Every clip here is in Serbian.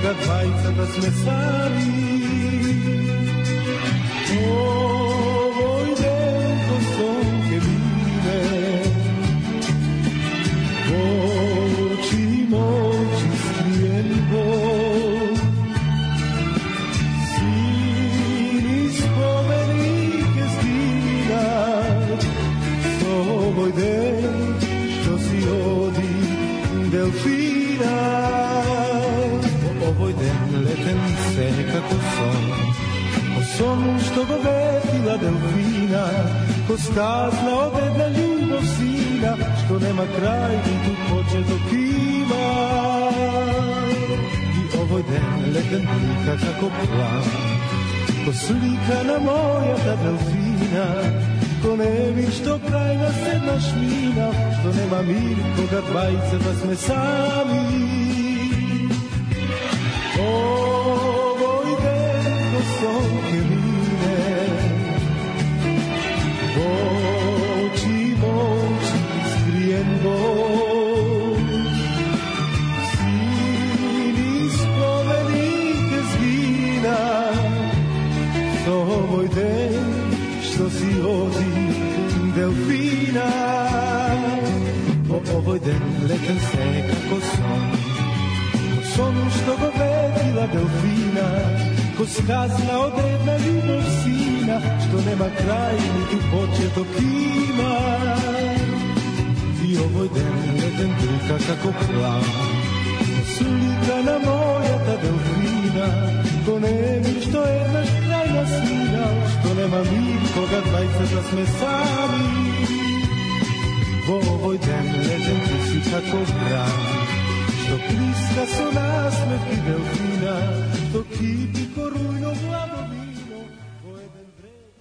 koga dvajca da sme sami. Ovoj den ko sonke mine, oči moći skrijen bol, sini spomenike zgina, ovoj den što si odi delfina. Ovoj den leten se kako son, o sonu što go vetila delfina, ko skazna od jedna ljubov sina, što nema kraj ni tu početok ima. I ovoj den leten plika kako plan, ko slikana moja ta delfina, ko ne mi što krajna sedna šmina, što nema mir koga dvajce da sme sami. Ovoj den ko sonke mine, oči moći skrijen bol, sini spomenike zgina, ovoj den što si odi delfina. Ovoj den leten se kako son, ko son što go vedila delfina, ko skazna od jedna ljubov sina, što nema kraj niti početok ima. I ovoj den leten trka kako plan, ko slikana moja ta delfina, ko ne mi što je naš krajna svina, što nema mir koga dvajca da sme sami. Ovoj den leden ti si kako gran, što pliska so nasmevki delfina, što kipi ko rujno hladovino, ko jeden vreme.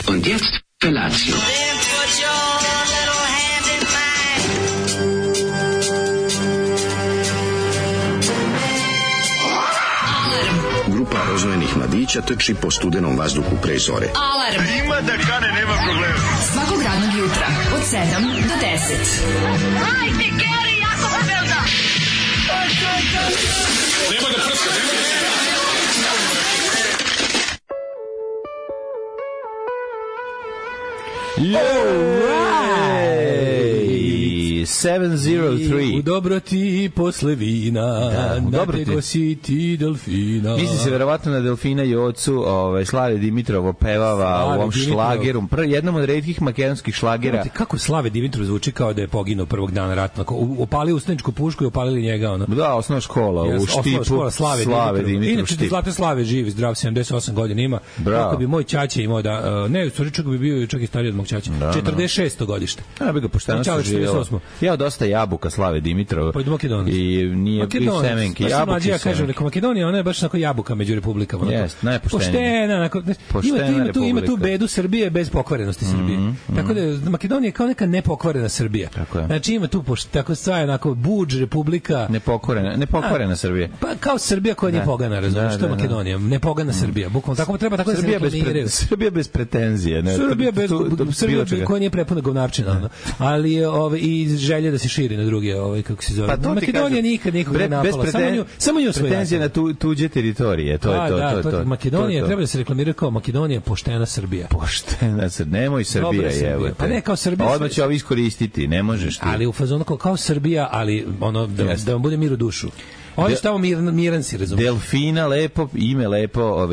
Und jetzt Felatio. Grupa rozvojenih mladića trči po studenom vazduhu pre zore. Alarm! Ima da kane, nema problema. Svakog radnog jutra, od 7 do 10. Hajde, Geri, jako se velda! Nema da prska, nema da prska. 703. U dobroti posle vina, natego si ti delfina. Misli se verovatno na delfina i ocu Slave Dimitrovo pevava u ovom šlageru. Jednom od retkih makedonskih šlagera. Kako Slave Dimitrov zvuči kao da je poginuo prvog dana rata. Opalio ustaničku pušku i opalili njega. Ono. Da, osnovna škola u Štipu. Slave Dimitrov. Inače, Zlate Slave živi, zdrav, 78 godina ima. Kako bi moj ćaća imao da... Ne, u stvari čak bi bio čak i stariji od mog ćaća. 46. godište. Ja bi ga pošteno saživjela. Ja dosta jabuka Slave Dimitrova. Pa idu Makedoniju. I nije bio semenki. Jabuke ja kažem, neko Makedonija, ona je baš onako jabuka među republikama. Jest, najpoštenija. Poštena, ima tu bedu Srbije bez pokvarenosti Srbije. Tako da Makedonija je kao neka nepokvarena Srbija. Znači ima tu tako stvar onako budž republika. Nepokvarena Srbija. Pa kao Srbija koja nije pogana, razumiješ, što je Makedonija. Nepogana Srbija. Bukvalno tako treba tako da se reklamiraju. Srbija bez pretenzije. Srbija koja nije prepuna govnarčina. Ali i želje da se širi na druge, kako se zove. Pa Makedonija nikad nikog ne napala, samo nju svoje. Pretenzije na tuđe teritorije, to je to. Makedonija treba da se reklamira kao Makedonija poštena Srbija. Poštena Srbija, nemoj Srbija, evo te. Pa ne kao Srbija. Odmah će ovo iskoristiti, ne možeš ti. Ali u fazonu kao Srbija, ali ono da vam bude mir u dušu. Oni su tamo miran si, razumiješ. Delfina, lepo, ime lepo,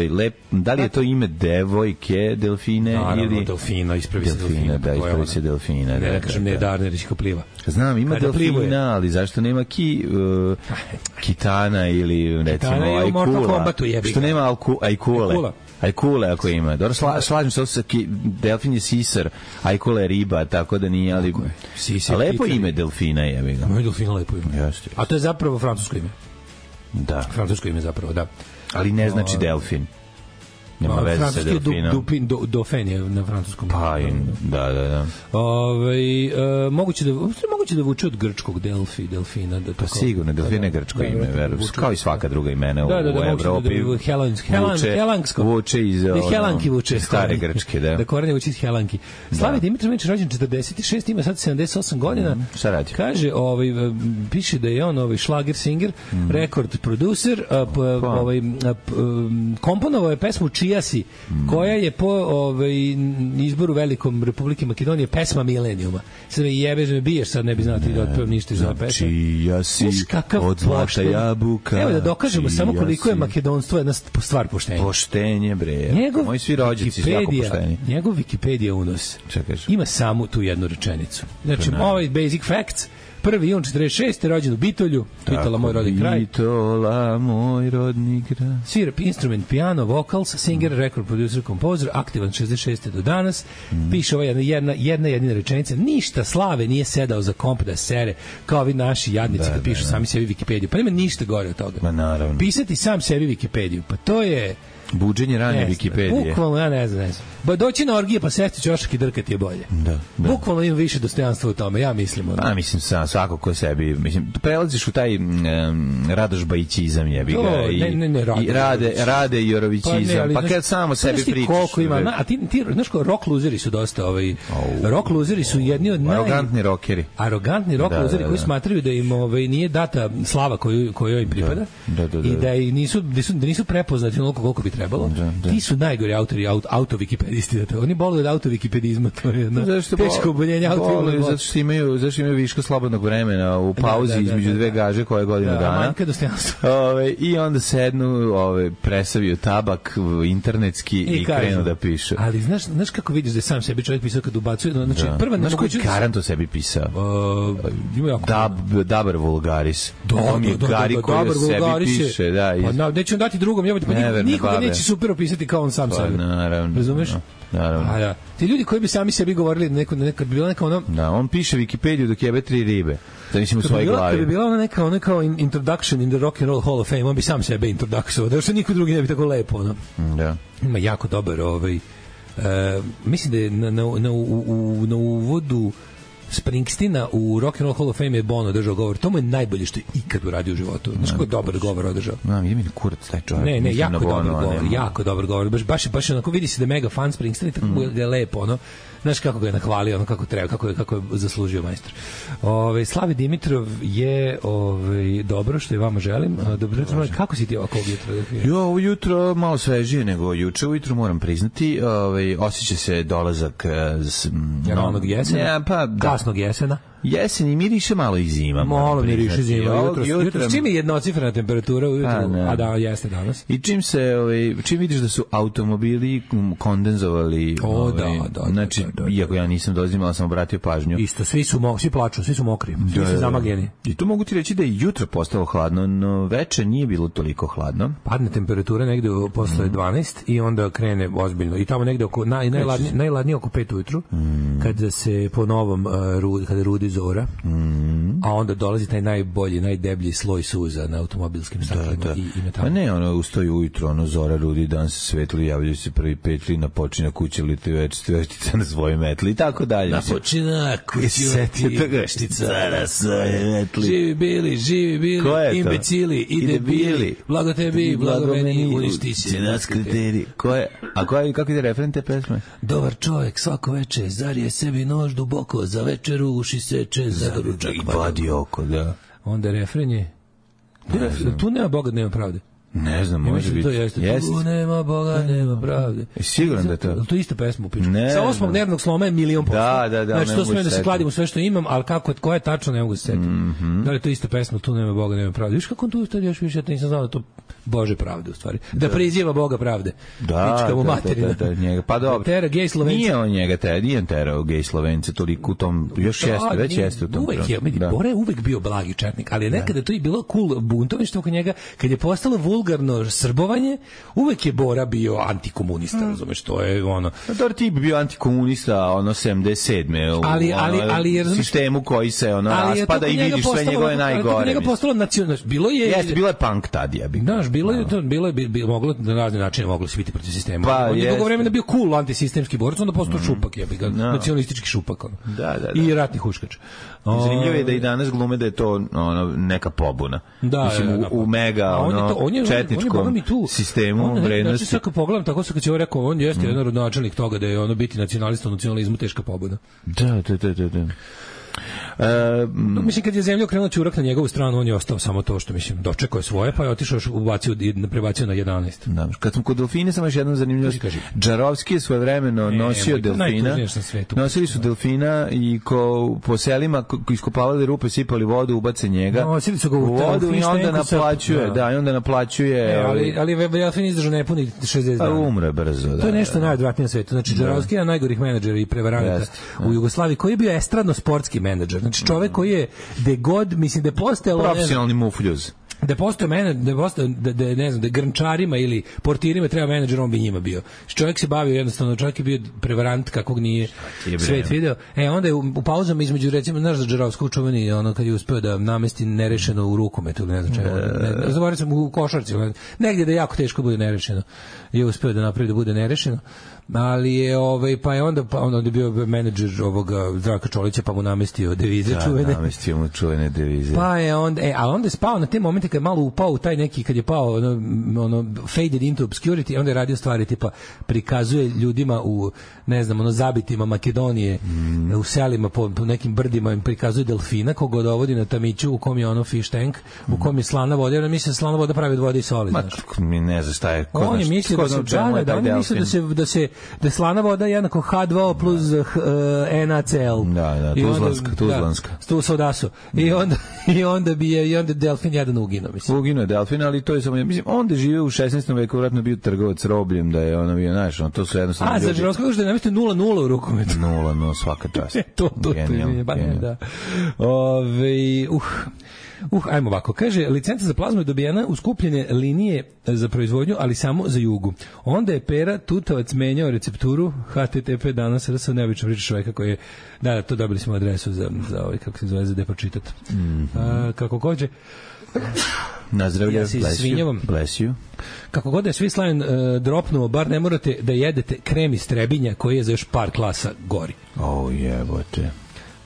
da li je to ime devojke Delfine? Naravno, Delfina, ispravi se Delfina. Da, ispravi se Delfina. Ne kažem, ne je Darnerić ko pliva. Znam, ima Delfina, ali zašto nema Kitana ili recimo Ajkula? Što nema Ajkule? Ajkule ako ima. Dobro, slažem se, delfin je sisar, Ajkula je riba, tako da nije, ali... Lepo ime Delfina je. Moj Delfina lepo ime. A to je zapravo francusko ime. Da. Francusko ime zapravo, da. Ali ne znači delfin. Nema veze sa delfinom. Dauphin je na francuskom. Pa, da. Moguće da vuče od grčkog delfina. Pa sigurno, delfin je grčko ime, kao i svaka druga imena u Evropi. Helansko. Vuče iz Helanki vuče. Stare grčke, da. Da korenje vuče iz Helanki. Slavi Dimitrović rođen 46, ima sad 78 godina. Šta radi? Kaže, piše da je on šlager singer, rekord producer, komponovao je pesmu Čija si, koja je po izboru velikom Republike Makedonije pesma milenijuma. Sad me jebeš, me biješ, sad ne bi znao ti da otpevam ništa iz ove pesme. Čija si, od zlata jabuka. Evo da dokažemo samo koliko je makedonstvo jedna stvar poštenja. Poštenje, bre. Moji svi rođaci su jako pošteni. Njegov Wikipedia unos ima samo tu jednu rečenicu. Znači, basic facts. 1. jun 46. rođen u Bitolju, Bitola, moj rodni kraj. Bitola, moj rodni kraj. Svira instrument, piano, vocals, singer, record producer, composer, aktivan 66. do danas. Piše ova jedna rečenica. Ništa Slave nije sedao za komp da sere, kao vi naši jadnici da pišu sami sebi Wikipediju. Pa nema ništa gore od toga. Ma naravno. Pisati sam sebi Wikipediju, pa to je... Buđenje ranje Wikipedije. Bukvalno, ja ne znam. Ba doći na orgije pa sesti ćošak i drkati je bolje. Da. Bukvalno ima više dostojanstva u tome, ja mislim. Mislim, svako ko sebi, prelaziš u taj Radoš Bajićizam jebi ga. I rade Jorovićizam, pa kad samo sebi pričaš. Koliko ima, a ti znaš ko, rock luzeri su dosta, rock luzeri su jedni od arogantni rockeri. Arogantni rock luzeri koji smatraju da im nije data slava kojoj im pripada i da nisu prepoznati onoliko koliko bi trebalo. Ti su najgori autori auto-wikipedisti. Oni boluju od auto-wikipedizma. To je teško oboljenje auto-wikipedizma. Zato što imaju viško slobodnog vremena u pauzi između dve gaže koje godinu dana. Manjka dostojanstva. I onda sednu, presaviju tabak internetski i krenu da pišu. Ali znaš kako vidiš da je sam sebi čovjek pisao kad ubacuje? Znaš koji Karan to sebi pisao? Dabar Vulgaris. On je Gari koji sebi piše. Neću dati drugom, nikoga neće super opisati kao on sam sebi. Razumeš? Naravno. Ti ljudi koji bi sami sebi govorili nekad bi bila neka ono... Da, on piše Wikipediju dok jebe 3 ribe. Da mislim u svojoj glavi. Kad bi bila ona kao introduction in the Rock and Roll Hall of Fame, on bi sam sebe introduksovao. Da što niko drugi ne bi tako lepo, ono. Da. Ima jako dobar mislim da je na uvodu Springsteena u Rock and Roll Hall of Fame je Bono držao govor. To mu je najbolje što je ikad uradio u životu. Znaš kako je dobar govor održao? Ide mi na kurac taj čovjek. Ne, jako dobar govor. Baš onako vidi se da je mega fan Springsteen i tako mu je lepo, ono. Znaš kako ga je nahvalio, ono kako treba, kako je zaslužio majstor. Slavi Dimitrov je dobro što i vama želim. Dobro jutro, kako si ti ovako jutra? Ovo jutro malo svežije nego juče. Ujutro moram priznati, osjeća se dolazak ranog jesena. Kasnog jesena. Jesen i miriše malo i zima. Malo miriše zima. Jutro čim je jednocifrena temperatura ujutru, a da jeste danas. I čim vidiš da su automobili kondenzovali. Znači, iako ja nisam dolazim, ali sam obratio pažnju. Isto, svi plaču, svi su mokri, svi su zamagljeni. I to mogu ti reći da je jutro postalo hladno, no veče nije bilo toliko hladno. Padne temperatura negde posle 12 i onda krene ozbiljno. I tamo negde oko najladnije oko 5 ujutru, kada se po novom kada rudi zora, a onda dolazi taj najbolji, najdeblji sloj suza na automobilskim staklima i metalu. A ne, ustaju ujutro, zora rudi, dan se svetli, javljaju se prvi petli, napočina kuće liti veštica na svoje metli i tako dalje. Napočina kuće liti veštica na svoje metli. Živi bili, imbecili i debili, blago tebi, blago meni, uništi se nas kriteri. Kako ide refren te pesme? Dobar čovjek svako veče zarije sebi nož duboko, za večeru uši seče, za doručak i vadi oko, da. Onda refren je tu nema Boga, nema pravde. Ne znam, može biti. Tu nema Boga, nema pravde. Siguran da je to. To je ista pesma u piču. Sa 8. nervnog sloma je 1.000.000%. Da. Znači, to smije da se kladim u sve što imam, ali koja je tačno, ne mogu se setiti. Da li je to ista pesma, tu nema Boga, nema pravde. Viš kako on tu ustali još više, ja nisam znao da to Bože pravde, u stvari. Da priziva Boga pravde. Da, njega. Pa dobro. Tera gej Slovenca. Nije on njega, nije on terao gej Slovence, toliko u tom, još već jeste u tom. Bora je uvek bio blagi četnik, ali nekada to je bilo cool buntovište oko njega, kad je postalo vulgarno srbovanje, uvek je Bora bio antikomunista, razumeš, to je ono. Dobar tip bio antikomunista, ono 77. Ali sistemu koji se ono raspada i vidiš sve njegove najgore. Ali njega postalo nacionalno, bilo je punk tad, ja bih. Znaš, bilo je moglo na razne načine moglo se biti protiv sistema. On je dugo vremena bio cool antisistemski borac, onda postao šupak, ja bih ga, nacionalistički šupak. Da. I ratni huškač. Zanimljivo je da i danas glume da je to neka pobuna. Mislim, u mega četničkom sistemu vrednosti. Znači, kad pogledam, tako se kad će ovo rekao, on jeste jedan rodonačelnik toga da je ono biti nacionalista u nacionalizmu teška pobuna. Da. Mislim, kad je zemlja okrenula ćurak na njegovu stranu, on je ostao samo to što, mislim, dočekao je svoje, pa je otišao, prebacio na 11. Da, kad smo kod delfine, samo još jednom zanimljivost. Džarovski je svojevremeno nosio delfina. Nosili su delfina i po selima iskopavali rupe, sipali vodu, ubace njega. Nosili su ga u vodu i onda naplaćuje. Da, i onda naplaćuje. Ali delfin izdržao nepuni 60 dana. Umre brzo. To je nešto najodvratnije na svetu. Znači, Džarovski je najgorih menadžera i prevaranata u Jugoslaviji, koji je bio estradno-sportski menadžer. Znači, čovek koji je mislim da je postojalo profesionalni mufljuz. Da postoje ne znam, da grnčarima ili portirima treba menadžer, on bi njima bio. Čovjek se bavio jednostavno, čovjek je bio prevarant kakvog nije svet video. Onda je u pauzama između, recimo, znaš za Džarovskog čuveni, ono kad je uspeo da namesti nerešeno u rukometu ili ne znam čemu. Zaboravio sam u košarci, negdje da jako teško bude nerešeno. Je uspeo da napravi da bude nerešeno. Ali je pa je onda je bio menadžer ovoga Zdravka Čolića, pa mu namestio devize čuvene. Da, namestio mu čuvene devize. Pa je onda onda je spao na te momente kad je malo upao u taj neki, kad je pao ono faded into obscurity, onda je radio stvari tipa prikazuje ljudima u, ne znam, zabitima Makedonije, u selima po nekim brdima im prikazuje delfina koga dovodi na tamiću u kom je ono fish tank, u kom je slana voda, jer mislim slana voda pravi od vode i soli, znaš. Mi ne znam šta je. On je mislio da slana voda je jednako H2O plus NaCl. Da, tuzlanska. Tu sodasu. I onda delfin jedan uginuo, mislim. Uginuo je delfin, ali to je samo, mislim, onda žive u 16. veku, vratno bio trgovac robljem, da je ono bio, znaš, to su jednostavno ljudi. Za Džarovskog što je namestio 0-0 u rukometu. 0-0, svaka čast. To da. Ajmo ovako. Kaže, licenca za plazmu je dobijena u skupljene linije za proizvodnju, ali samo za Jugu. Onda je Pera Tutavac menjao recepturu HTTP danas RS, neobično priča čoveka koji je, da, to dobili smo adresu za ovaj, kako se zove, za depočitat. Kako kođe, nazdravlja, bless you. Kako god je Swiss Lion dropnuo, bar ne morate da jedete krem iz Trebinja koji je za još par klasa gori. Jebote.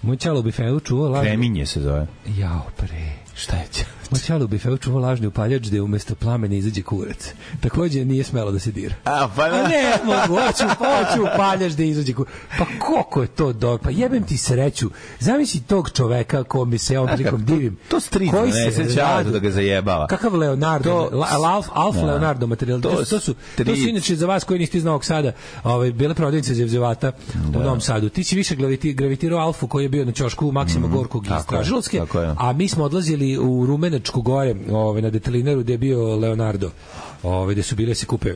Moj čalo u bifeu čuvao lažni... Kreminje se zove. Jao, pre. Šta je će? Moj čalo u bifeu čuvao lažni upaljač da je umesto plamena izađe kurac. Takođe nije smelo da se dira. A ne mogu, hoću upaljač da izađe kurac. Pa koliko je to dobro? Pa jebem ti sreću. Zamisli tog čoveka kom bi se on prilikom divim. To strično, ne seća da ga zajebava. Kakav Leonardo? Alf Leonardo materijal. To su inače za vas koji niste iz Novog Sada, bile prodavnice Zevzevata u Novom Sadu. Ti si više gravitirao Alfu koji je bio na ćošku Maksima Gorkog iz Stražilovske, a mi smo odlazili u Rumenačku gore, na Detelineru gde je bio Leonardo, gde su bile se kupe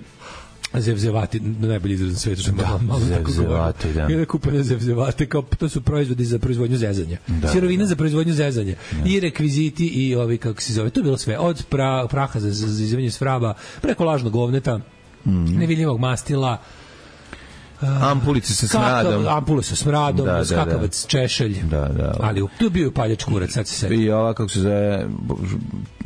Zevzevati, najbolji izraz na svetu, što je malo Zevzevati, da. Ili kupene Zevzevate, kao to su proizvodi za proizvodnju zezanja. Sirovina za proizvodnju zezanja. I rekviziti i ovi, kako se zove, to je bilo sve. Od praha za izivanje svraba, preko lažnog govneta, nevidljivog mastila, ampulice sa smradom. Ampule sa smradom, skakavac, češelj. Ali tu bio upaljač kurac, sad se sedi. I ova, kako se zove,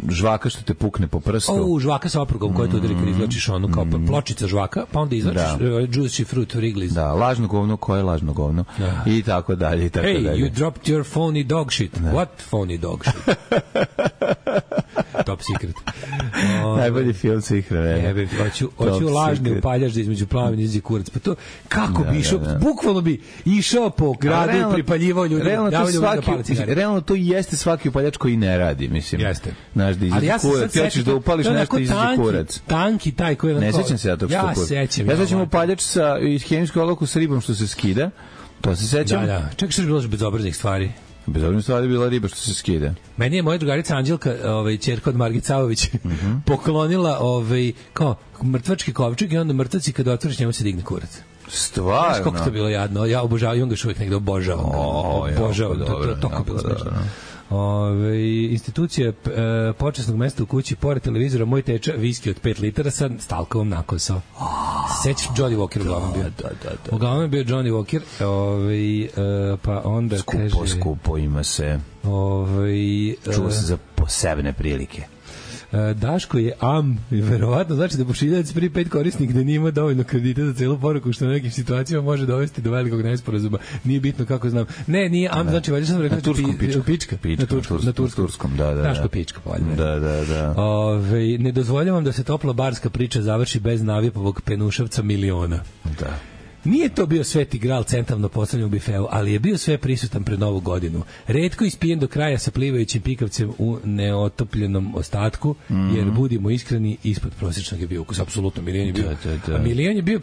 žvaka što te pukne po prstu. Žvaka sa oprugom koja te udari kad izvlačiš onu kao pločica žvaka, pa onda izvlačiš juicy fruit Wrigley's. Da, lažno govno, koje je lažno govno. I tako dalje, i tako dalje. Hey, you dropped your phony dog shit. What phony dog shit? Top secret. Najbolji film svih vremena. Hoću lažni upaljač da između plamena izađe kurac. Pa to, kako bi išao, bukvalno bi išao po gradu i pripaljivao ljudi. Realno to jeste svaki upaljač koji ne radi, mislim. Jeste. Znaš, da izađe kurac, ti hoćeš da upališ nešto i izađe kurac. Tanki taj koji je... Ne sećam se ja tog što kurac. Ja sećam upaljač iz hemijsku olovku sa ribom što se skida. To se sećam. Da. Čekaj, što je bilo bezobraznih stvari? Bezobraznih stvari bila riba što se skida. Meni je moja drugarica Anđelka, ćerka od Margit Savović, poklonila kao mrtvački kovčeg i onda mrtvaci kad otvoriš njemu se digne kurac. Stvarno? Znaš koliko to bilo jadno? Ja obožavam, i on ga još uvijek negde obožavam. To je bilo smešno. Institucija počasnog mesta u kući, pored televizora, moj teča, viski od 5 litara sa stalkovom nakosao. Sećaš Johnny Walker uglavnom bio? Da. Uglavnom bio Johnny Walker, pa onda Skupo ima se. Čuo se za posebne prilike. Daško je i verovatno znači da pošiljac prvi 5 korisnik gde nije imao dovoljno kredita za celu poruku, što na nekim situacijama može dovesti do velikog nesporazuma. Nije bitno kako znam. Ne, nije znači valjda sam rekao pička. Na turskom, da. Daško pička, valjda. Da. Ne dozvoljavam da se topla barska priča završi bez navipovog penušavca miliona. Da. Nije to bio sveti gral centralno postavljen u bifeu, ali je bio sve prisutan pred Novu godinu. Retko ispijen do kraja sa plivajućim pikavcem u neotopljenom ostatku, jer budimo iskreni, ispod prosječnog je bio ukus, apsolutno. Milion je bio. Da. Milion je bio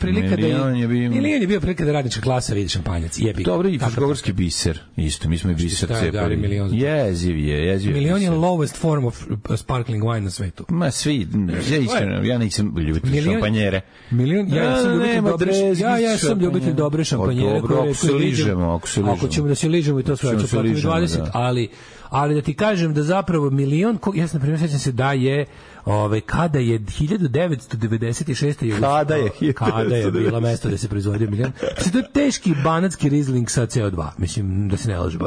prilika da radnička klasa vidi šampanjac. Dobro, i fruškogorski biser. Isto, mi smo i biser cepali. Jeziv je. Milion je lowest form of sparkling wine na svetu. Ma svi, ja nisam ljubitelj šampanjere. Ja sam ljubitelj dobre šampanjere. Ako se ližemo. Ako ćemo da se ližemo i to sve, 20, ali da ti kažem da zapravo milion, ja sam primjer sećam se da je kada je 1996. Kada je bilo mesto da se proizvodio milion. To je teški banatski rizling sa CO2. Mislim, da se ne lažemo.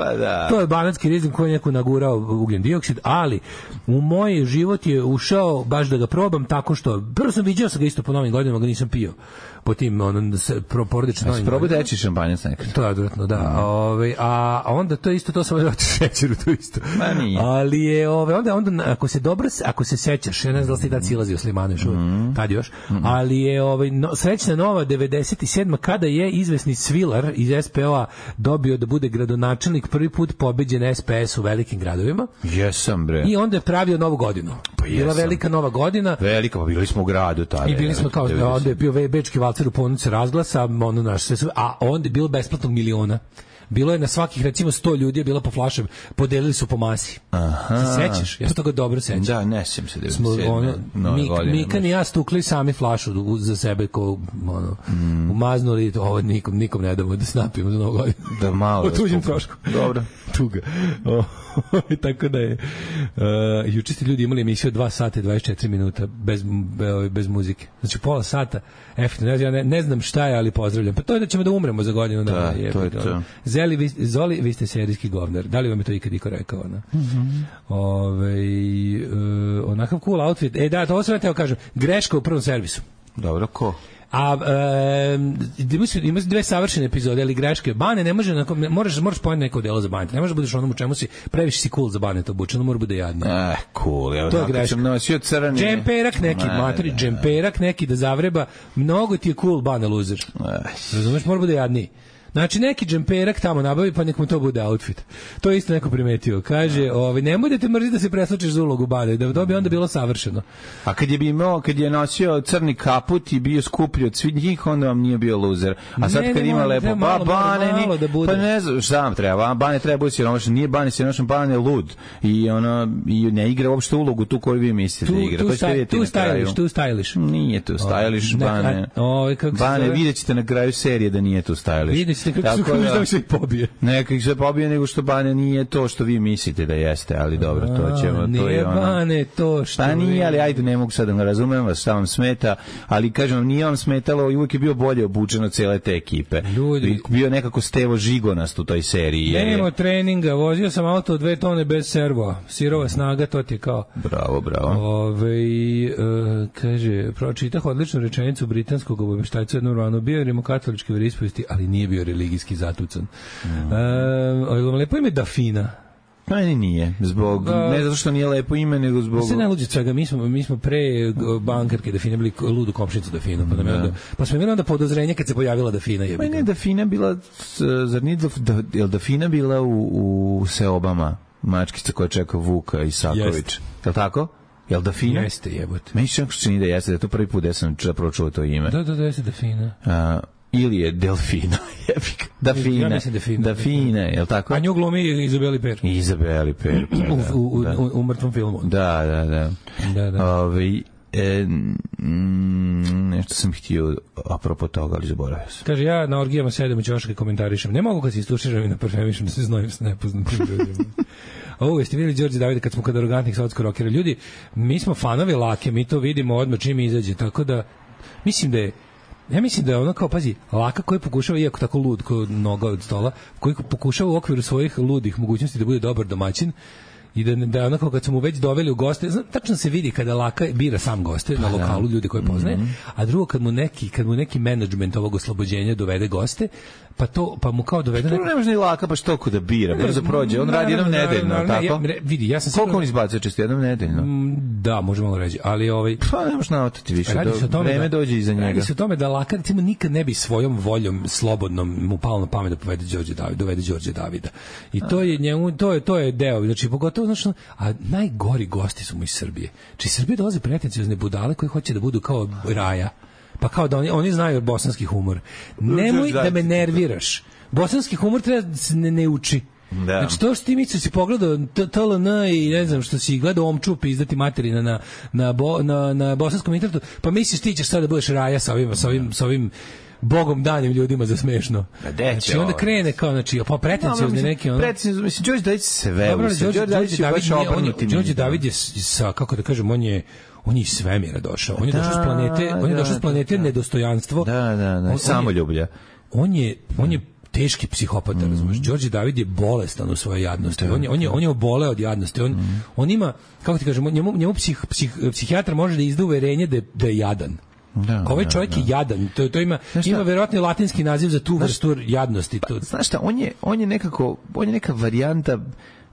To je banatski rizling koji je neko nagurao ugljen dioksid, ali u moj život je ušao baš da ga probam tako što, prvo sam viđao sam ga isto po novim godinama, ga nisam pio po tim porodično novim. Probaj teći šampanjac nekad. To je odvratno, da. A onda to isto, to sam vjerojatno šećeru, to isto. Ali je, onda ako se sećaš, ja ne znam da li si tad silazio Slimane još tad još, ali je srećna nova 97. kada je izvesni Svilar iz SPO-a dobio da bude gradonačelnik, prvi put pobeđen SPS u velikim gradovima. Jesam, bre. I onda je pravio Novu godinu. Bila velika Nova godina. Velika, pa bili smo u gradu tada. I bili smo kao, onda je bio bečki valcer u ponuci razglasa, a onda je bilo besplatnog miliona. Bilo je na svakih, recimo, 100 ljudi je bila po flašama, podelili su po masi. Se sećaš? Ja se toga dobro sećam. Da, ne sećam se. Mikan i ja stukli sami flašu za sebe, umaznuli, ovo nikom ne damo da snapimo za Novu godinu. Da malo. O tuđem trošku. Dobro. Tuga. Tako da je juče ste ljudi imali emisiju 2 sata i 24 minuta bez muzike. Znači pola sata efektivno. Ja ne znam šta je, ali pozdravljam. Pa to je da ćemo da umremo za godinu dana. To je to. Zoli, vi ste serijski govnar. Da li vam je to ikad iko rekao? Onakav cool outfit. Da, to sam teo kažem. Greška u prvom servisu. Dobro, ko? Ima 2 savršene epizode, ali greške. Bane ne može, moraš pojeti neko delo za Baneta. Ne može budeš onom u čemu si, previše si cool za Baneta obučeno, mora bude jadno. Cool. To je greška. Džemperak neki da zavreba, mnogo ti je cool Bane loser. Razumeš, mora bude jadniji. Znači neki džemperak tamo nabavi, pa nek mu to bude outfit. To je isto neko primetio. Kaže, nemoj da te mrzi da se preslačeš za ulogu Bane, da to bi onda bilo savršeno. A kad je nosio crni kaput i bio skuplji od svih njih, onda vam nije bio loser. A sad kad ima lepo, Bane ni, pa ne znam šta vam treba. Bane treba biti siromašan, nije Bane siromašan, Bane je lud. I ne igra uopšte ulogu tu koju vi mislite da igra. Tu stylish. Nije tu stylish, Bane. Bane, vidjet ćete na kraju serije da nije tu stylish. Kako se pobije. Nekak se pobije nego što Bane nije to što vi mislite da jeste, ali dobro, to ćemo. Nije Bane to što... Pa nije, ali ajde, ne mogu sad da razumem vas, šta vam smeta, ali kažem vam, nije vam smetalo i uvijek je bio bolje obučeno cele te ekipe. Bio nekako Stevo Žigonast u toj seriji. Nema treninga, vozio sam auto 2 tone bez servo, sirova snaga, to ti je kao... Bravo. Kaže, pročitah odličnu rečenicu britanskog obaveštajca jednom ranu, bio je rimokatoličke veroispovesti, ali nije bio religijski zatucan. Lepo ime Dafina. Meni nije, ne zato što nije lepo ime, nego zbog... Se ne luđe svega, mi smo pre bankarke Dafina bili ludu komšnicu Dafinu, pa smo imali onda podozrenje kad se pojavila Dafina. Pa ne, Dafina bila, zar nije Dafina bila u Seobama, mačkica koja čeka Vuka Isaković. Je li tako? Jel Dafina? Jeste, jebote. Meni se čini da jeste, da je to prvi put da sam zapravo čuo to ime. Da, jeste Dafina. Ili je Delfina. Ja mislim Dafina, je li tako? A nju glumi Izabeli Per. Izabeli Per. U mrtvom filmu. Da. Nešto sam htio apropo toga, ali zaboravio sam. Kaže, ja na orgijama sedem i ćoške komentarišem. Ne mogu kad se istuširam i na parfemišem da se znojim s nepoznatim ljudima. Ovo jeste vidjeli Đorđe Davida kad smo kod arogantnih saudskog rokera. Ljudi, mi smo fanovi Lake, mi to vidimo odmah čim izađe, tako da mislim da je ono kao, pazi, Laka koji pokušava, iako tako lud kao noga od stola, koji pokušava u okviru svojih ludih mogućnosti da bude dobar domaćin, i da onako kad smo mu već doveli u goste, tačno se vidi kada Laka bira sam goste na lokalu, ljudi koje poznaje, a drugo kad mu neki menadžment ovog oslobođenja dovede goste, pa mu kao dovede neko... Ne može ni Laka baš toliko da bira, brzo prođe, on radi jednom nedeljno, tako? Vidi, ja sam koliko on izbacuje često, jednom nedeljno? Da, može malo reći, ali pa ne možeš naotati više, vreme dođe iza njega. Radi se o tome da Laka, recimo, nikad ne bi svojom voljom slobodnom mu palo na pamet da dovede Đorđe Davida. I to je njemu, to je deo, znači pogotovo, znači, a najgori gosti su mu iz Srbije. Či iz Srbije dolaze pretenciozne budale koji hoće da budu kao Raja. Pa kao da oni znaju bosanski humor. Nemoj da me nerviraš. Bosanski humor treba ne uči. Da. Znači to što ti Mico si pogledao TLN i ne znam što si gledao Omčup izdati materina na bosanskom internetu, pa misliš ti ćeš sad da budeš Raja sa ovim Bogom danim ljudima za smešno. Znači onda krene kao, znači, pa pretenciozne neki ono. Pretenciozno, mislim, Đorđe David sve. Đorđe David je sa, kako da kažem, on je iz svemira došao. On je došao s planete nedostojanstvo. Da, samoljublja. On je teški psihopata, razumiješ. Đorđe David je bolestan u svojoj jadnosti. On je oboleo od jadnosti. On ima, kako ti kažem, njemu psihijatar može da izda uverenje da je jadan. Ovaj čovjek je jadan. To ima verovatno latinski naziv za tu vrstu jadnosti. Znaš šta, on je neka varijanta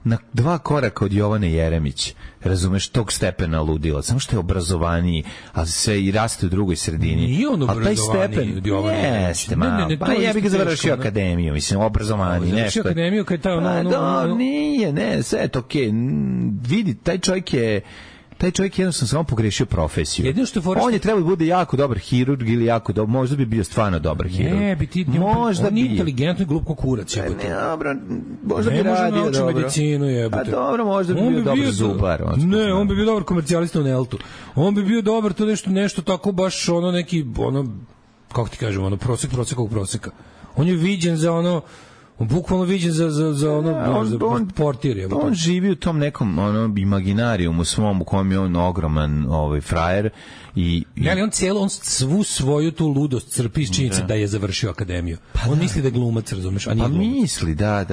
na 2 koraka od Jovane Jeremić, razumeš, tog stepena ludila, samo što je obrazovaniji, ali sve i raste u drugoj sredini. Nije on obrazovaniji od Jovane Jeremić. Pa ja bih ga završio akademiju, mislim, obrazovaniji, nešto. Završio akademiju kad je nije, sve je to okej. Vidi, taj čovjek jednostavno samo pogrešio profesiju. On je trebao da bude jako dobar hirurg ili jako dobar, možda bi bio stvarno dobar hirurg. Ne, on je inteligentno i glup ko kurac. Ne, dobro, možda bi radio dobro. Medicinu, pa dobro, možda bi bio dobar zubar. Ne, on bi bio dobar komercijalista u Neltu. On bi bio dobar to nešto tako baš ono neki, kako ti kažem, proseka. On je viđen za ono, bukvalno viđen za ono portir. On živi u tom nekom imaginarijumu svom u kojem je on ogroman frajer i ali on svu svoju tu ludost crpi iz činjenice da je završio akademiju. On misli da je glumac, razumeš, a nije glumac. Misli, da.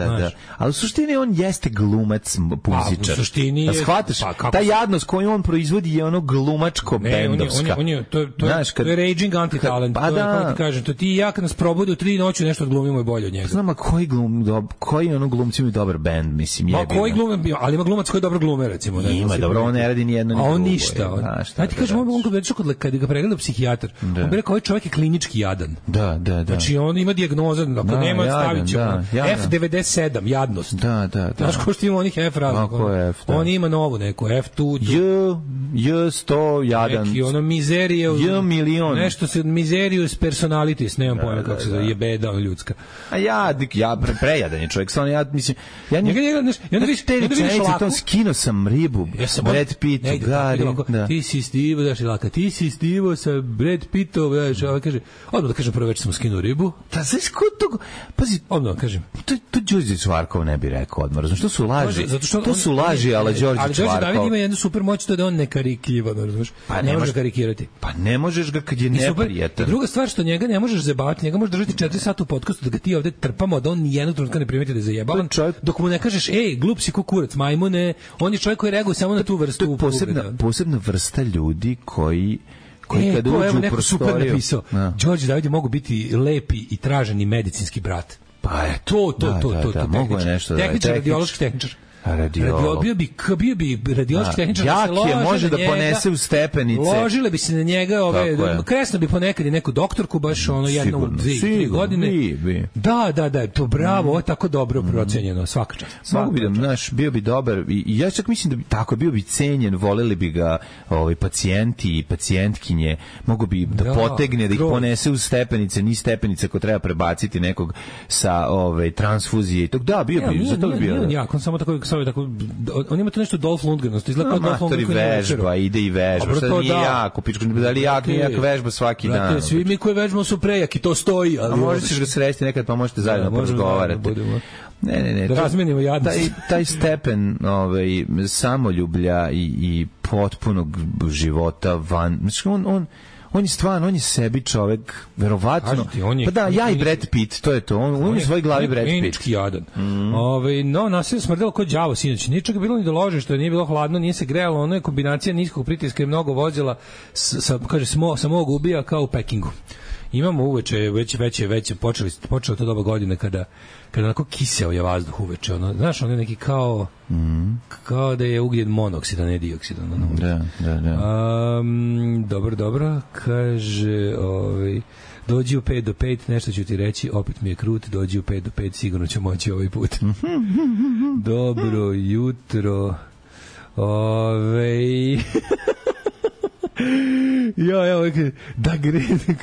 Ali u suštini on jeste glumac puzičar. U suštini je... Shvataš, ta jadnost koju on proizvodi je ono glumačko bendovska. To je raging anti-talent. Pa da. Kažem, to ti i ja kad nas probude u 3 noći nešto odglumimo i bolje od njega. Znam, a koji glumci imaju dobar bend, mislim, jebi. Koji glum, ali ima glumac koji dobro glume, recimo. Ima, dobro, on ne radi ni jedno ni drugo. A on ništa. Ajde ti kažem, kad ga pregleda psihijatar, on bi rekao, ovaj čovjek je klinički jadan. Da. Znači, on ima dijagnoza, ako nema, stavit će F97, jadnost. Da. Znaš ko što ima onih F razlog? On ima novu neku, F2. J100 jadan. Neki, ono, mizerije. J1.000.000. Nešto se, mizerius personalitis, nemam pojma kako se zove, je beda ljudska. A ja prejadan je čovjek, stvarno, ja mislim, ja njega, te rečenice, tom skino sam ribu, Brad Pitt, Gary, ti si stivo, daš Laka, ti si stivo sa Brad Pittom, daš, ovaj kaže, odmah da kažem, prvo već sam skinuo ribu. Da, znaš ko to, pazi, odmah da kažem. To Đorđe Čvarkov ne bi rekao odmah, razumiješ, to su laži, to su laži, ali Đorđe Čvarkov. Ali Đorđe David ima jednu super moć, to da on ne karikiva, razumiješ, ne možeš karikirati. Pa ne možeš ga kad je neprijatan. Druga stvar što njega ne možeš zajebavati, njega možeš držati 4 sata u podcastu da ga ti ovde trpamo, da on nijednog trenutka ne primeti da je zajebavan, dok mu ne kažeš, glup si ko kurac, majmune, on je čovjek koji reaguje samo na tu vrstu. Posebna vrsta ljudi koji kada uđu u prostoriju. Super napisao, Đorđe David je mogu biti lepi i traženi medicinski brat. Pa je to. Mogu je nešto da je. Tehničar, radiološki tehničar. Bio bi radiološki tehničar. Jak je, može da ponese u stepenice. Ložile bi se na njega, kresno bi ponekad i neku doktorku, baš ono jednom u 2-3 godine. Da, to bravo, ovo je tako dobro procenjeno, svaka čast. Mogu bi da, znaš, bio bi dobar, i ja čak mislim da bi tako, bio bi cenjen, voleli bi ga pacijenti i pacijentkinje, mogu bi da potegne, da ih ponese u stepenice, ni stepenice ko treba prebaciti nekog sa transfuzije i tog. Da, bio bi, zato bi bio. Ja, on samo tako, on ima to nešto Dolph Lundgren, izgleda kao Dolph Lundgren. Vežba, ide i vežba, što nije jako, pičko, da li jak vežba svaki dan. Svi mi koji vežbamo su prejaki, to stoji. A možeš ga sresti nekad, pa možete zajedno porazgovarati. Ne. Da razmenimo jadnost. Taj stepen samoljublja i potpunog života van... Znači, on je stvarno, on je sebi čovek, verovatno. Pa da, ja i Brad Pitt, to je to. On je u svojoj glavi Brad Pitt. Enički jadan. No, nasilje smrdelo kod đavo sinoć. Nije čak bilo ni da lože, što nije bilo hladno, nije se grejalo. Ono je kombinacija niskog pritiska i mnogo vozila sa mog ubija kao u Pekingu. Imamo uveče, već počelo to doba godine kada onako kiseo je vazduh uveče. Ono, znaš, ono je neki kao da je ugljen monoksid, a ne dioksid. Da. Dobro, kaže... dođi u 5 do 5, nešto ću ti reći, opet mi je krut, dođi u 5 do 5, sigurno će moći ovaj put. Dobro jutro.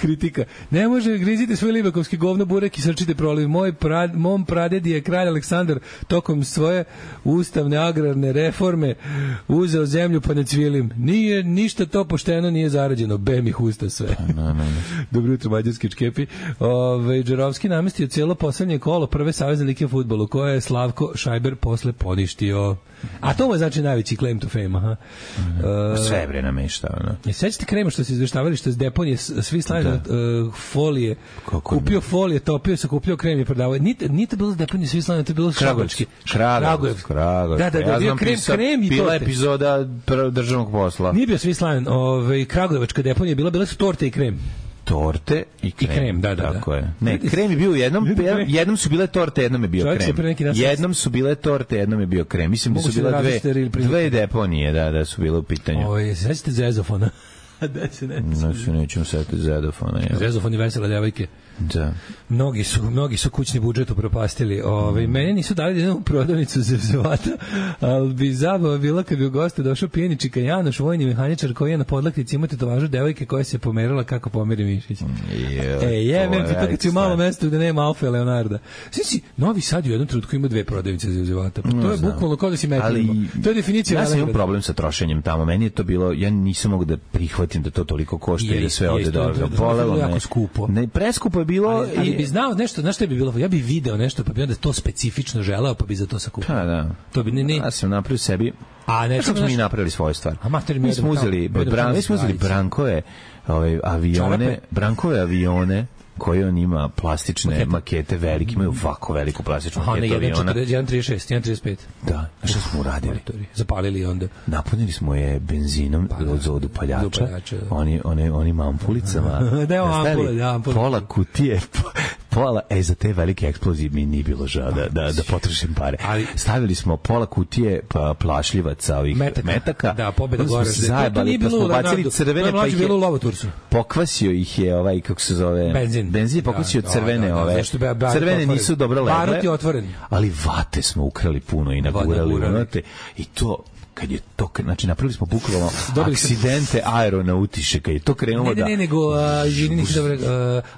Kritika. Ne može, grizite svoj libakovski govno burek i srčite proliv. Mom pradedi je kralj Aleksandar tokom svoje ustavne agrarne reforme uzeo zemlju pa ne cvilim. Nije ništa to pošteno, nije zarađeno. Bem ih usta sve. Dobro jutro, mađarski čkepi. Džerovski namestio cijelo poslednje kolo prve savezne lige u fudbalu koje je Slavko Šajber posle poništio. A to mu je znači najveći claim to fame, aha. Sve bre namešta, ono. Sećate Krema što se izveštavali što je s deponije svi slavili folije. Kupio folije, topio se, kupio krem i prodavao. Nije bilo s deponije svi slavili, to je bilo Kragujevački. Kragujev. Da, bio krem i torte. Bila epizoda državnog posla. Nije bio svi slavljen, Kragujevačka deponija bile su torte i krem. Torte i krem. Da. Tako je. Ne, krem je bio jednom su bile torte, jednom je bio krem. Jednom su bile torte, jednom je bio krem. Mislim da su bile dve deponije, da su bile u pitanju. Sećate Zezofona? Nećemo setiti Zezofona. Zezofon i vesele devojke. Da. Mnogi su kućni budžet upropastili. Mene nisu dali jednu prodavnicu zevzevata, ali bi zabava bila kad bi u goste došao pijeni čika Janoš, vojni mehaničar koji je na podlaktici ima tetovažu devojke koja se pomerila kako pomeri mišić. Jebem ti to kad si u malom mestu gde nema Alfa Leonarda. Znači, Novi Sad u jednom trenutku ima dve prodavnice zevzevata. Pa to je bukvalno kao da si metrimo. To je definicija. Ja sam imao problem sa trošenjem tamo. Meni je to bilo, ja nisam mogu da prihvatim da to toliko košta i da sve ovde dobro. Polelo jako skupo. Ne, preskupo je bilo. Ali bi znao nešto, znaš što bi bilo? Ja bi video nešto, pa bi onda to specifično želeo, pa bi za to sakupio. Da. To bi ne. Ja sam napravio sebi. A ne smo mi napravili svoju stvar. Mi smo uzeli Brankove avione koje on ima plastične makete velike, imaju ovako veliku plastičnu maketu aviona. 1.36, 1.35. Da, a što smo uradili? Zapalili onda. Napunili smo je benzinom od upaljača, onim ampulicama. Pola kutije, za te velike eksplozije mi nije bilo žao da potrošim pare. Stavili smo pola kutije plašljivaca ovih metaka. Da, pobeda gore. Zajebali, pa smo bacili crvene, pa ih je pokvasio ih je kako se zove, benzin je pokvasio crvene, crvene nisu dobro legle, barut je otvoren, ali vate smo ukrali puno i nagurali unutra i to kad je to, znači napravili smo bukvalno aksidente aeronautiše, kad je to krenulo da... nego, nisu dobro,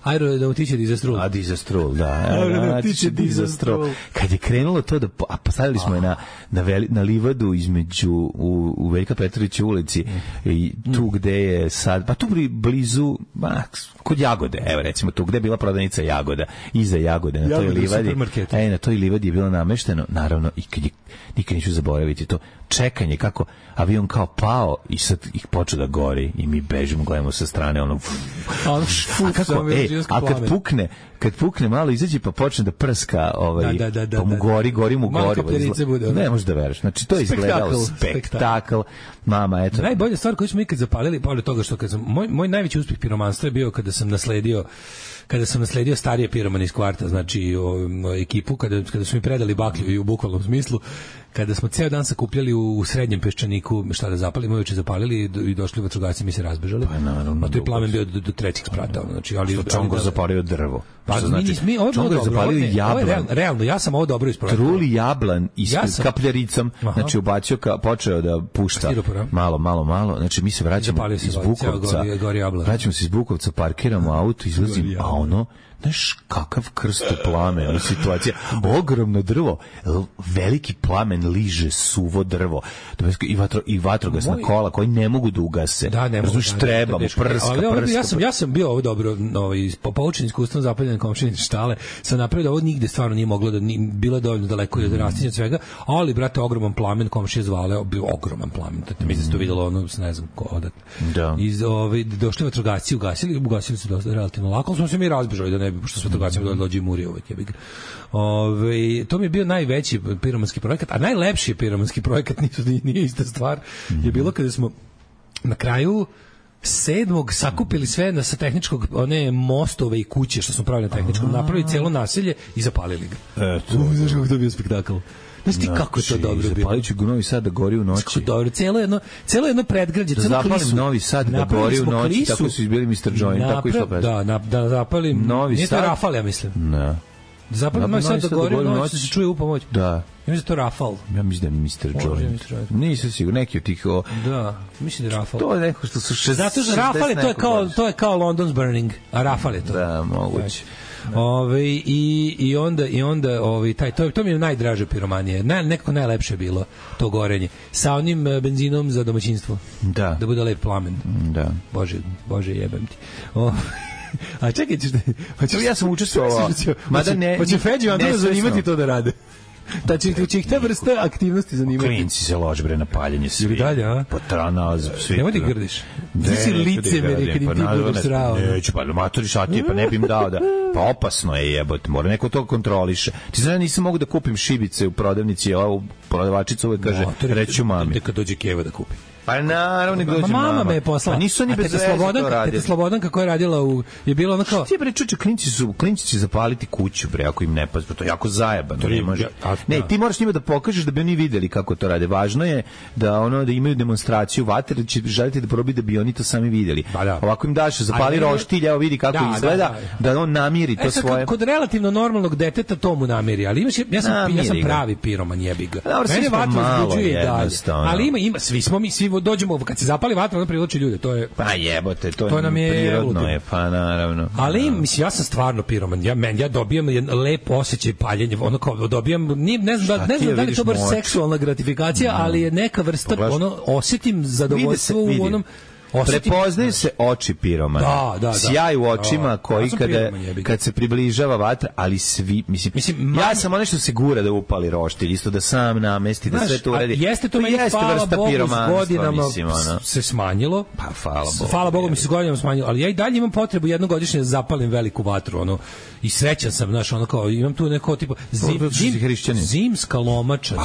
aeronautiče dizastrol. Dizastrol, da. Aeronautiče dizastrol. Kad je krenulo to da, postavili smo je na livadu između, u Veljka Petrovića ulici, i tu gde je sad, pa tu blizu, kod Jagode, evo recimo tu gde je bila prodavnica Jagoda, iza Jagode, na toj livadi. Na toj livadi je bilo namešteno, naravno, i kad je, nikad neću zaboraviti to, čekanje, kako avion kao pao i sad ih počeo da gori i mi bežimo, gledamo sa strane a kad pukne malo izađe pa počne da prska pa mu gori mu ne možeš da veruješ, znači to je izgledalo spektakl. Mama, eto, najbolja stvar koju smo ikad zapalili, pored toga što kad sam, moj najveći uspeh piromanstva je bio kada sam nasledio starije piromane iz kvarta, znači ekipu, kada su mi predali baklju i u bukvalnom smislu, kada smo ceo dan sakupljali u srednjem Peščaniku šta da zapalimo, uveče zapalili i došli vatrogasci, mi se razbežali. Pa naravno. A to je plamen bio do trećeg sprata, znači, ali Čongor zapalio drvo. Pa znači, Čongor zapalio jablan. Realno, ja sam ovo dobro ispravio. Truli jablan i s kapljaricom, znači ubacio, počeo da pušta malo, znači mi se vraćamo iz Bukovca. Vraćamo se iz Bukovca, parkiramo auto, izlazim, a ono Znaš, kakav krsto plamen, situacija. Ogromno drvo, veliki plamen liže suvo drvo. I vatrogasna kola koji ne mogu da ugase. Da, ne mogu. Treba mu prska. Ja sam bio ovo dobro, poučen iskustvom zapaljene komšinice štale, sam napravio da ovo nigde stvarno nije moglo da bilo dovoljno daleko i od rastinja svega, ali, brate, ogroman plamen komšije zvale, bio ogroman plamen. Mislim da se to videlo, ono, ne znam ko odatle. Da. Došli vatrogasci, ugasili su dosta relativno lako, ali smo se mi razbežali da ne bi, pošto s vatrogascima dođe i muri uvek. To mi je bio najveći piromanski projekat, a najlepši piromanski projekat, nije ista stvar, je bilo kada smo na kraju 7. sakupili sve sa tehničkog, one mostove i kuće što smo pravili na tehničkom, napravili celo naselje i zapalili ga. Znaš kako to bio spektakl? Znaš ti kako je to dobro bilo? Zapalit ću Novi Sad da gori u noći. Dobro, celo jedno predgrađe, celo klisu. Da zapalim Novi Sad da gori u noći, klisu, tako su izbili Mr. Joint, tako išlo pred. Da zapalim Novi Sad. Nije to Rafal, ja mislim. Da. Da zapalim Novi Sad da gori u noći, da se čuje u pomoć. Da. Ja mislim da to Rafal. Ja mislim da je Mr. Joint. Nisam sigurno, neki od tih... Da, mislim da je Rafal. To je neko što su 60... Zato što Rafal je, to je kao London's Burning, a Rafal je to. Da, moguće. I onda to mi je najdraže piromanije. Nekako najlepše je bilo to gorenje. Sa onim benzinom za domaćinstvo. Da. Da bude lep plamen. Da. Bože jebem ti. A čekaj, ja sam učestvovao. Hoće Feđi vam to zanimati to da rade. Da će ih ta vrsta aktivnosti zanimati. Klinci se lože bre na paljenje svi. Ili dalje, a? Potranaz, svi. Nemoj ti grdiš. Ti si licemeri kad im ti budeš srao. Neću, pa matori šatije, pa ne bi im dao da... Pa opasno je jebote, mora neko to kontroliše. Ti znaš, nisam mogu da kupim šibice u prodavnici, ova prodavačica uvek kaže, reću mami. Kad dođe Keva da kupi. Pa naravno nek dođe mama me je poslala. Pa nisu oni bez veze to radili. Teta Slobodanka koja je radila je bilo ono kao... Ti bre čuče, klinci će zapaliti kuću bre ako im ne pazi, to je jako zajebano. To ne može. Ne, ti moraš njima da pokažeš da bi oni videli kako to rade. Važno je da da imaju demonstraciju vatre, će želiti da probi da bi oni to sami videli. Ovako im daš zapali roštilj, evo vidi kako izgleda, da on namiri to svoje. Kod relativno normalnog deteta to mu namiri, ali ja sam pravi piroman, jebi ga. Mene vatra uzbuđuje dalje. Ali ima svi dođemo, kad se zapali vatra, onda privlači ljude, to je... Pa jebote, to je prirodno je, pa naravno. Ali, mislim, ja sam stvarno piroman, ja dobijam jedan lep osjećaj paljenja, ono kao dobijam, ne znam da li to baš seksualna gratifikacija, ali je neka vrsta, osjetim zadovoljstvo u onom... Prepoznaju se oči piromana. Da. Sjaj u očima koji kad se približava vatra, ali svi, mislim ja sam ono što se gura da upali roštilj, isto da sam namesti, da sve to uredi. Jeste to meni, hvala Bogu, s godinama se smanjilo. Pa hvala Bogu mi se s godinama smanjilo, ali ja i dalje imam potrebu jednogodišnje da zapalim veliku vatru, i srećan sam, znaš, kao, imam tu neko tipa zimska lomača,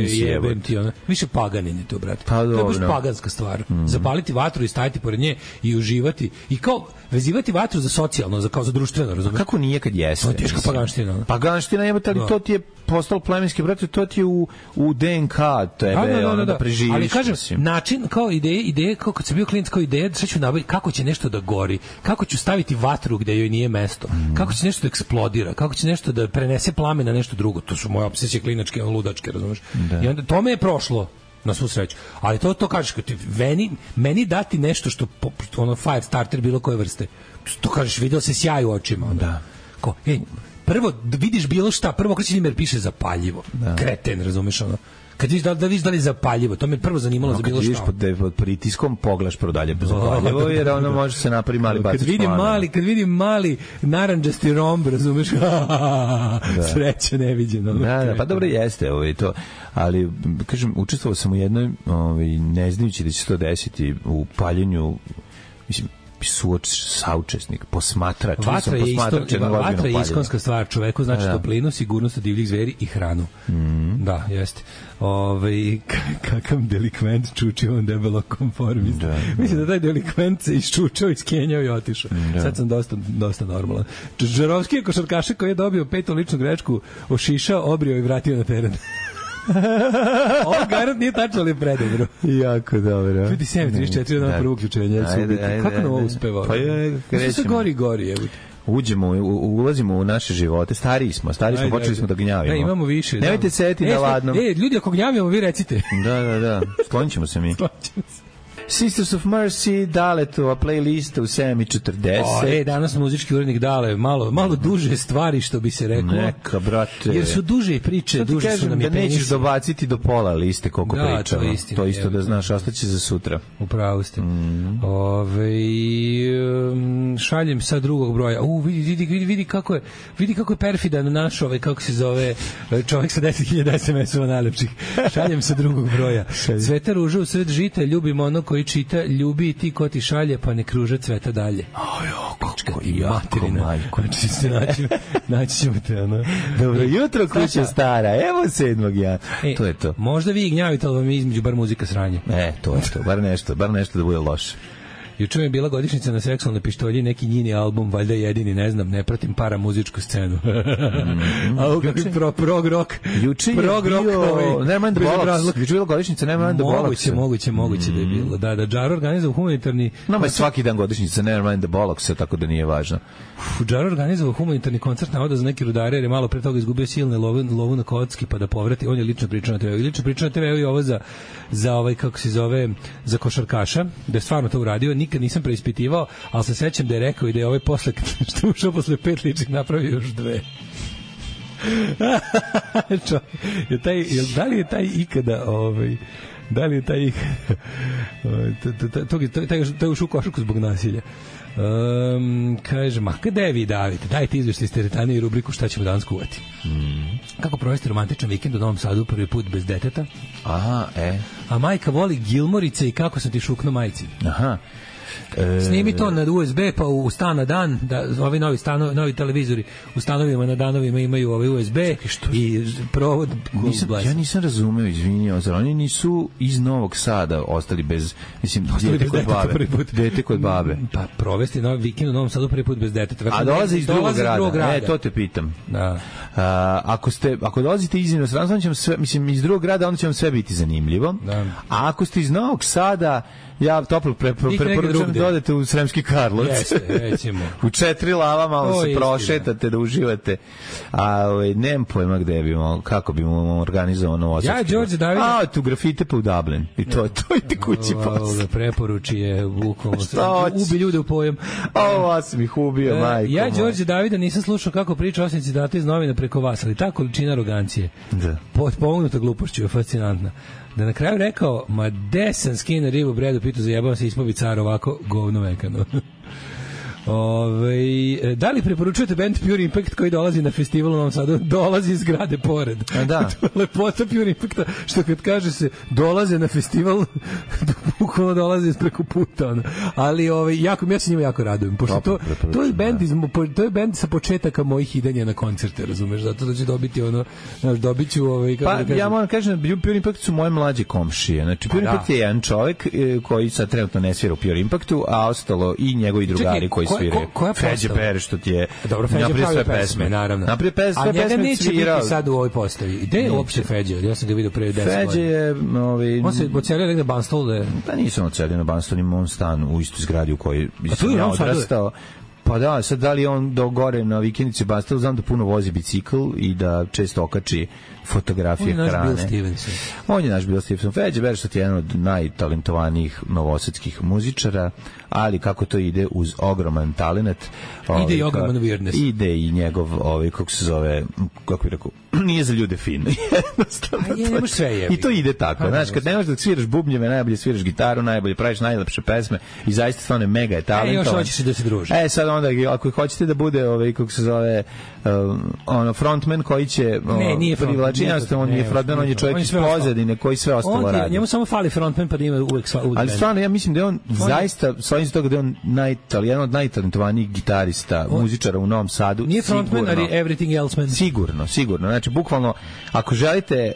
jebem ti, više paganin je to, brate. To je baš paganska stvar. Zapaliti vatru i stajati pored nje i uživati i kao vezivati vatru za socijalno, kao za društveno, razumiješ? Kako nije kad jeste? To je teška paganština. Paganština je, ali to ti je postalo plemenski, brate, to ti je u DNK tebe, da preživiš. Ali kažem, način, kao ideje, kao kad sam bio klinac, kao ideje, sad ću nabaviti kako će nešto da gori, kako ću staviti vatru gde joj nije mesto, kako će nešto da eksplodira, kako će nešto da prenese plamen na nešto drugo. To su moje opsesije klinačke, ludačke, razumiješ? I onda to me je prošlo. Na svu sreću. Ali to kažeš, meni dati nešto što fire starter bilo koje vrste. To kažeš, vidio se sjaj u očima. Da. Ko, prvo vidiš bilo šta, prvo kreći ime piše zapaljivo. Kreten, razumeš ono. Kad vidiš da li je zapaljivo, to me prvo zanimalo za bilo šta. Kad vidiš pod pritiskom, pogledaš prodalje zapaljivo, jer ono može se napravi mali bacić plana. Kad vidim mali naranđasti romb, razumeš, sreća neviđeno. Da, pa dobro jeste to. Ali, kažem, učestvovao sam u jednoj, ne znajući da će se to desiti, u paljenju, mislim, saučesnik, posmatrač. Vatra je iskonska stvar, čoveku znači toplinu, sigurnost od divljih zveri i hranu. Da, jeste. Kakav delikvent čučio on debelo konformist. Mislim da taj delikvent se iščučao, iskenjao i otišao. Sad sam dosta normalan. Žarovski je košarkaša koji je dobio 5. ličnu grešku, ošišao, obrio i vratio na teren. Ovo garant nije tačno, ali je predobro. Jako dobro. Ljudi 7.34 na prvo uključenje. Kako nam ovo uspeva? Pa je, sve gori. Ulazimo u naše živote, stariji smo, počeli smo da gnjavimo. Imamo više. Nemojte sedeti na ladnom. Ljudi, ako gnjavimo, vi recite. Da, sklonit ćemo se mi. Sisters of Mercy, Daletova playlista u 7:40. Danas muzički urednik Dale, malo duže stvari, što bi se reklo. Neka, brate. Jer su duže priče, duže su nam je penisi. Da nećeš dobaciti do pola liste koliko pričamo. To isto da znaš, ostaće za sutra. Upravo ste. Šaljem sa drugog broja. Vidi kako je perfidan naš kako se zove čovjek sa 10.000 SMS-ova najlepših. Šaljem sa drugog broja. Cveta ruža u sred žita, ljubim ono koji čita, ljubi i ti ko ti šalje, pa ne kruža cveta dalje. Kako jako, majko. Naći ćemo te, ono. Dobro jutro, kuća stara, evo 7. To je to. Možda vi gnjavite, ali vam je između bar muzika sranje. To je to, bar nešto da bude loše. Juče mi je bila godišnjica na Seksualnoj pištolji, neki njini album, valjda jedini, ne znam, ne pratim para muzičku scenu. A kakvi prog rock. Juče je bio Nevermind the Bollocks. Juče je bila godišnjica Nevermind the Bollocks. Moguće da je bilo. Da, Džaro organizovao humanitarni... Nama je svaki dan godišnjica Nevermind the Bollocks, tako da nije važno. Džaro organizovao humanitarni koncert navoda za neki rudare, jer je malo pre toga izgubio silne lovu na kocki, pa da povrati. On je lično pričao na TV-u. I lično pričao na TV-u i ovo za ovaj, kako se zove, za košarkaša, da je stvarno to uradio. Nikad nisam preispitivao, ali se sećam da je rekao i da je ovaj posle, što je ušao posle 5 ličnih, napravio još 2. Da li je taj ikada to je ušao u košarku zbog nasilja. Kaže, kada je vi davite? Dajte izveštaj iz teretane i rubriku šta ćemo danas kuvati. Kako provesti romantičan vikend u Novom Sadu prvi put bez deteta? A majka voli Gilmorice i kako sam ti šukno majci. Snimi to na USB pa u stan na dan, da ovi novi televizori u stanovima na danovima imaju ovaj USB i provod. Ja nisam razumeo, izvinjao, zar oni nisu iz Novog Sada ostali bez, mislim, dete kod babe. Pa provesti novi vikend u Novom Sadu prvi put bez deteta. A dolaze iz drugog grada. To te pitam. Da. Ako dolazite iz inostranstva, onda će sve, mislim, iz drugog grada, onda će vam sve biti zanimljivo. Da. A ako ste iz Novog Sada, ja toplo preporučujem da odete u Sremski Karlovac. U 4 lava malo se prošetate da uživate. A nemam pojma gde bi kako bi mu organizovao Novosadski. Ja, Đorđe David. Tu grafite pa u Dublin. I to i ti kući posle. Preporuči je bukvalno. Ubi ljude u pojam. Ovo sam ih ubio, majko. Ja, Đorđe Davida, nisam slušao kako priča osim citata iz novina preko vas, ali ta količina arogancije, pomognuta glupošću je fascinantna. Da na kraju rekao, ma desan skine ribu bredu, pitao zajebao se ispovi car ovako govno vekano. Da li preporučujete band Pure Impact koji dolazi na festival u Novom Sadu? Dolazi iz zgrade pored. Da. To je lepota Pure Impacta, što kad kaže se dolaze na festival, bukvalno dolaze preko puta. Ali ja se njima jako radujem, pošto to je band sa početaka mojih idanja na koncerte, razumeš, zato da će dobiti dobit ću ja moram kažem da Pure Impact su moje mlađe komšije. Znači Pure Impact je jedan čovjek koji sad trenutno ne svira u Pure Impactu, a ostalo i njegovi drugari koji svire. Feđe Pere, što ti je napravio sve pesme, naravno. Napravio sve pesme, a njega neće biti sad u ovoj postavi. Gde je uopšte Feđe? Ja sam ga vidio pre 10 godina. Feđe je... On se ocelio negde Banstol da je... Pa nisam ocelio na Banstol, imam on stan u istoj zgradi u kojoj sam ja odrastao. Pa da, sad da li on do gore na vikendici Banstol, znam da puno vozi bicikl i da često okači fotografije hrane. On je naš Bill Stevenson. Feđe Berštat je jedan od najtalentovanijih novosadskih muzičara, ali kako to ide uz ogroman talent. Ide i ogroman weirdness. Ide i njegov, kako se zove, kako bih rekao, nije za ljude fin. Jednostavno. I to ide tako. Znaš, kad ne možeš da sviraš bubnjeve, najbolje sviraš gitaru, najbolje praviš najlepše pesme i zaista stvarno mega je talentovan. Još hoćeš da se druži. Sad onda, ako hoćete da bude, kako se zove, frontman koji će privlačiti, on nije frontman, on je čovjek iz pozadine koji sve ostalo radi. Njemu samo fali frontman pa da ima uvek. Ali stvarno, ja mislim da je on zaista, svojim toga da je on jedan od najtalentovanijih gitarista, muzičara u Novom Sadu. Nije frontman, ali everything else man. Sigurno. Znači, bukvalno, ako želite,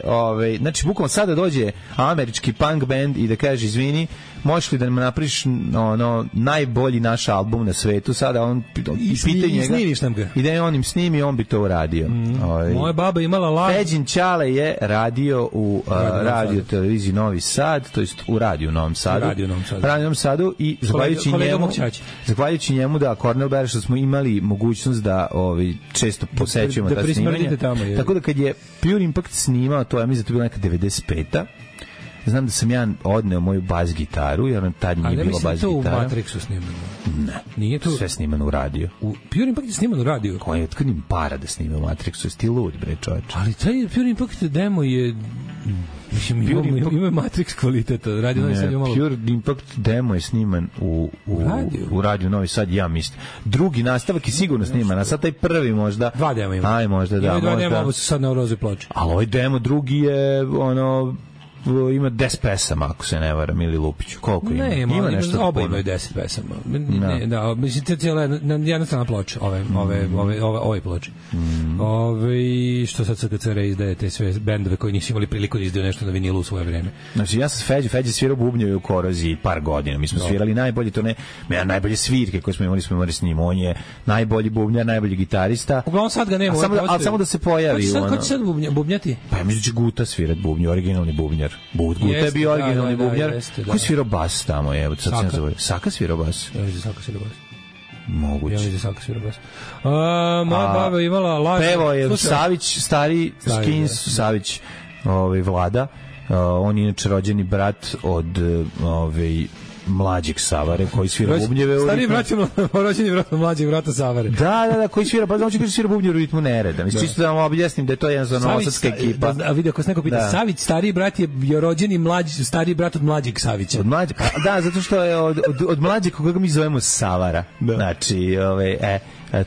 znači, bukvalno sada dođe američki punk band i da kaže, izvini, možeš li da nam napriš najbolji naš album na svetu, sada on pita njega i da je on im snimi, on bi to uradio. Moja baba imala laž. Feđin Ćale je radio u radio televiziji Novi Sad, to jest u radiju Novom Sadu. Radio Novom Sadu i zahvaljujući njemu da Kornel Berša smo imali mogućnost da često posećujemo ta snimanja. Tako da kad je Pure Impact snimao, to je mislim da to bila neka 95-a, znam da sam ja odneo moju bas gitaru, jer tad nije bilo bas gitara. Ali to u Matrixu snimano? Ne. Nije to? Sve snimano u radio. U Pure Impact je snimano u radio? Koji je otkud im para da snima u Matrixu? Jesi ti lud, bre, čovječ? Ali taj Pure Impact demo je... Mislim, ima Matrix kvaliteta. Pure Impact demo je sniman u radiju Novi Sad, ja mislim. Drugi nastavak je sigurno sniman, a sad taj prvi možda... 2 demo ima. Aj, možda da. Ima 2 demo, ovo su sad na rozoj ploči. Ali ovaj demo drugi je, ima 10 pesama, ako se ne varam, ili Lupiću. Koliko ima? Ne, ima nešto. Oba imaju 10 pesama. Da, mislim, cijela jedna strana ploča, ove ploče. Što sad SKCR izdaje te sve bendove koji nisu imali priliku da izdaju nešto na vinilu u svoje vreme. Znači, ja sam Feđe svirao bubnjeve u Koroziji par godina. Mi smo svirali najbolje, najbolje svirke koje smo imali s njim. On je najbolji bubnjar, najbolji gitarista. Uglavnom sad ga nema. Ali samo da se pojavi. Ko će sad bubnjati? Pa ja mislim da će Guta svirat bubnju, originalni bubnjar. Guta je bio originalni bubnjar. Ko svirao bas tamo? Saka svirao bas. Ja mislim da Saka svirao bas. Moguće. Ja mislim da Saka svirao bas. Moja baba imala laž. Pevo je Savić, stari Skins, Savić, Vlada. On je inače rođeni brat od mlađeg Savare koji svira bubnjeve. Stari brat je rođeni brat od mlađeg brata Savare. Da, koji svira, pa znači koji svira bubnje u ritmu nereda. Mislim, čisto da vam objasnim da je to jedna novosadska ekipa. A vidio, ako se neko pita, Savić, stariji brat je rođeni stariji brat od mlađeg Savića. Od mlađeg? Da, zato što je od mlađeg koga mi zovemo Savara. Znači,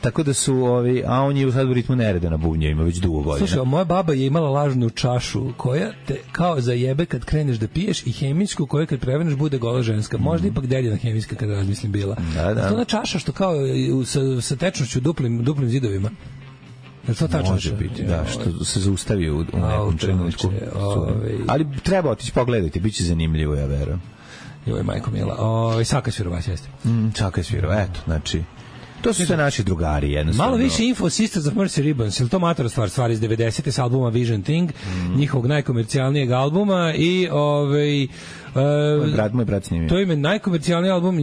tako da su a on je sad u ritmu nereda na bubnjevima već dugo godina. Slušaj, moja baba je imala lažnu čašu koja te kao zajebe kad kreneš da piješ i hemijsku koja kad preveneš bude gola ženska. Možda ipak dedina hemijska kada razmislim bila. Da. To ona čaša što kao sa tečnošću duplim zidovima. Je to ta može čaša? Biti, da, što se zaustavi u nekom trenutku. Ali treba otići pogledati, bit će zanimljivo, ja verujem. Joj, majko mila. Saka Svirova, jeste. Saka Svirova, eto, znači... To su sve naši drugari, jednostavno. Malo više info o Sisters of Mercy Ribbons, ili to matora stvar iz 90. s albuma Vision Thing, njihovog najkomercijalnijeg albuma i moj brat snimio. To je najkomercijalniji album,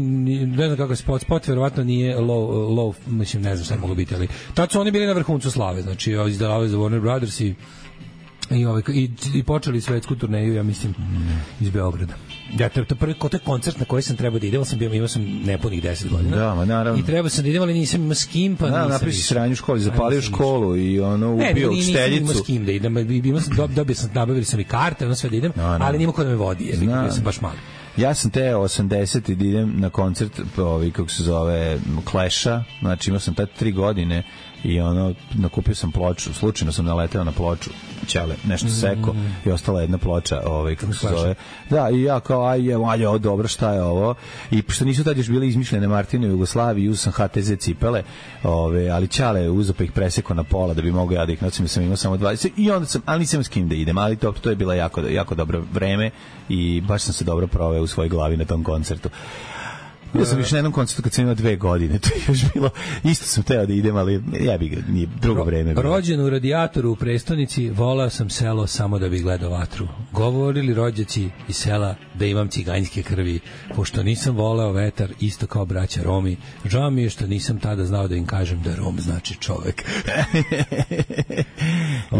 ne znam kako je spot, verovatno nije low, mislim, ne znam šta je moglo biti, ali tad su oni bili na vrhuncu slave, znači izdavali za Warner Brothers i počeli svetsku turneju, ja mislim, iz Beograda. Ja, to je prvi koncert na koji sam trebao da idem, imao sam nepunih 10 godina. Da, ma naravno. I trebao sam da idem, ali nisam imao s kim, pa nisam. Napravi si sranju u školi, zapalio školu i ubio učiteljicu. Nisam imao s kim da idem, nabavili sam i karte, sve da idem, ali nima ko da me vodi, jer bio sam baš mali. Ja sam te 80 da idem na koncert, kako se zove, Clash-a, znači imao sam tad 3 godine i nakupio sam ploču, slučajno sam naleteo na ploču, ćale, nešto seko i ostala jedna ploča, kako se zove. Da, i ja kao, ovo dobro, šta je ovo? I pošto nisu tad još bile izmišljene Martine u Jugoslaviji, uzeo sam HTZ cipele, ali ćale uzeo pa ih presekao na pola da bi mogao ja da ih nosim, sam imao samo 20 i onda ali nisam s kim da idem, ali to je bilo jako dobro vreme i baš sam se dobro proveo u svojoj glavi na tom koncertu. Ja sam još na jednom koncertu kad sam imao 2 godine, to je još bilo, isto sam teo da idem, ali ja bih nije drugo vreme. Rođen u Radijatoru u prestonici, volao sam selo samo da bih gledao vatru. Govorili rođaci iz sela da imam ciganjske krvi, pošto nisam voleo vetar, isto kao braća Romi. Žao mi je što nisam tada znao da im kažem da Rom znači čovek.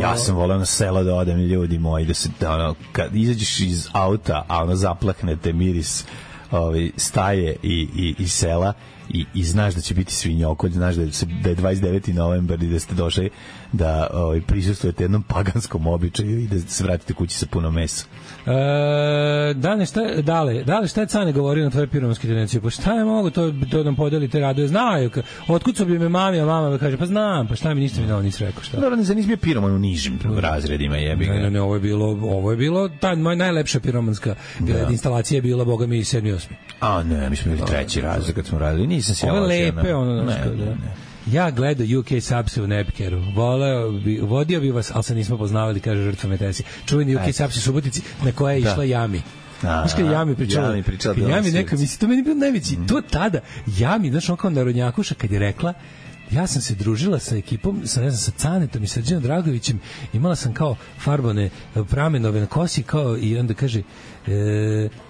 Ja sam voleo na selo da odem, ljudi moji, da se, kad izađeš iz auta, a zaplahnete miris staje i sela i znaš da će biti svinjokolj, znaš da je 29. novembar i da ste došli da prisustujete jednom paganskom običaju i da se vratite kući sa puno mesa. Dale, šta je Cane govorio na tvoje piromanske tendencije? Pa šta je mogo to nam podelite raduje? Znaju, otkud su bi me mami, a mama kaže, pa znam, pa šta mi ništa mi dao, nisi rekao šta. Dobro, ne bio piroman u nižim razredima, jebi ga. Ne, ovo je bilo, ta moja najlepša piromanska instalacija je bila, boga mi, 7. i 8. A ne, mi smo bili 3. razred kad smo radili, nisam se ovo je lepe, Ja gledao UK Subs u Nepkeru. Vodio bi vas, ali se nismo poznavali, kaže žrtva Metesi. Čuveni UK Subs u Subotici na koje je išla Jami. Znaš kada Jami pričala? Jami neka, mislim, to meni bilo najveći. To tada, Jami, znaš, on kao narodnjakuša, kad je rekla ja sam se družila sa ekipom, sa Canetom i Srđanom Dragovićem, imala sam kao farbane pramenove na kosi, kao, i onda kaže,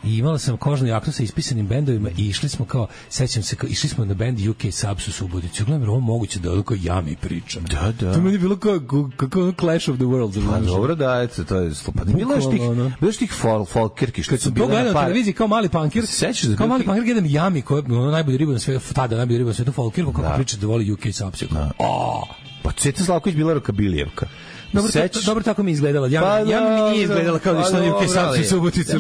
i imala sam kožnu jaknu sa ispisanim bendovima i išli smo kao, sećam se, išli smo na bend UK Subs u Suboticu. Gledam, ovo moguće da kao ja mi pričam. Da. To meni je bilo kao Clash of the Worlds. Pa dobro, da, eto, to je slupa. Bilo je tih folkerki što su bile na par. Na televiziji kao mali punkir. Sećaš da kao mali punkir gledam Jami, koja je najbolji riba na svetu, tada najbolji riba na svetu folkirku, kako priča da voli UK Subs. Pa Ceta Slavković bila Rokabilijevka. Dobro tako mi izgledala. Ja mi nije izgledala kao da što je UK Subs u Suboticu.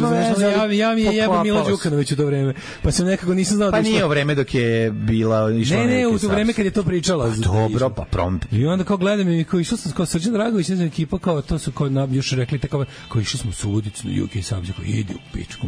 Ja mi je jebo Milo Đukanović u to vreme. Pa sam nekako nisam znao da pa nije u vreme dok je bila išla. Ne, u to vreme kad je to pričala. Dobro, pa prompt. I onda kao gledam i kao išao sam kao Srđan Dragović, ne znam, ekipa kao to su kao još rekli tako kao išli smo u Suboticu na UK Subs, kao ide u pičku.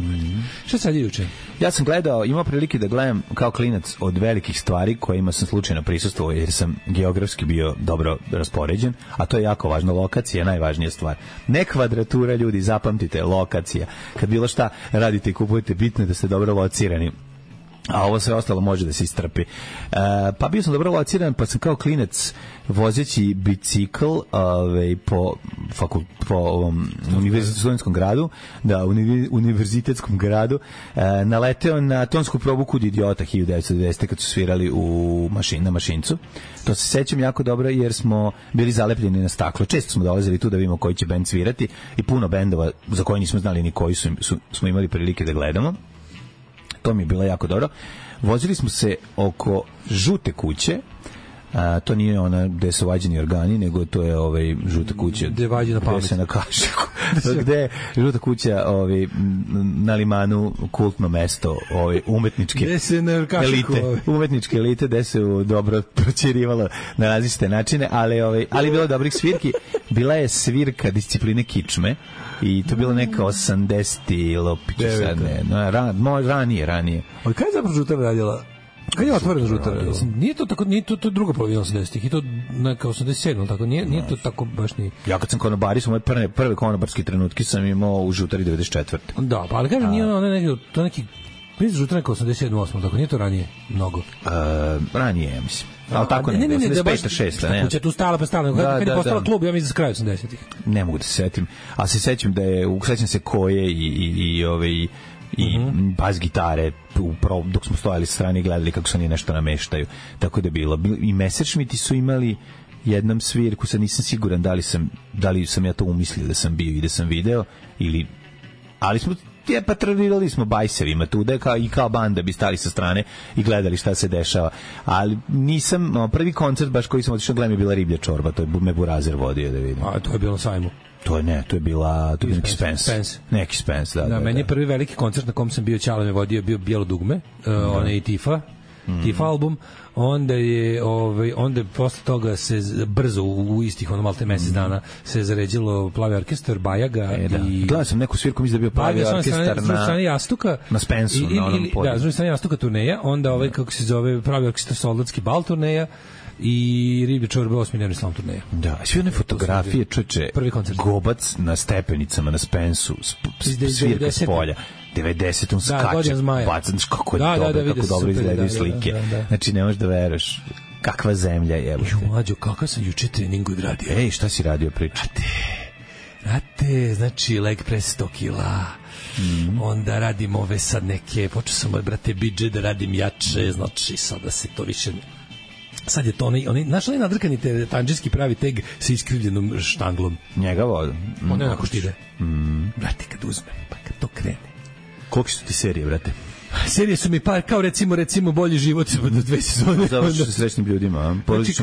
Šta sad juče? Ja sam gledao, imao prilike da gledam kao klinac od velikih stvari kojima sam slučajno prisustvovao jer sam geografski bio dobro raspoređen, a to je jako važno, lokacija je najvažnija stvar. Ne kvadratura, ljudi, zapamtite, lokacija. Kad bilo šta radite i kupujete, bitno je da ste dobro locirani. A ovo sve ostalo može da se istrpi. Pa bio sam dobro lociran, pa sam kao klinac vozeći bicikl po ovom univerzitetskom gradu, univerzitetskom gradu, naleteo na tonsku probu Kud idiota 1990. kad su svirali na Mašincu. To se sećam jako dobro jer smo bili zalepljeni na staklo. Često smo dolazili tu da vidimo koji će bend svirati i puno bendova za koje nismo znali ni koji smo imali prilike da gledamo. To mi je bilo jako dobro. Vozili smo se oko Žute kuće. To nije ona gde su vađeni organi, nego to je Žuta kuća gde se na Kašiku. Gde je Žuta kuća na Limanu, kultno mesto umetničke elite. Umetničke elite gde se dobro proćerivalo na različite načine, ali bilo dobrih svirki. Bila je svirka discipline kičme i to bilo neka 80 lopiću sad ne. Ranije. Ali kada je zapravo Žuta radila? Kad je otvoreno Žuta? Nije to druga polovina 80-ih i to neka 87, tako nije to tako baš ni. Ja kad sam konobari, su moje prve konobarske trenutke sam imao u Žutari 94. Da, pa ali kažem, nije to neki Prizor Žuta neka 87-8, tako nije to ranije mnogo. Ranije, ja mislim. Ali tako ne, 85-6, ne. Kuća tu stala, pa stala. Kad je postala klub, ja mislim za kraj 80-ih. Ne mogu da se setim, ali se sećam da je, sećam se koje i bas gitare dok smo stojali sa strane i gledali kako se oni nešto nameštaju. Tako da je bilo. I Messerschmitti su imali jednom svirku, sad nisam siguran da li sam ja to umislio da sam bio i da sam video, ali smo patronirali smo bajsevima tu, da i kao banda bi stali sa strane i gledali šta se dešava. Ali nisam, prvi koncert baš koji sam otišao gledam je bila Riblja čorba, to je me Burazer vodio da vidim. A to je bilo na sajmu? To je neki Spence. Neki Spence, da. Meni je prvi veliki koncert na kom sam bio, Ćale me vodio, bio Bijelo dugme, onaj Tifa album, onda je posle toga se brzo u istih malte mesec dana se zaređilo Plavi orkestar, Bajaga i gledao sam neku svirku, mislim da je bio Plavi orkestar na Jastuka, na Spensu, na onom podiju. Da, s druge strane Jastuka turneja, onda kako se zove Pravi orkestar Soldatski bal turneja i Riblje čorbe 8-dnevni slam turneja. Da, sve one fotografije, čoveče, Gobac na stepenicama na Spensu, svirka s polja. 90-om skače, bacan, kako je dobro, kako dobro izgledaju slike. Znači, ne možeš da veruješ kakva zemlja je. Mlađo, kakav sam juče trening odradio. Ej, šta si radio, priča? Rate, znači, leg press 100 kila. Onda radim ove sad neke, počeo sam od brate bidže da radim jače, znači, sad da se to više... Sad je to onaj nadrkani tanđinski pravi teg sa iskrivljenom štanglom. Njega vodu. On je onako štide. Brate, kad uzmem, pa kad to krene. Koliko su ti serije, brate? Serije su mi kao recimo Bolji život do 2 sezone. Završi sa srećnim ljudima. Znači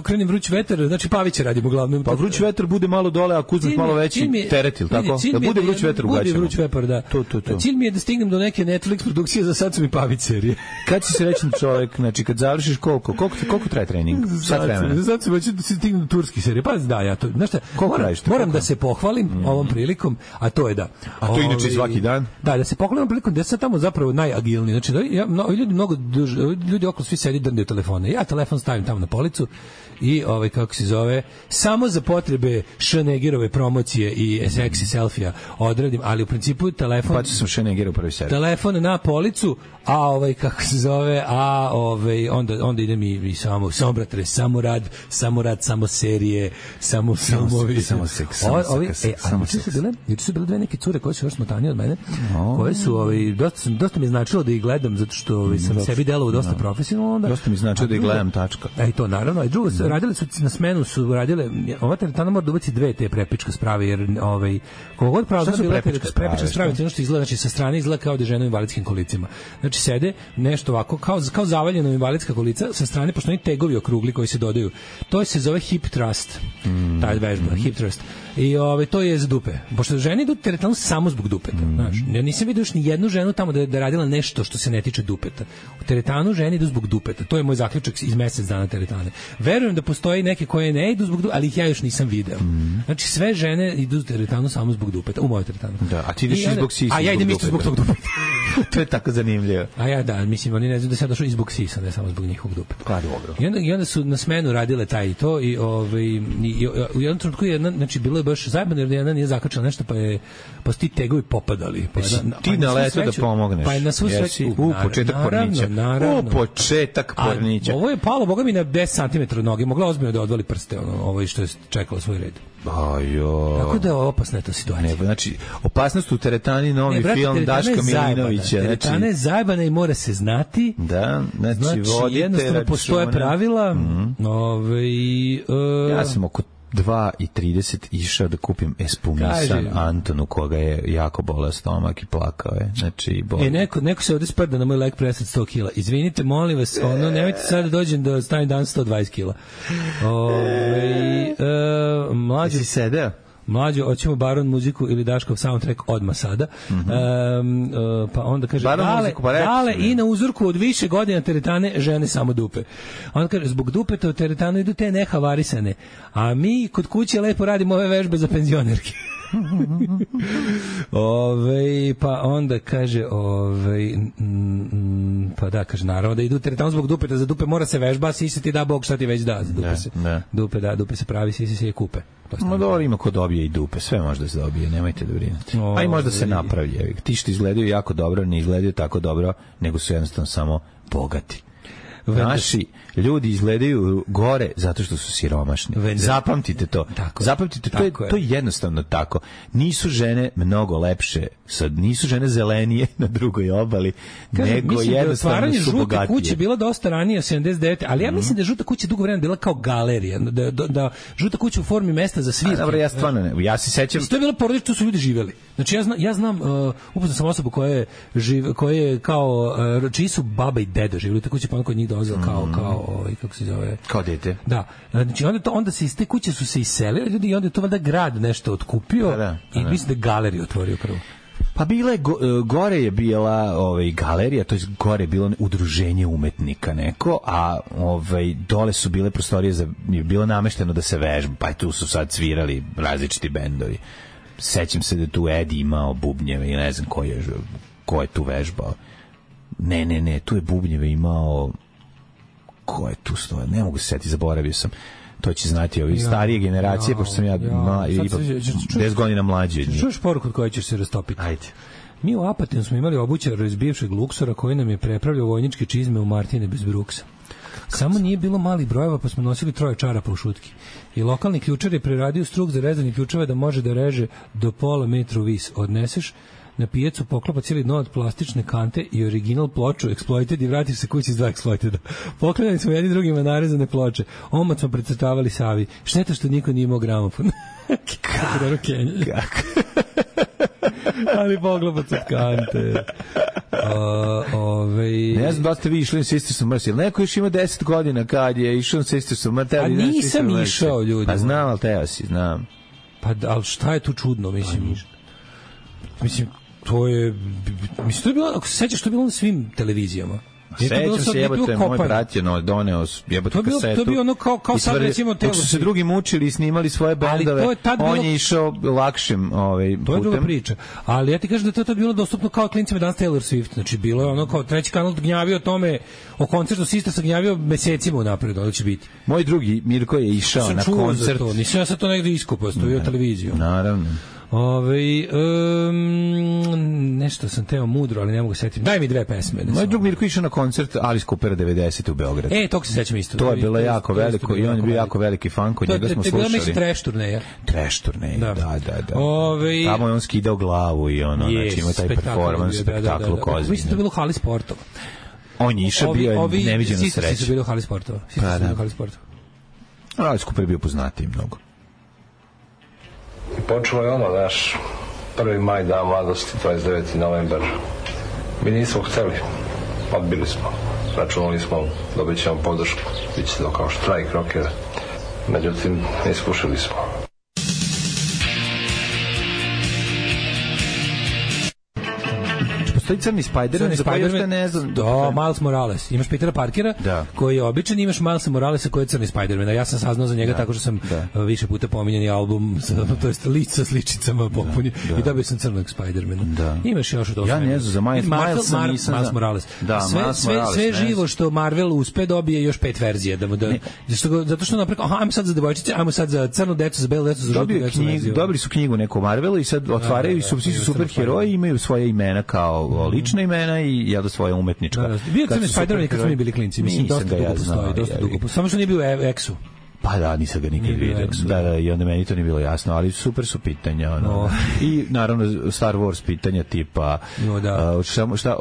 krenem Vruć vetar, znači Pavića radimo uglavnom. Pa Vruć vetar bude malo dole, a Kuzmak malo veći teretil, tako? Da bude Vruć vetar u gaćama. Bude Vruć vetar, da. To. Cilj mi je da stignem do neke Netflix produkcije, za sad su mi Pavić serije. Kad si srećan čovjek, znači kad završiš koliko traje trening? Sat vremena. Sad ću da stignem do turskih serija. Pa da, ja to, znaš šta, moram da se pohvalim ovom prilikom, a to je da. A to inače svaki dan? Da se pohvalim prilikom da sam tamo zapravo agilniji. Znači, ljudi okolo svi sedi drndaju telefone. Ja telefon stavim tamo na policu i kako se zove, samo za potrebe Schnegerove promocije i seksi selfija odradim, ali u principu telefon... Pa ću sam Schnegerov prvi servis. Telefon na policu, a kako se zove, onda idem i samo bratre, samo rad, samo serije, samo filmovi. Samo seks. Juče su bile dve neke cure koje su još smotanije od mene, koje su, dosta mi je značilo da ih gledam, zato što sam sebi delovao dosta profesionalno. Dosta mi značilo da ih gledam, tačka. I to naravno, i drugo, radili su na smenu, ova teretana mora da ubaci dve te prepičke sprave, jer kogod pravda bila prepička sprave, ono što izgleda, znači sa strane izgleda kao da žena u invalidskim kolicima. Znači sede nešto ovako, kao zavaljeno invalidska kolica, sa strane, pošto oni tegovi okrugli koji se dodaju, to se zove hip thrust, ta vežba, hip thrust. I to je za dupe. Pošto žene idu teretanu samo zbog dupeta. Znaš, ja nisam vidio još ni jednu ženu tamo da je radila nešto što se ne tiče dupeta. U teretanu žene idu zbog dupeta. To je moj zaključak iz mesec dana teretane. Verujem da postoji neke koje ne idu zbog dupeta, ali ih ja još nisam video. Znači, sve žene idu u teretanu samo zbog dupeta. U moju teretanu. Da, a ti ideš zbog sisa. A ja idem isto zbog tog dupeta. To je tako zanimljivo. A ja da, mislim, oni ne znam da sam došao i zbog sisa, ne samo zbog njihovog dupeta. Pa dobro. I onda su na smenu radile taj i to i u jednom trenutku znači bilo je baš zajebano jer jedna nije zakačila nešto pa su ti tegovi popadali. Ti na leto da pomogneš. Pa je na svu sreću. Početak pornića. Početak pornića. Ovo je palo, boga mi, na 10 cm od noge. Mogla ozbiljno da odvali prste, ovo što je čekalo svoj red. Tako da je opasna ta situacija. Znači, opasnost u teretani, novi film Daška Milinovića. Teretana je zajebana i mora se znati. Da, znači jednostavno postoje pravila. Ja sam oko 2:30 išao da kupim espumisan Antonu, koga je jako boleo stomak i plakao je. Znači, neko se ovde sprda na moj leg presad 100 kila. Izvinite, molim vas, nemojte sad da dođem da stavim dan 120 kila. Mlađi sedeo? Mlađo, hoćemo Baron muziku ili Daškov soundtrack odmah sada. Pa onda kaže, dale i na uzorku od više godina teretane žene samo dupe. Onda kaže, zbog dupeta u teretanu idu te nehavarisane, a mi kod kuće lepo radimo ove vežbe za penzionerke. Pa onda kaže pa da, kaže, naravno da idu teretanu zbog dupeta, za dupe mora se vežba, sisi ti da Bog šta ti već da, za dupe se pravi, sisi se je kupe. Dobro, ima ko dobije i dupe, sve može da se dobije, nemojte da brinete. A i možda se napravi, ti što izgledaju jako dobro, ne izgledaju tako dobro, nego su jednostavno samo bogati. Naši ljudi izgledaju gore zato što su siromašni. Zapamtite to. Zapamtite, to je jednostavno tako. Nisu žene mnogo lepše, nisu žene zelenije na drugoj obali, nego jednostavno su bogatije. Žute kuće bila dosta ranije, 79, ali ja mislim da je žuta kuća dugo vremena bila kao galerija, da žuta kuća u formi mesta za svirke. Dobro, ja stvarno ne, ja se sećam. To je bila porodica, tu su ljudi živeli. Znači ja znam, upoznao sam osobu koja je kao, čiji su baba i deda živeli u toj kući, pa on kod njih dolazio kao kako se zove, kao dete. Da, znači onda se iz te kuće su se iselili ljudi i onda je to valjda grad nešto otkupio i mislim da je galeriju otvorio prvo. Pa gore je bila galerija, to je gore je bilo udruženje umetnika neko, a dole su bile prostorije je bilo namešteno da se vežba, pa tu su sad svirali različiti bendovi. Sećam se da tu Edi imao bubnjeve i ne znam ko je tu vežbao. Ne, tu je bubnjeve imao, ko je tu stoja, ne mogu se setiti, zaboravio sam. To će znati ovi starije generacije, pošto sam ja ipak 10 godina mlađi od njih. Čuješ poruku od koje ćeš se rastopiti? Ajde. Mi u Apatinu smo imali obućara iz bivšeg Luksora koji nam je prepravljao vojničke čizme u Martine bez bruksa. Samo nije bilo malih brojeva, pa smo nosili 3 čarapa u šutki. I lokalni ključar je preradio struk za rezanje ključeva da može da reže do pola metra vis. Odneseš na pijecu, poklopa cijeli dno od plastične kante i original ploču Exploited i vratiš se kući s 2 Exploiteda. Poklanjali smo jedni drugima narezane ploče. Omot smo precrtavali Savi. Šteta što niko nije imao gramofon. Kako? Ali poklopac od kante. Ne znam da ste vi išli na Sisters of Mercy. Neko još ima 10 godina kad je išao na Sisters of Mercy. A nisam išao, ljudi. Pa znam, ali teo si, znam. Pa, ali šta je tu čudno, mislim? Mislim, to je bilo, ako se sećaš, to je bilo na svim televizijama. Sećam se, jebote, moj brat je doneo jebote kasetu. To je bio ono kao sad recimo dok su se drugi mučili i snimali svoje bendove, on je išao lakšim putem. To je druga priča. Ali ja ti kažem da to je bilo dostupno kao klincima danas Taylor Swift. Znači bilo je ono kao treći kanal gnjavio o tome, o koncertu Sistra se gnjavio mesecima unapred da će biti. Moj drugi Mirko je išao na koncert. Nisam ja sad to negde iskopao, stojio televiziju. Naravno. Nešto sam teo mudro, ali ne mogu setiti. Daj mi dve pesme. Moj drug Mirko išao na koncert Alice Coopera 90 u Beogradu. To se sećam isto. To je bilo jako veliko i on je bio jako veliki fan, kod njega smo slušali. To je bila neki trash turneja. Trash turneja, da. Tamo je on skidao glavu i ono, znači ima taj performans, spektakl u Kozini. Mislim da je bilo u hali sportova. On je išao, bio je neviđena sreća. Svi su bili u hali sportova. Alice Cooper je bio poznatiji mnogo. I počelo je ono, naš 1. maj, dan mladosti, 29. novembar. Mi nismo hteli, odbili smo. Računali smo, dobit ćemo podršku, bit će to kao štrajk rokera. Međutim, ne iskušali smo. Postoji Crni Spider-Man, za koji još ne znam. Miles Morales. Imaš Petera Parkera, koji je običan, imaš Milesa Moralesa koji je Crni Spider-Man. Ja sam saznao za njega tako što sam više puta pominjeni album, to jest list sa sličicama popunio i dobio sam Crnog Spider-mana. Imaš još od ja ne znam, za Miles Morales. Sve živo što Marvel uspe dobije još 5 verzija. Zato što naprekao, ajmo sad za devojčice, ajmo sad za crnu decu, za belu decu, za žutu decu. Dobili su knjigu neku Marvelu i sad otvaraju i svi su superheroji, imaju svoje imena kao lična imena i ja da svoje umetnička. Bio Crni Spider-Man kad smo mi bili klinci, mislim dosta dugo. Samo što nije bio Exu. Pa da, nisam ga nikad vidio. Da, i onda meni to nije bilo jasno, ali super su pitanja. I naravno Star Wars pitanja tipa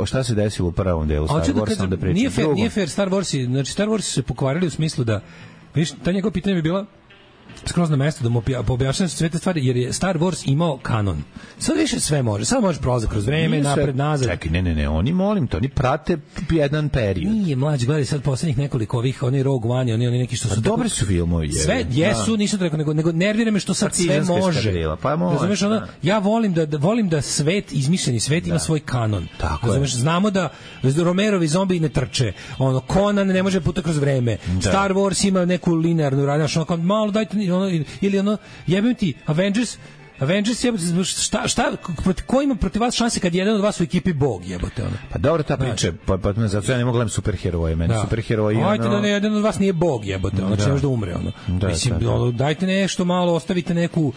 šta se desilo u prvom delu Star Warsa, onda pričam. Nije fair Star Warsi, znači Star Warsi se pokvarili u smislu da, vidiš, ta njegova pitanja bi bila skroz na mesto da mu objašnjava sve te stvari, jer je Star Wars imao kanon. Sad više sve može. Sad možeš prolaziti kroz vreme, napred, nazad. Čekaj, ne, oni prate jedan period. Nije, mlađi, gledaj sad poslednjih nekoliko ovih, oni Rogue One, oni neki što su... Dobri su filmovi. Sve jesu, nisu to rekao, nego nervira me što sad sve može. Razumeš, ja volim da svet, izmišljeni svet ima svoj kanon. Razumeš, znamo da Romerovi zombi ne trče. Conan ne može puta kroz vreme. Star Wars ima neku linearnu radnju, malo dajte ili jebim ti Avengers jebote, ko ima protiv vas šanse kad jedan od vas u ekipi bog jebote ono. Pa dobro ta priča, pa zato ja ne mogu gledati superheroje, meni superheroji ono. Ajde da jedan od vas nije bog jebote, ono će možda umre ono. Mislim dajte nešto malo, ostavite neku,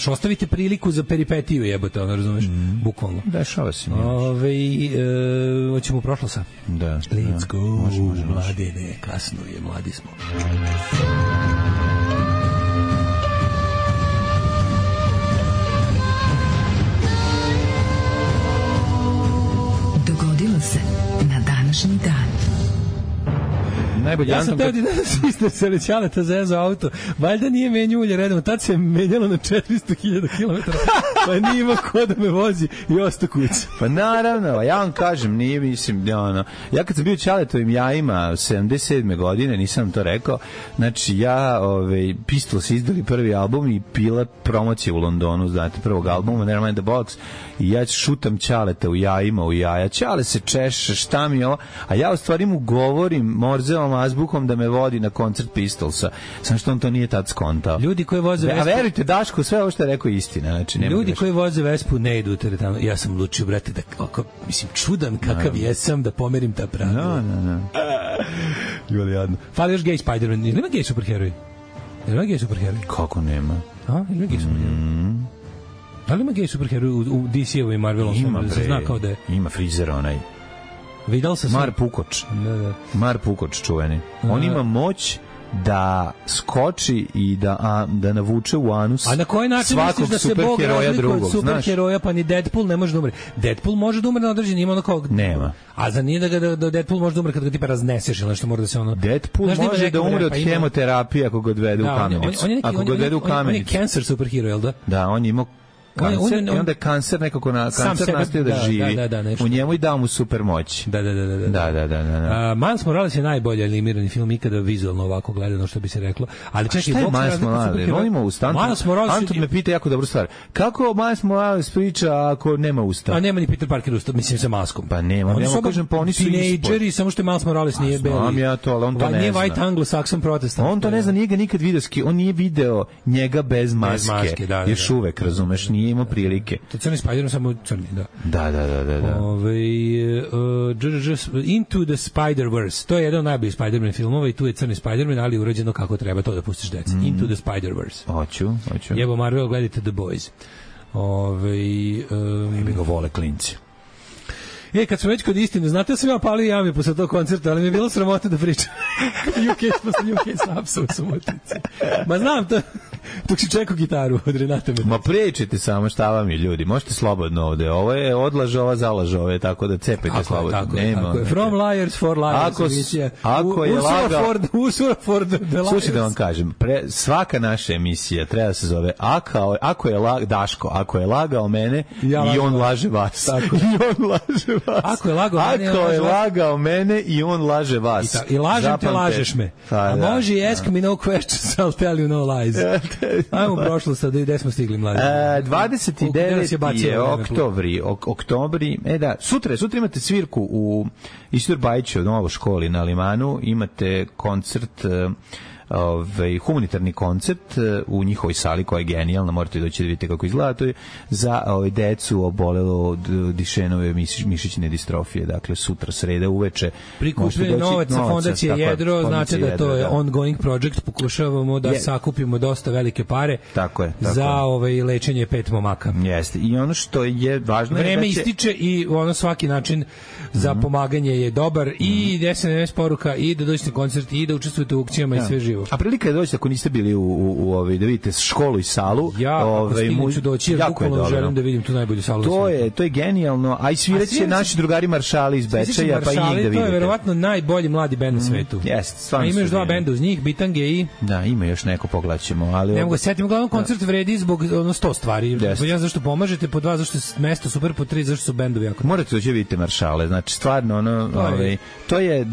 ostavite priliku za peripetiju jebote, ono razumeš, bukvalno. Dešava se. Hoćemo prošlo sa. Da. Let's go. Mladine, kasno je, mladi smo. Se na današnji dan. Ja sam teo ti da Sistar Selećaleta zezo auto. Valjda nije menjao ulje redom. Tad se menjalo na 400.000 km. Pa nije imao ko da me vozi i ostao kući. Pa naravno, ja vam kažem, nije, mislim, ja kad sam bio Ćaletovim jajima 77. godine, nisam to rekao, znači ja, Pistols izdali prvi album i bila promocija u Londonu, znate, prvog albuma, Nevermind the Box, i ja šutam Ćaleta u jajima, u jaja. Ćale se češe, šta mi je ovo? A ja u stvari mu govorim Morzevom azbukom da me vodi na koncert Pistolsa. Samo što on to nije tad skontao. Ljudi koji voze Vespu... A verujte, Daško, sve ovo što je rekao istina. Znači, ljudi koji voze Vespu ne idu u teretanu. Ja sam lučio, brate, da mislim, čudan kakav jesam da pomerim ta pravila. Ljubali jadno. Fali još gay Spider-Man. Ili ima gay superheroj? Kako nema? Ili ima gay superheroj? Da li ima gay superheroj u DC-evu i Marvelom? Ima, bre. Ima frizer onaj. Vidal se Mar Pukoč. Mar Pukoč čuveni. On ima moć da skoči i da navuče u anus. A na koji način misliš da se Bog razlikuje od superheroja, pa ni Deadpool ne može da umre? Deadpool može da umre na određeni, ima ono kao... Nema. A za nije da Deadpool može da umre kad ga tipa razneseš ili nešto mora da se ono... Deadpool može da umre od hemoterapije ako ga odvede u kamenicu. On je cancer superhero, jel da? Da, on ima kancer, i onda je kancer nekako kancer nastaje da živi. U njemu i dao mu super moć. Da. Miles Morales je najbolji animirani film ikada vizualno ovako gledano, što bi se reklo. Ali čekaj, šta je Miles Morales? Volimo usta. Anton me pita jako dobru stvar. Kako Miles Morales priča ako nema usta? A nema ni Peter Parker usta, mislim sa maskom. Pa nema, kažem, pa oni su tinejdžeri, samo što je Miles Morales nije beli. Znam ja to, ali on to ne zna. Nije white anglo-saxon protestant. On to ne zna, nije ga nikad video, on nije video njega bez maske. Još uvek, razumeš, nije imao prilike. To crni Spider-Man, samo crni, da. Da. Into the Spider-Verse, to je jedan od najboljih Spider-Man filmova i tu je crni Spider-Man, ali urađeno kako treba, to da pustiš deci. Into the Spider-Verse. Hoću. Jebo Marvel, gledajte The Boys. Mi ga vole klinci. Kad smo već kod istine, znate, sam ja palio jame posle tog koncerta, ali mi je bilo sramota da pričam. Posle UK Snapsa u Subotici. Ma znam to, dok si čekao gitaru od Renata Medvesa. Ma pričajte samo šta vam je, ljudi, možete slobodno ovde. Ovo je odlaže, ova zalaže ove, tako da cepajte slobodno. Tako je. From Liars for Liars. Ako je lagao... Ursula Ford the Liars. Slušajte da vam kažem, svaka naša emisija treba se zove ako je Daško, ako je lagao mene, i on laže vas. Tako. I on laže vas. Ako je lagao mene i on laže vas. I lažem te, lažeš me. A može i ask me no questions, I'll tell you no lies. Ajmo prošlo sad, gde smo stigli, mlađe? 29. je oktobri. Sutra imate svirku u Isidor Bajiću u Novoj školi na Limanu, imate koncert, humanitarni koncert u njihovoj sali koja je genijalna, morate doći da vidite kako izgleda. To je za decu obolelo od Dišenove mišićne distrofije, dakle sutra sreda uveče. Prikupljanje novaca fondacije Jedro, znači da to je ongoing project, pokušavamo da sakupimo dosta velike pare za lečenje 5 momaka. Jeste, i ono što je važno je vreme ističe i ono svaki način za pomaganje je dobar i SMS poruka i da dođete na koncert i da učestvujete u akcijama i sve živo. A prilika je doći ako niste bili u da vidite školu i salu. Ako ću doći, jer bukvalno želim da vidim tu najbolju salu. To je genijalno, a i sviraće naši drugari Maršali iz Bečeja, pa i njih da vidite. To je verovatno najbolji mladi bend na svetu. Jeste, stvarno. A ima još 2 benda uz njih, Bitange i... Da, ima još neko, pogledaćemo. Ne mogu setiti, uglavnom koncert vredi zbog 100 stvari. Po 1 zašto pomažete, po 2 zašto je mesto super, po 3 zašto su bendovi jako. Morate doći vidite Maršale, znači stvarno to je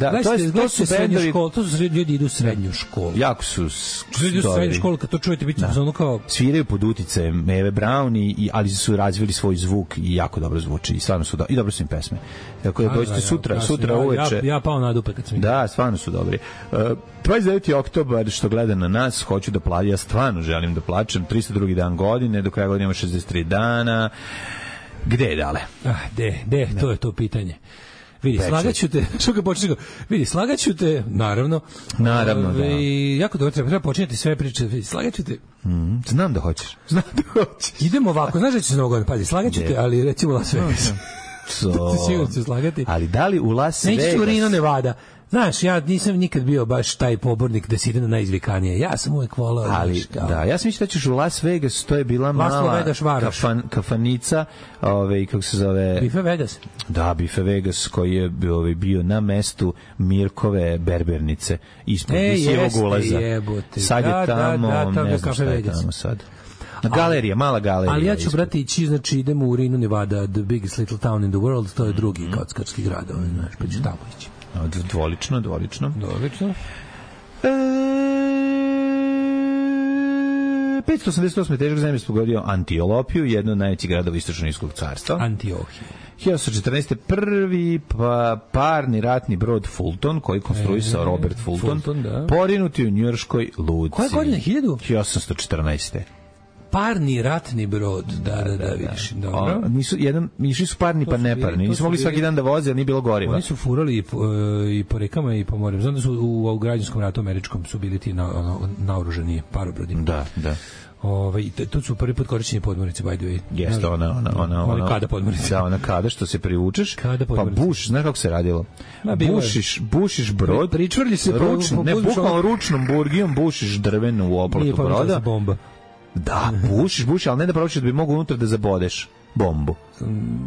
to su bendovi, to su ljudi idu u srednju školu. Jako su srednju školu, kad to čujete, biti ono kao... Sviraju pod uticajem Eve Brown, ali su razvili svoj zvuk i jako dobro zvuči i stvarno su i dobro su im pesme. Tako da dođete sutra uveče. Ja pao na dupe kad sam vidio. Da, stvarno su dobri. 29. oktobar, što gleda na nas, hoću da plaćam, ja stvarno želim da plaćam, 302. dan godine, do kraja godine ima 63 dana. Gde je dale? Gde, to je to pitanje. Vidi, slagaću te, što ga počne, vidi, slagaću te, naravno, da. Jako dobro, treba počinjeti sve priče, vidi, slagaću te. Znam da hoćeš. Idemo ovako, znaš da će se mnogo, pazi, slagaću te, ali recimo Las Vegas. Sigurno ću slagati. Ali da li u Las Vegas? Neću u Reno, Nevada. Znaš, ja nisam nikad bio baš taj pobornik da se ide na najizvikanije. Ja sam uvek volao. Ali, ja sam mislio da ćeš u Las Vegas, to je bila mala kafanica, kako se zove... Bife Vegas? Da, Bife Vegas, koji je bio na mestu Mirkove berbernice, ispod visijevog ulaza. Sad je tamo, ne znam šta je tamo sad. Galerija, mala galerija. Ali ja ću, brati, ići, znači idemo u Reno, Nevada, the biggest little town in the world, to je drugi kockarski grad, znaš, pa ću tamo ići. Dvolično. 588. težak zemlje pogodio Antiolopiju, jedno od najvećih gradova Istočno-Irskog carstva. Antiohija. 1914. prvi parni ratni brod Fulton, koji konstruisao Robert Fulton, porinuti u njujorškoj luci. Koje godine? 1814. Parni ratni brod, da, vidiš, dobro. Išli su parni pa neparni, nisu mogli svaki dan da voze, jer nije bilo goriva. Oni su furali i po rekama i po morem. Znam da su u građanskom ratu američkom su bili ti naoružani parobrodi. Da. Tu su prvi put korišćeni podmornice, by the way. Jeste, ona kada podmornice. Da, ona kada što se privučeš, pa buš, znaš kako se radilo? Bušiš brod, pričvrlji se bukvalno ručnom burgijom bušiš drvenu u oplatu broda. Nije bomba. Da, bušiš, ali ne da pročiš da bi mogu unutra da zabodeš. bombu.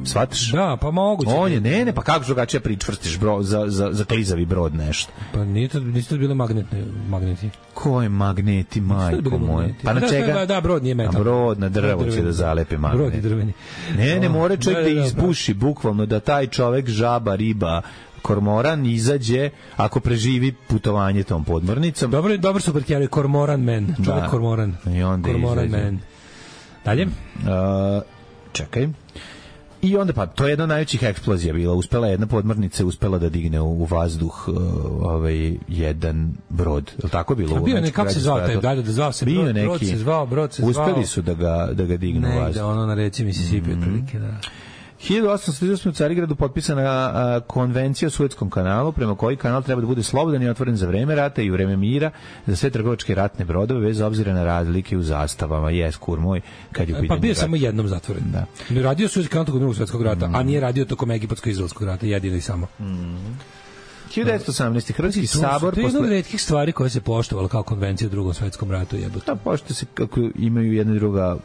Shvataš? Da, pa moguće. On je, ne, pa kako drugačije pričvrstiš za klizavi brod nešto? Pa nisu to bile magneti. Koje magneti, majko moje? Pa na čega? Da, brod nije metal. A brod na drvo će da zalepe magnet. Brod je drveni. Ne more čovjek da izbuši, bukvalno, da taj čovjek, žaba, riba, kormoran izađe ako preživi putovanje tom podmornicom. Dobro su pretjerali, kormoran man. Čovjek kormoran. I onda kormoran izađe. Man. Dalje? Čekaj. I onda pa to je jedna od najvećih eksplozija bila. Uspela jedna podmornica uspela da digne u vazduh jedan brod. Je li tako bilo? A bio nekako se zvao taj, da zvao se brod se zvao. Uspeli su da ga dignu u vazduh. Negde ono na reci Mississippi otprilike, da. 1838. u Carigradu potpisana konvencija o Suetskom kanalu, prema koji kanal treba da bude slobodan i otvoren za vreme rata i u vreme mira za sve trgovačke ratne brodove bez obzira na razlike u zastavama. Kur moj, kad je u pitanju. Pa bio samo jednom zatvoren. Da. Radio Suetski kanal tokom Drugog svjetskog rata, a nije radio tokom Egipatsko-izraelskog rata, jedino i samo. 1918. Hrvatski sabor... To je jedna od retkih stvari koje se poštovala kao konvencija u Drugom svjetskom ratu. Da, pošto se kako imaju jedna i druga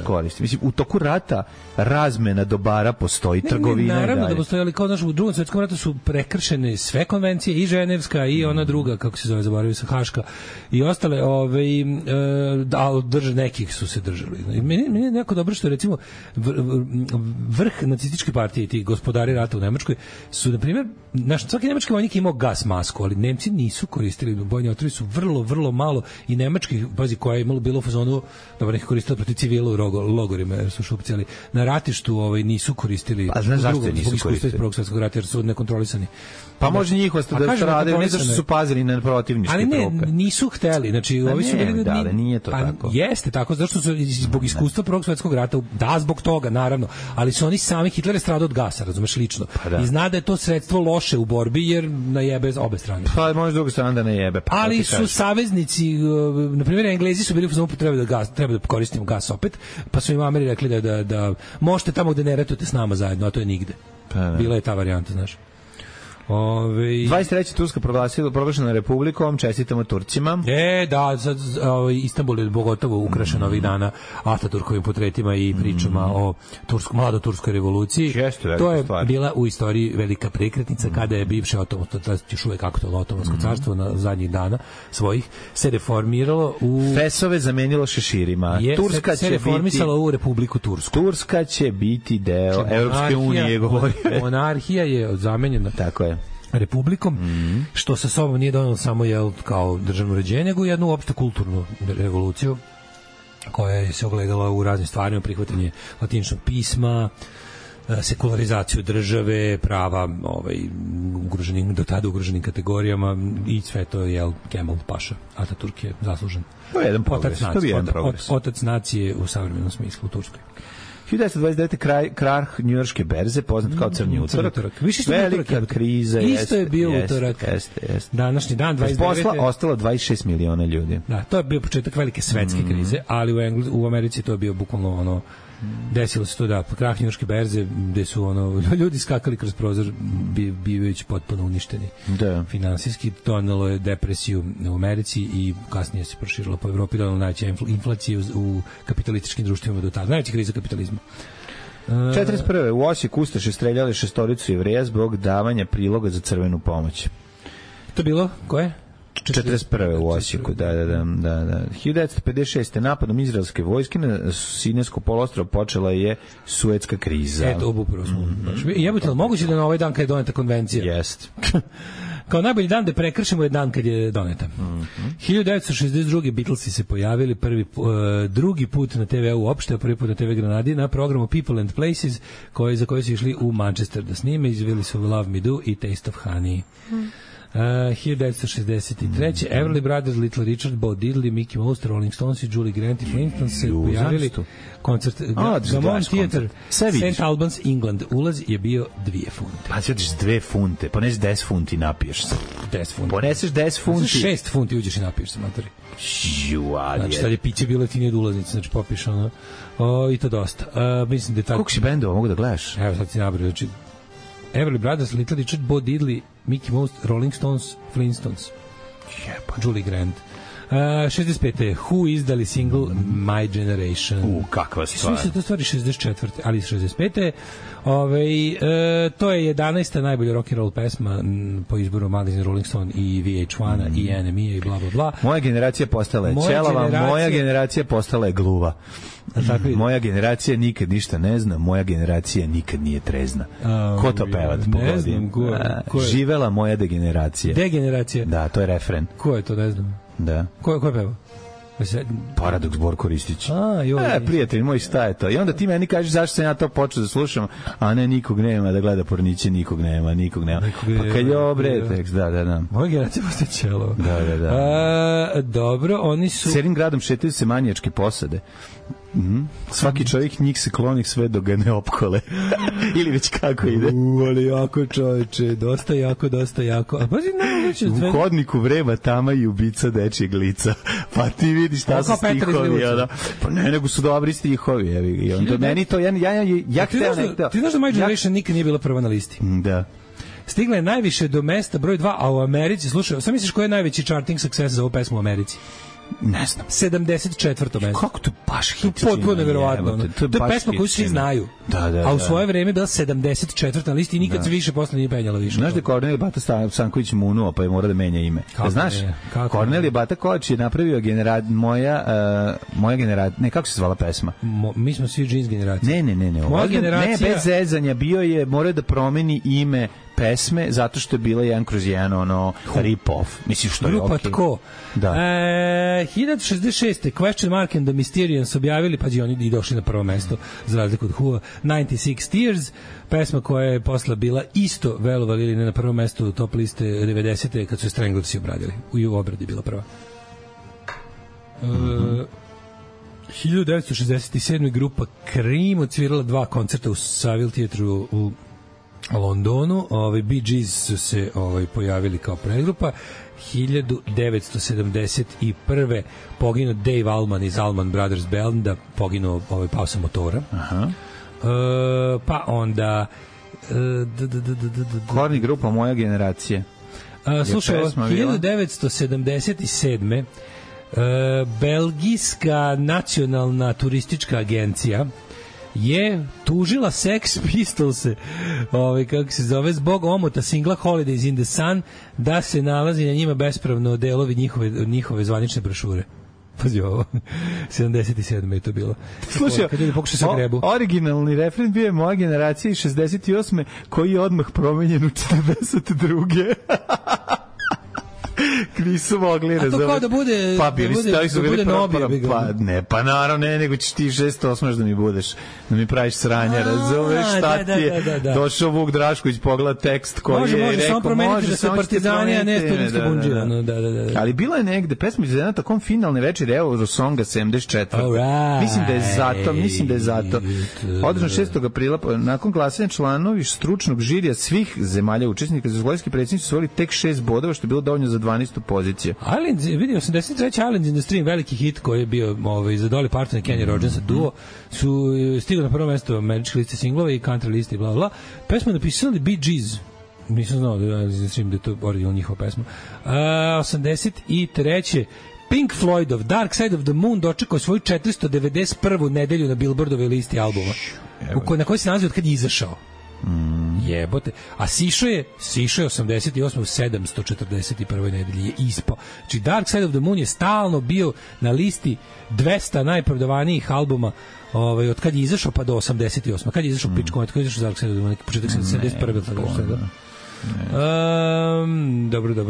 koristi. Mislim, u toku rata razmena dobara postoji, trgovina i dalje. Naravno da postoji, ali kao u Drugom svjetskom ratu su prekršene sve konvencije, i Ženevska, i ona druga, kako se zove, zaboravio se, Haška, i ostale, nekih su se držali. Meni je neko dobro što, recimo, vrh nacističke partije i ti gospodari rata u Nemačkoj su, na primjer, svaki nemački vojnik imao gas masku, ali Nemci nisu koristili bojni otrovi, su vrlo malo, i nemački, pazi, koja je imalo bilo u fazonu, dobro, neki koristili protiv civila u logorima, jer su šupcijali na ratištu, nisu koristili. A znaš zašto nisu koristili? Prvog svjetskog rata, jer su nekontrolisani. Pa može njihova da radili, ne zašto su pazili na protivničke trupe. Ali ne, nisu hteli, znači ovi su bili da nije to tako. Jeste tako, zašto su zbog iskustva Prvog svjetskog rata, da, zbog toga, naravno, ali su oni sami, Hitler je stradao od gasa, razumeš, lično. I zna da je to sredstvo loše u borbi, jer najebe obe strane. Pa može druga strana da najebe. Pa, ali su saveznici, na primjer, Englezi su bili u treba da koristimo gas opet, pa su im Ameri rekli da možete tamo gde ne ratujete s nama zajedno, a to je nigde. Bila je ta varijanta, znaš. 23. Turska proglašena republikom, čestitamo Turcima. Da, Istanbul je pogotovo ukrašen ovih dana Ataturkovim portretima i pričama o mlado-turskoj revoluciji. To je bila u istoriji velika prekretnica kada je bivše još uvek aktualno Otomansko carstvo na zadnjih dana svojih se reformiralo u... Fesove zamenilo šeširima. Turska se reformisala u Republiku Tursku. Turska će biti deo Evropske unije, govori. Monarhija je zamenjena. Tako je. Republikom, što sa sobom nije donelo samo kao državno uređenje, nego jednu opšte kulturnu revoluciju koja je se ogledala u raznim stvarima, prihvatanje latiničnog pisma, sekularizaciju države, prava do tada ugroženim kategorijama, i sve to je Kemal Paša. Ataturk je zaslužen. To je jedan progres. Otac nacije u savremenom smislu u Turskoj. 1929. krah njujorške berze, poznat kao crni utorak. Velika kriza. Isto je bio utorak. Današnji dan, 29. Posla ostalo 26 miliona ljudi. Da, to je bio početak velike svetske krize, ali u Americi to je bio bukvalno desilo se to krah njujorške berze, gde su ljudi skakali kroz prozor bivajući potpuno uništeni. Finansijski donelo je depresiju u Americi i kasnije se proširilo po Evropi, donelo najveća inflacija u kapitalističkim društvima do tada. Najveća kriza kapitalizma. 41. u Osijeku ustaše streljali 6 Jevreja zbog davanja priloga za crvenu pomoć. To bilo? Koje? 41. u Osijeku, da. 1956. napadom izraelske vojske na Sinajsko poluostrvo počela je Suetska kriza. Eto, upravo smo. Jebote, li moguće da na ovaj dan kad je doneta konvencija? Jest. Kao najbolji dan da prekršimo je dan kad je doneta. 1962. Beatlesi se pojavili drugi put na TV uopšte, a prvi put na TV Granadi na programu People and Places, za koje su išli u Manchester da snime, izveli su Love Me Do i Taste of Honey. 1963. Everly Brothers, Little Richard, Bo Diddley, Mickey Mouse, Rolling Stones i Julie Grant i Flintstones se pojavili. Koncert Gammon Theatre, St. Albans, England. Ulaz je bio 2 funte. Pa ćeš 2 funte, ponesi 10 funti, napiješ se. 10 funti. Poneseš 10 funti. 6 funti uđeš i napiješ se, matori. Znači, sad je piće bilo tinije od ulaznice, znači popiš i to dosta. Mislim da je tako... Koliko si bendova mogu da gledaš? Evo sad si nabrao, znači Everly Brothers, Little Richard, Bo Diddley, Mickey Mouse, Rolling Stones, Flintstones, Julie Grant. 65. Who izdali single My Generation. Kakva stvar. Svi se to stvari 64. ali 65. To je 11. najbolja rock and roll pesma po izboru Magazine Rolling Stone i VH1-a i NME i bla bla bla. Moja generacija postala je ćelava, moja generacija postala je gluva. Moja generacija nikad ništa ne zna, moja generacija nikad nije trezna. Ko to peva? Ne znam, ko je? Živela moja degeneracija. Degeneracija? Da, to je refren. Ko je to, ne znam? Da. Ko je peva? Paradoks Borko Ristić. Joj. Prijatelj moj, šta je to? I onda ti meni kažeš zašto sam ja to počeo da slušam, a ne nikog nema da gleda porniće, nikog nema. Pa kad je obre tekst, da. Moja generacija postaje ćelo. Da. Dobro, oni su... Serim gradom šetaju se manijačke posade. Svaki čovjek njih se kloni sve dok ga ne opkole. Ili već kako ide. Ali jako čovječe, dosta jako. A pazi, u hodniku vreba tama i ubica dečijeg lica. Pa ti vidiš šta su stihovi. Pa ne, nego su dobri stihovi. I onda meni to, ja hteo nekto. Ti znaš da My Generation nikad nije bila prva na listi? Da. Stigla je najviše do mesta broj 2, a u Americi, slušaj, sam misliš koji je najveći charting success za ovu pesmu u Americi? Ne znam. 74. mesto. Kako to baš hit? Potpuno nevjerovatno. To je pesma koju svi znaju. A u svoje vreme je bila 74. na listi i nikad se više posle nije penjala više. Znaš da je Kornelije Bata Stanković munuo, pa je mora da menja ime. Znaš? Kornelije Bata Koč je napravio moja generacija. Ne, kako se zvala pesma? Mi smo svi jeans generacija. Ne. Moja generacija. Ne, bez zezanja. Bio je, mora da promeni ime pesme, zato što je bila 1/1 rip-off. Mislim što je okej. Grupa Tko. Da. 1066. Question Mark and the Mysterians objavili, pa oni i došli na prvo mesto, za razliku od Who, 96 Tears, pesma koja je posle bila isto velovali ili ne na prvom mestu top liste 90. kad su je Stranglers obradili. U obradi bila prva. 1967. grupa Cream odsvirala 2 koncerta u Savile Theatru u Londonu. Bee Gees su se pojavili kao predgrupa. 1971. poginuo Dave Allman iz Allman Brothers Banda, poginuo pao sa motora. Pa onda Korni grupa Moja generacija. Slušaj, 1977. Belgijska nacionalna turistička agencija je tužila Sex Pistolse, kako se zove, zbog omota singla Holidays in the Sun, da se nalazi na njima bespravno delovi njihove zvanične brošure. Pazi ovo, 77. je to bilo. Slušaj, originalni refren bio je Moja generacija iz 68. koji je odmah promenjen u 42. Nisu mogli razumeti. A to kao da bude Nobi. Pa naravno, nego ćeš ti 608 da mi budeš, da mi praviš sranja, razumeš šta ti je. Došao Vuk Drašković, pogleda tekst koji je rekao, može, samo promeniti da se Partizani, a ne studentska bundžija. Ali bila je negde, pesma iz jedna takom finalne večeri Eurosonga 74. Mislim da je zato. Održan 6. aprila, nakon glasanja članovi stručnog žirija svih zemalja učesnika, Jugoslavijski predsjednici su osvojili tek 6 bodova, što je bilo dovoljno za 12. poziciju. Vidio 83. Islands in the Stream, veliki hit koji je bio za Dolly Parton i Kenny Rogers duo, su stigli na prvo mesto američke liste singlova i country liste i bla bla. Pesmu napisali Bee Gees. Nisam znao da je to originalna njihova pesma. 83. Pink Floydov Dark Side of the Moon dočekao svoju 491. nedelju na Billboardovoj listi albuma, na kojoj se nalazi od kad je izašao. Jebote. A sišao je 88 u 741. nedelji je ispao. Znači Dark Side of the Moon je stalno bio na listi 200 najprodavanijih albuma od kad je izašao pa do 88. Kad je izašao Pičko, od kad je izašao Dark Side of the Moon, početak 71.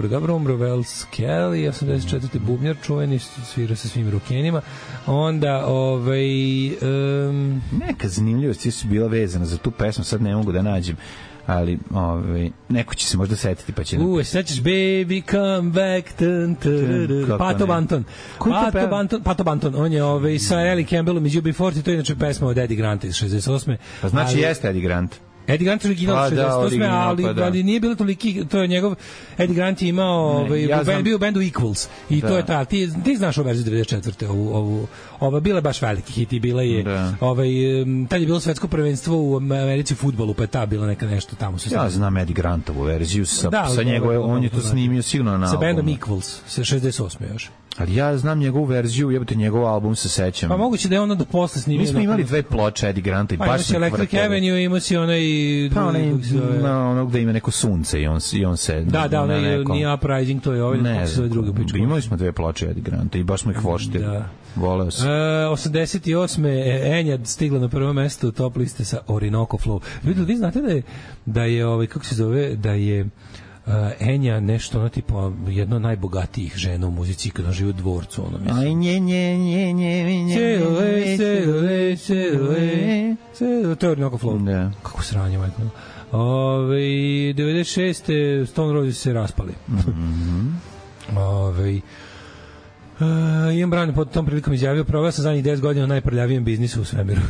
Dobro, umro Wells Kelly, 84. bubnjar, čuveni, svira sa svim rukenima. Onda, neka zanimljivost su bila vezana za tu pesmu, sad ne mogu da nađem, ali neko će se možda setiti pa će... sećaš Baby Come Back, Pato Banton, on je sa Ellie Campbellom iz UB40, to je inače pesma od Eddie Granta iz 68. Pa znači jeste Eddie Grant. Eddie Grant original 68. Ali nije bilo toliki, to je njegov, Eddie Grant je imao, bio u bendu Equals i to je ta, ti znaš ovu verziju 94. Ova bila je baš veliki hit i bila je, tad je bilo svetsko prvenstvo u Americi u fudbalu, pa je ta bila neka nešto tamo. Ja znam Eddie Grantovu verziju sa njegove, on je to snimio sigurno na sa bendom Equals, sa 68. još. Ali ja znam njegovu verziju, jebote, njegov album se sećam. Pa moguće da je ono da posle snimio. Mi smo imali dve ploče Eddie Granta i baš se Electric Avenue, imao si onaj... Pa ono gde ima neko sunce i on se... Da, nije Uprising, to je ovaj, kako se zove druga pička. Imali smo dve ploče Eddie Granta i baš smo ih voštili. Da. Voleo se. 88. Enja stigla na prvo mesto u top liste sa Orinoco Flow. Vi znate da je kako se zove, da je Enja nešto, ono tipa jedno od najbogatijih žena u muzici kada živi u dvorcu, ono mislim. Aj to je Orinoco Flow. Kako sranje, majko. 96. Stone Roses se raspali. Ian Brown pod tom prilikom izjavio: proveo sam zadnjih 10 godina u najprljavijem biznisu u svemiru.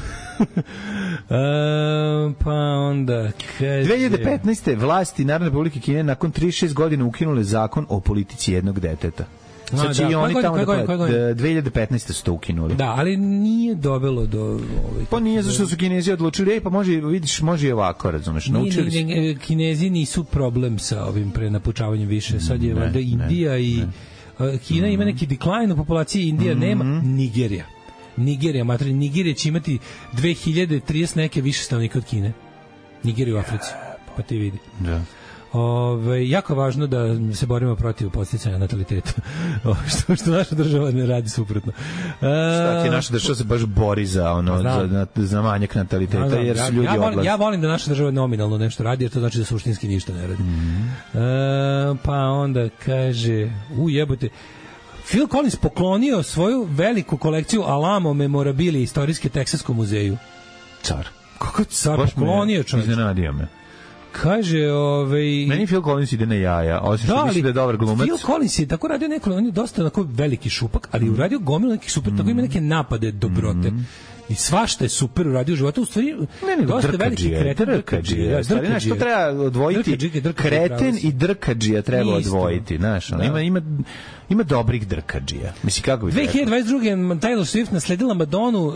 Pa onda kaže... 2015. vlasti Narodne Republike Kine nakon 36 godina ukinule zakon o politici jednog deteta. Sad će i oni tamo 2015. su to ukinuli. Da, ali nije dovelo do... Pa nije, zašto su Kinezi odlučili, pa može i ovako, razumeš, naučili su. Kinezi nisu problem sa ovim prenapučavanjem više, sad je valjda Indija i... Kina ima neki decline u populaciji, Indija nema, Nigerija će imati 2030 neke više stanovnika od Kine. Nigerija u Africi, pa ti vidi. Da. Jako je važno da se borimo protiv podsticanja nataliteta, što naša država ne radi suprotno. Šta ti naša država se baš bori za manjak nataliteta, jer su ljudi odlaze. Ja volim da naša država nominalno nešto radi, jer to znači da suštinski ništa ne radi. Pa onda kaže, jebote, Phil Collins poklonio svoju veliku kolekciju Alamo memorabilije istorijske Teksaskom muzeju. Car. Kako car poklonio, čovječ? Iznenadio me. Kaže, meni Phil Collins ide na jaja, osim što mislim da je dobar glumac. Phil Collins je tako radio neko, on je dosta onako veliki šupak, ali uradio gomilu nekih super, tako ima neke napade dobrote. I svašta je super uradio u životu, u stvari dosta veliki kreten. Drkadžija. Što treba odvojiti? Kreten i drkadžija treba odvojiti, znaš, ima dobrih drkadžija. Mislim, kako bi 2022. Taylor Swift nasledila Madonu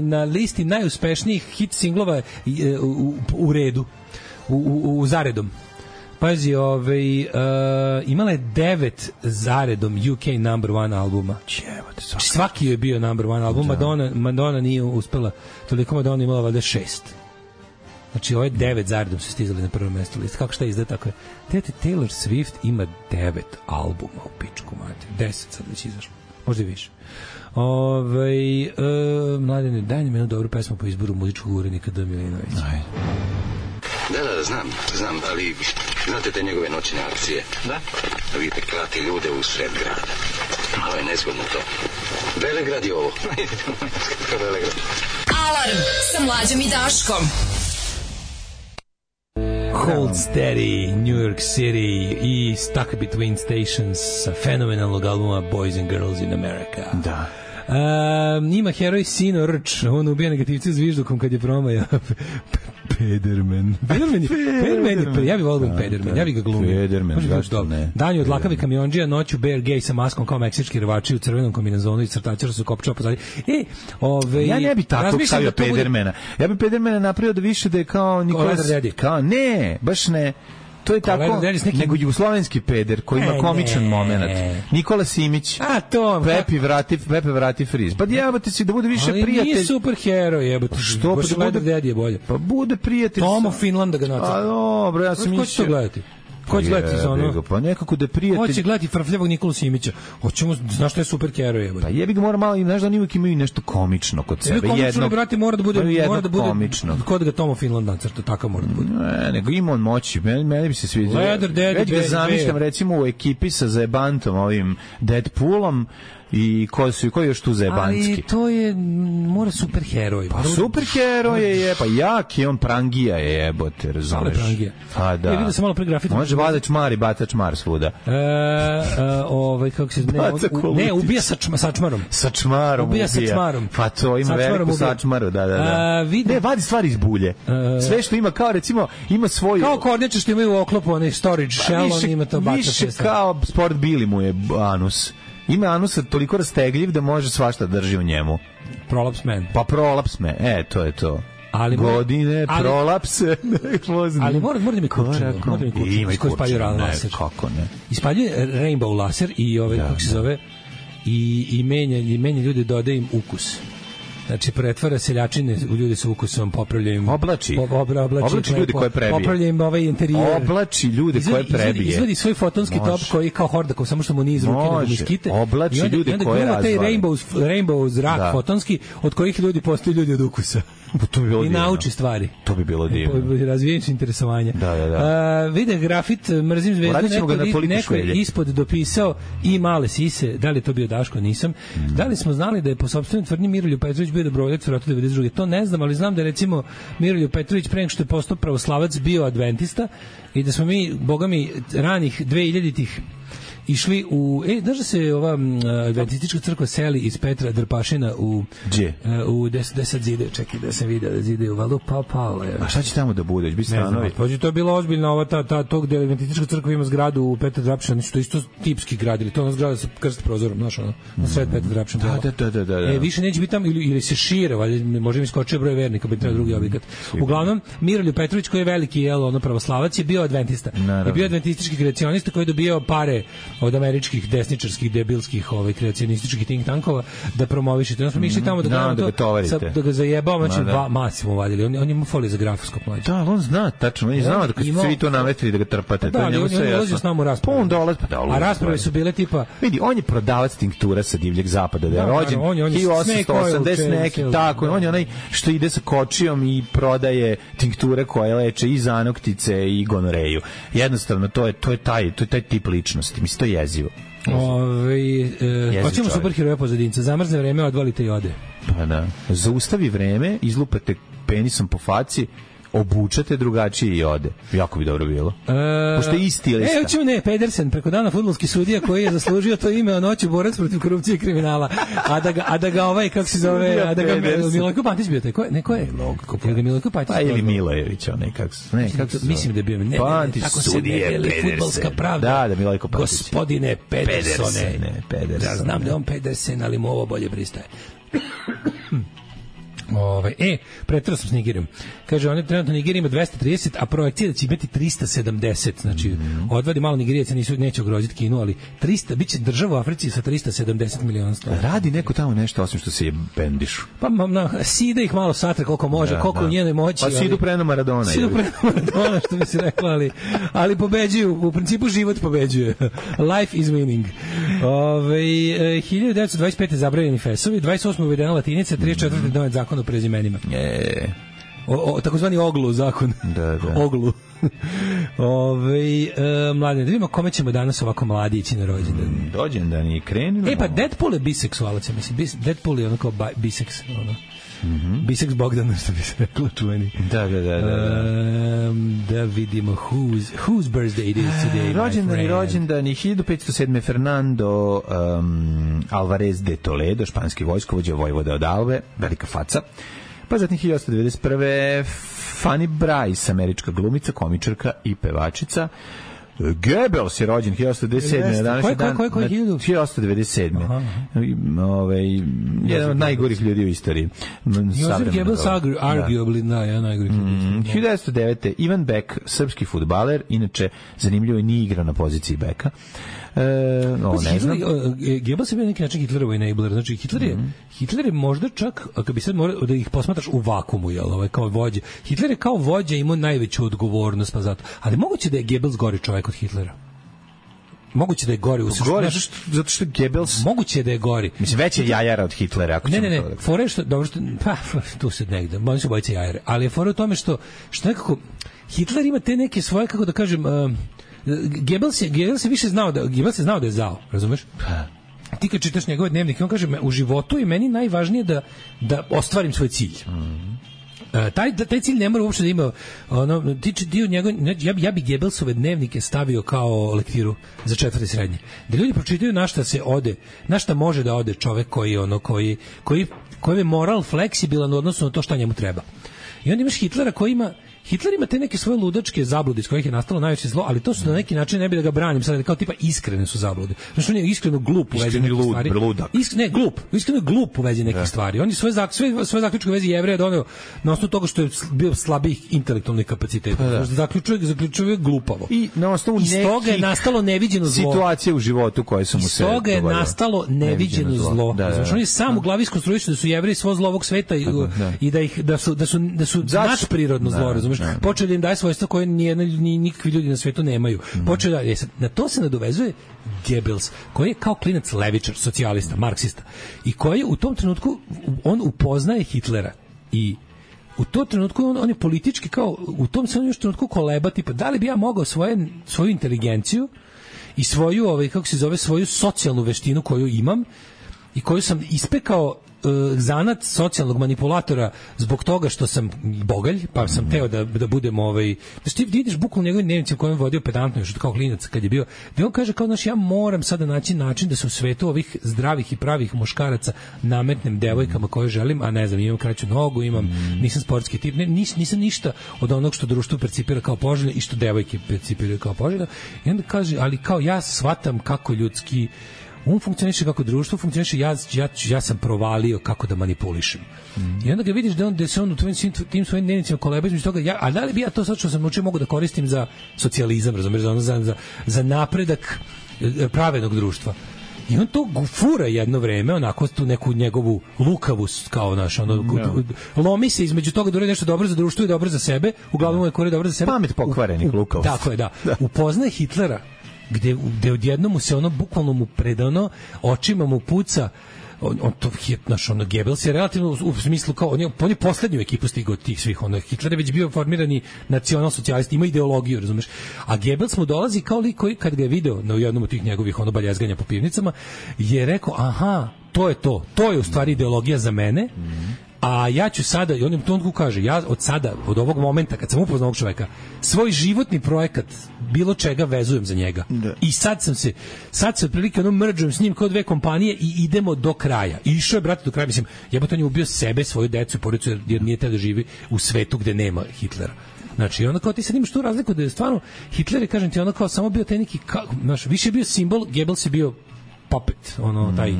na listi najuspešnijih hit singlova u redu. U zaredom. Pazi, imala je 9 zaredom UK number one albuma. Svaki je bio number one album. Madonna nije uspela. Toliko Madonna imala valjda 6. Znači, ovo je 9 zaredom su stizali na prvo mesto list. Kako šta izgleda tako je? Taylor Swift ima 9 albuma u pičku, mate. 10 sad već izašlo. Možda i više. Mladene, daj nam jednu dobru pesmu po izboru muzičkog urednika D. Milinovića. Ajde. Da, znam, ali znate te njegove noćne akcije? Da. Da vidite klati ljude u sred grada. Malo je nezgodno to. Velegrad je ovo. Velegrad. Alarm sa Mlađom i Daškom. Hold Steady, New York City i Stuck Between Stations sa fenomenalnog albuma Boys and Girls in America. Da. Ima heroj Sino Rč, on ubija negativci zviždukom kad je promaja. Pederman je, ja bih volio Pederman, ja bih ga glumio. Pederman, zašto ne? Danju od lakavi kamionđija, noću Bear Gay sa maskom kao meksički rvači u crvenom kombinezonu i crtačara su kopčao pozadnji. Ja ne bi tako stavio Pedermana. Ja bi Pedermana napravio da više da je kao Nikolas... Ne, baš ne. To je tako, nego jugoslovenski peder koji ima komičan moment. Nikola Simić. Pepe vrati friz. Pa jebate si da bude više prijatelj. Ali nije super heroj, jebate. Što? Pa da bude bolje. Pa bude prijatelj. Tomo Finlanda ga nacrta. A dobro, ja sam mislio. Ko će to gledati? Ko će gledati za ono? Pa nekako da prijatelj... Ko će gledati frfljavog Nikolu Simića? Hoćemo, znaš što je super heroj, jebate. Pa jebi ga mora malo, znaš da oni uvijek imaju nešto komično kod sebe. Komično, brate, mora da bude komično. Kod ga Tomo Finland nacrta, takav mora da bude. Ne, nego ima on moći. Meni bi se sviđa. Već ga zamišljam recimo u ekipi sa Zajebantom, ovim Deadpoolom, i ko je još tu zajebanski? Ali to je, mora super heroj. Pa super heroj je, pa jak je on, prangija je, jebote, razumeš? Prangija. A da. Vidio sam malo pregrafit. Može vada čmar i bata čmar svuda. Kako se ne, ubija sa čmarom. Sa čmarom ubija. Sa čmarom. Pa to ima veliku sa čmaru, da. Ne, vadi stvari iz bulje. Sve što ima, kao recimo, ima svoju... Kao kornjače što imaju u oklopu, onaj storage shell, on ima to baca sve. Više kao Sport Bili mu je anus. Ima anus toliko rastegljiv da može svašta drži u njemu. Prolaps man. Pa prolaps man, to je to. Prolapse. Ali mora da mi kurčino. Ima i kurčino, laser. Kako ne? Ispaljuje Rainbow laser i kako se zove, i menja ljude, dodaje im ukus. Znači, pretvara seljačine u ljude sa ukusom, popravlja im... Oblači ljude koje prebije. Popravlja im ovaj interijer. Oblači ljude koje prebije. Izvadi svoj fotonski top koji kao Hordakov, samo što mu nije izrukine da mu iskite. Oblači ljude koje razvali. I onda taj rainbow zrak fotonski, od kojih ljudi postaju ljudi od ukusa. To bi bilo i nauči stvari. To bi bilo divno. Razvijajući interesovanje. Vide grafit, mrzim zvezdu, neko je ispod dopisao i male sise, da li je to bio Daško, nisam. Da li smo znali da je po sopstvenoj tvrdnji Miroljub Petrović bio dobrovoljac u ratu 92. To ne znam, ali znam da je recimo Miroljub Petrović pre nego što je postao pravoslavac bio adventista i da smo mi, boga mi, ranih 2000-ih išli u... znaš da se ova adventistička crkva seli iz Petra Drpašina u... Gdje? U 10 zide, čekaj da sam vidio da zide u Valu Pavla. A šta će tamo da bude? Bi stanovi? Ne, to je bilo ozbiljno ova to gde adventistička crkva ima zgradu u Petra Drpašina, to isto tipski gradili, to je ona zgrada sa krst prozorom, znaš ono, na sred Petra Drpašina. Da. Više neće biti tamo ili se šire, valjda možda im skočio broj vernika, bi trebao drugi objekat. Uglavnom, Miroljub Petrović koji je veliki pravoslavac je bio adventista. Je bio adventistički kreacionista koji je dobio pare od američkih desničarskih debilskih kreacionističkih think tankova da promovišete. Onda smo išli tamo da ga zajebao, znači masi mu vadili. On ima folije za grafoskop mlađe. Da, on zna tačno, on je znao da kad ste vi to nametili da ga trpate. Da, on ulazio s nama u raspravu. A rasprave su bile tipa... Vidi, on je prodavac tinktura sa divljeg zapada, da je rođen 1880 neki, tako, on je onaj što ide sa kočijom i prodaje tinkture koje leče i zanoktice i gonoreju. Jednostavno, to je taj tip ličnosti. Mislim, to je jezivo. Hoćemo superheroja pozadinca. Zamrzne vreme, odvalite i ode. Pa da. Zaustavi vreme, izlupate penisom po faci, obučate drugačije i ode. Jako bi dobro bilo. Pošto je isti lista. Hoćemo Pedersen, preko dana fudbalski sudija koji je zaslužio to ime o noću borac protiv korupcije i kriminala. A da ga ovaj, kako se zove, a da ga Milojko Pantić bio taj. Ko je? Milojko Pantić. Pa ili Milojević, nekako. Mislim da je bio. Pantić sudije Pedersen. Fudbalska pravda. Da, Milojko Pantić. Gospodine Pedersone. Ja znam da je on Pedersen, ali mu ovo bolje pristaje. Pretrao sam s Nigerijom. Kaže, on je trenutno Nigerija ima 230, a projekcija da će imati 370. Znači, odvadi malo Nigerijaca, neće ugroziti Kinu, ali 300, bit će država u Africi sa 370 miliona stanovnika. Radi neko tamo nešto, osim što se je bendišu. Pa, sida ih malo satra koliko može, koliko u njenoj moći. Pa sidu preno Maradona. Sidu preno Maradona, što bi se rekla, ali pobeđuju, u principu život pobeđuje. Life is winning. 1925. zabranjeni fesovi, 28. uvedena latinica, 34. donet zakon o prezimenima. Takozvani oglu zakon. Da. Oglu. Mladine, da vidimo kome ćemo danas ovako mladi ići na rođendan. Rođendan je krenilo. Pa Deadpool je biseksualac, ja mislim. Deadpool je ono kao biseks, ono. Biseks Bogdan, što bi se reklo, čuveni. Da. Da vidimo whose birthday it is today. Rođendan je 1507. Fernando Alvarez de Toledo, španski vojskovođa, vojvoda od Albe, velika faca. Pa zatim 1891. Fanny Brice, američka glumica, komičarka i pevačica. Goebbels je rođen 1897. Koji 1897. Jedan od najgorih ljudi u istoriji. Josef Goebbels arguably najgorih ljudi. 1909. Ivan Beck, srpski fudbaler, inače zanimljivo je, nije igrao na poziciji beka. Ne znam. Goebbels je bio neki način Hitlerov enabler. Znači, Hitler je možda čak, ako bi sad morao da ih posmatraš u vakumu, kao vođa. Hitler je kao vođa imao najveću odgovornost, pa zato. Ali moguće da je Goebbels gori čovjek od Hitlera. Moguće da je gori u zato što Goebbels moguće da je gori. Mislim, već je jajara od Hitlera, ako ne, fore što dobro što tu se negde, oni su bojice jajare, ali je fora u tome što nekako Hitler ima te neke svoje, kako da kažem, Goebbels je više znao da je zao, razumeš? Ti kad čitaš njegove dnevnike, on kaže, u životu je meni najvažnije da ostvarim svoj cilj. Taj cilj ne mora uopšte da ima tiče dio njegov, ja bi Goebbelsove dnevnike stavio kao lektiru za 4. srednje. Da ljudi pročitaju na šta se ode, na šta može da ode čovek koji je moral fleksibilan u odnosu na to šta njemu treba. I onda imaš Hitlera koji ima Hitler ima te neke svoje ludačke zablude iz kojih je nastalo najveće zlo, ali to su na neki način, ne bi da ga branim sad, kao tipa iskrene su zablude. Znači on je iskreno glup u vezi nekih stvari. Iskreno glup u vezi nekih stvari. On je svoje zaključke u vezi Jevreja doneo na osnovu toga što je bio slabih intelektualnih kapaciteta. Zaključuje glupavo. I na osnovu nekih toga je nastalo neviđeno zlo. Situacije u životu koje su mu se dogodile. Iz toga je nastalo neviđeno zlo. Znači on je sam u glavi iskonstruisao da su Jevreji svo zlo ovog sveta i da su nadprirodno zlo, razumeš? Počeo da im daje svojstva koje nikakvi ljudi na svetu nemaju. Počeo da na to se nadovezuje Goebbels, koji je kao klinac levičar, socijalista, marksista i koji u tom trenutku on upoznaje Hitlera i u tom trenutku on je politički kao u tom se on još trenutku koleba tipa da li bi ja mogao svoju inteligenciju i svoju kako se zove svoju socijalnu veštinu koju imam i koju sam ispekao zanat socijalnog manipulatora zbog toga što sam bogalj, pa sam teo da budem znači ti vidiš bukvalno njegovim dnevnicima u kojem je vodio pedantno još kao klinac kad je bio, gde on kaže kao znači ja moram sada naći način da se u svetu ovih zdravih i pravih muškaraca nametnem devojkama koje želim, a ne znam, imam kraću nogu, nisam sportski tip, nisam ništa od onog što društvo percipira kao poželjno i što devojke percipiraju kao poželjno. I onda kaže, ali kao ja shvatam kako ljudski on funkcioniše, kako društvo funkcioniše, ja sam provalio kako da manipulišem. I onda ga vidiš da se on u tim svojim dnevnicima koleba između toga, a da li bi ja to sad što sam naučio mogu da koristim za socijalizam, razumiješ, za napredak pravednog društva. I on to fura jedno vreme, onako tu neku njegovu lukavost, kao lomi se između toga da uradi nešto dobro za društvo i dobro za sebe, uglavnom je kore dobro za sebe. Pamet pokvarenih lukavost. Tako je, da. Upoznaje Hitlera, gde odjednom mu se bukvalno mu predano, očima mu puca, Goebbels je relativno u smislu kao, on je poslednju ekipu stigao od tih svih, Hitler je već bio formirani nacional-socijalist, ima ideologiju, razumeš, a Goebbels mu dolazi kao lik koji kad ga je video na jednom od tih njegovih baljezganja po pivnicama, je rekao, aha, to je u stvari ideologija za mene, a ja ću sada, i on u tonku kaže, ja od sada, od ovog momenta, kad sam upoznao ovog čoveka, svoj životni projekat, bilo čega vezujem za njega. Da. I sad se otprilike mrđujem s njim kao dve kompanije i idemo do kraja. I išao je, brate, do kraja, mislim, jebote, on je ubio sebe, svoju decu i porodicu, jer nije teo da živi u svetu gde nema Hitlera. Znači, onda kao ti sad imaš tu razliku da je stvarno, Hitler je, kažem ti, ono kao samo bio taj neki, više je bio simbol, Goebbels je bio puppet, taj,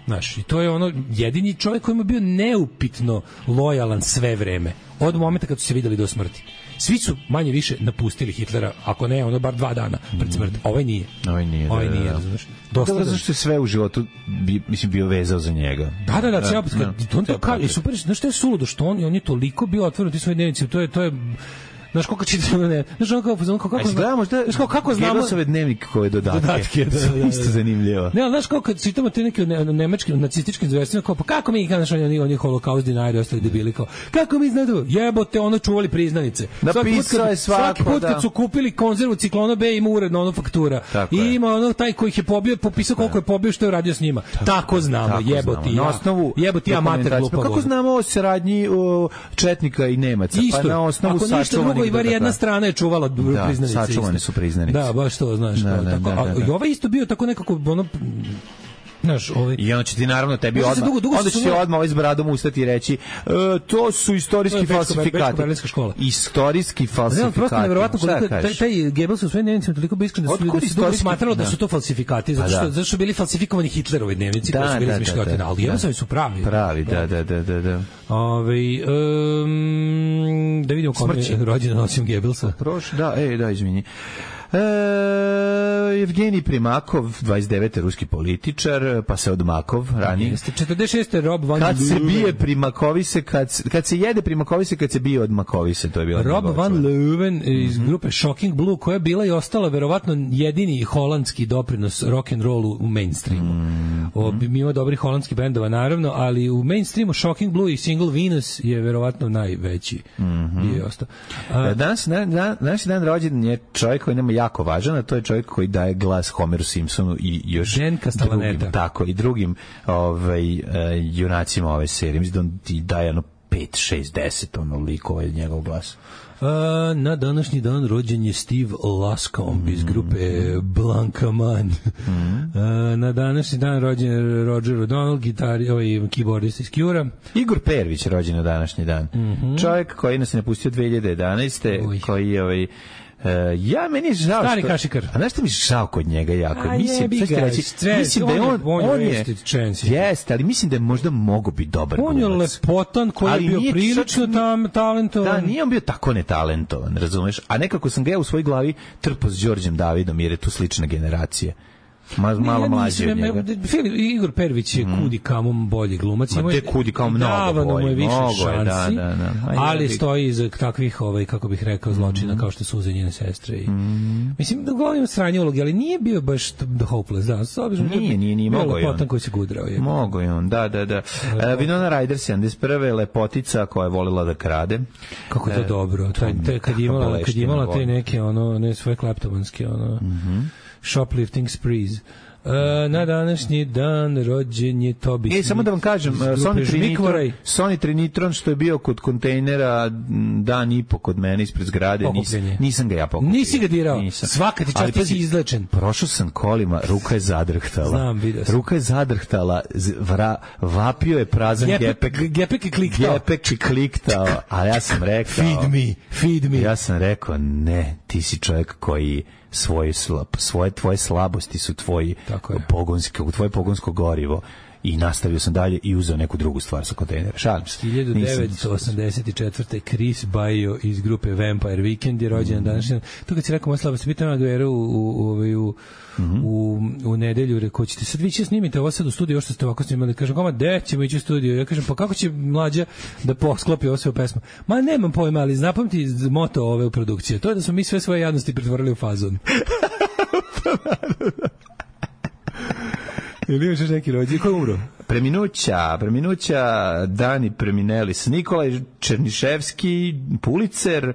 znaš, i to je jedini čovjek koji je bio neupitno lojalan sve vreme, od momenta kad su se videli do smrti. Svi su manje više napustili Hitlera, ako ne, bar 2 dana pred smrti. Ovaj nije, razumiješ? Dobro, zašto je sve u životu bio vezao za njega. Da, on to kaže, super, znaš što je suludo, što on je toliko bio otvoren ti svoje dnevnice, to je znaš koliko čitamo, kako znamo Goebbelsove dnevnike koje dodatke isto zanimljivo. Ne, znaš kako kad čitamo te neke nemačke nacističke izvestima, kao pa kako mi, znaš, oni holokaust dinari ostali debili, kao kako mi znaju, jebote, čuvali priznanice. Napisao je svaki put kad su kupili konzervu Ciklona B, ima uredno faktura. I ima taj koji ih je pobio, popisao koliko je pobio, što je uradio s njima. Tako znamo, jebote, amater glupavo. Kako znamo o saradnji četnika i Nemaca? Pa na osnovu sačuvanih. I bar jedna strana je čuvala priznanice. Da, sačuvane su priznanice. Da, baš to, znaš. I ovaj isto bio tako nekako, znaš, I onda će ti naravno tebi onda će odmah s bradom ustati i reći to su istorijski falsifikati. Istorijski falsifikati. Prosto nevjerovatno koliko taj Goebbels u svojim dnevnicima toliko bio iskren da su smatralo da su to falsifikati, zato što bili falsifikovani Hitlerovi dnevnici koji su bili izmišljotine, ali Goebbelsovi su pravi. Pravi, da. Da vidimo kom je rođendan osim Goebbelsa. Da, izvini. Evgenij Primakov, 29. ruski političar, pa se odmakov ranije. 46. Rob Van Leuven. Kad se bije Primakovise, kad se jede Primakovise, kad se bije od Makovise, to je bilo. Rob Van Leuven iz grupe Shocking Blue, koja je bila i ostala verovatno jedini holandski doprinos rock and rollu u mainstreamu. Ima dobrih holandskih bendova, naravno, ali u mainstreamu Shocking Blue i single Venus je verovatno najveći. Je ostao. Danas dan rođendan je čovjek koji nema jako važan, a to je čovjek koji daje glas Homeru Simpsonu i još drugim, tako, i drugim junacima ove serije. Mislim da on ti daje 5, 6, 10 likova je njegov glas. Na današnji dan rođen je Steve Lascombe iz grupe Blanca Man. Na današnji dan rođen je Roger O'Donnell, keyboardist iz Cure-a. Igor Pervić rođen na današnji dan. Čovjek koji nas je napustio 2011. Koji je ja meni je žao stari kašikar. A znaš što mi je žao kod njega jako? Mislim da je on je jeste, ali mislim da je možda mogo biti dobar glumac. On je lepotan koji je bio prilično talentovan. Da, nije on bio tako netalentovan, razumeš? A nekako sam ga u svojoj glavi trpao s Đorđem Davidom, jer je tu slična generacija. Malo mlađi od njega. Igor Pervić je kudi kamo bolji glumac. Ma te kudi kao mnogo bolji. Mu je više šansi, da. ali stoji iza takvih, kako bih rekao, zločina kao što su uze njene sestre. Mislim, da govorim sranje ulogi, ali nije bio baš The Hopeless. Da, nije mogo je on. Lepotan koji se gudrao. Mogo je on, da. Winona Ryder 71. lepotica koja je volila da krade. Kako je to dobro. Kad je imala te neke, ne svoje kleptomanske, shoplifting sprees. Na današnji dan rođen je Toby. Samo da vam kažem, Sony Trinitron što je bio kod kontejnera dan i po kod mene ispred zgrade, nisam ga ja pokupio. Nisi ga dirao? Svaka ti čast, ti si izlečen. Prošao sam kolima, ruka je zadrhtala. Znam, vidio sam. Ruka je zadrhtala, vapio je prazan gepek. Gepek je kliktao. A ja sam rekao... Feed me. Ja sam rekao, ne, ti si čovjek koji tvoje slabosti su tvoje pogonsko gorivo i nastavio sam dalje i uzeo neku drugu stvar sa kontejnera. Šalim se. 1984. Chris Baio iz grupe Vampire Weekend je rođen današnji. To kad si rekao moja slabost, pitan na Guerra u nedelju, rekao, ćete sad vi će snimite ovo sad u studiju, ovo što ste ovako snimali. Kažem, koma, gde ćemo ići u studiju? Ja kažem, pa kako će mlađa da posklopi ovo sve u pesmu? Ma nemam pojma, ali zapamti moto ove u produkcije. To je da smo mi sve svoje jadnosti pretvorili u fazon. Ili imaš još neki rođen? Ko je umro? Preminuća Dani Preminelis, Nikolaj Černiševski, Pulicer,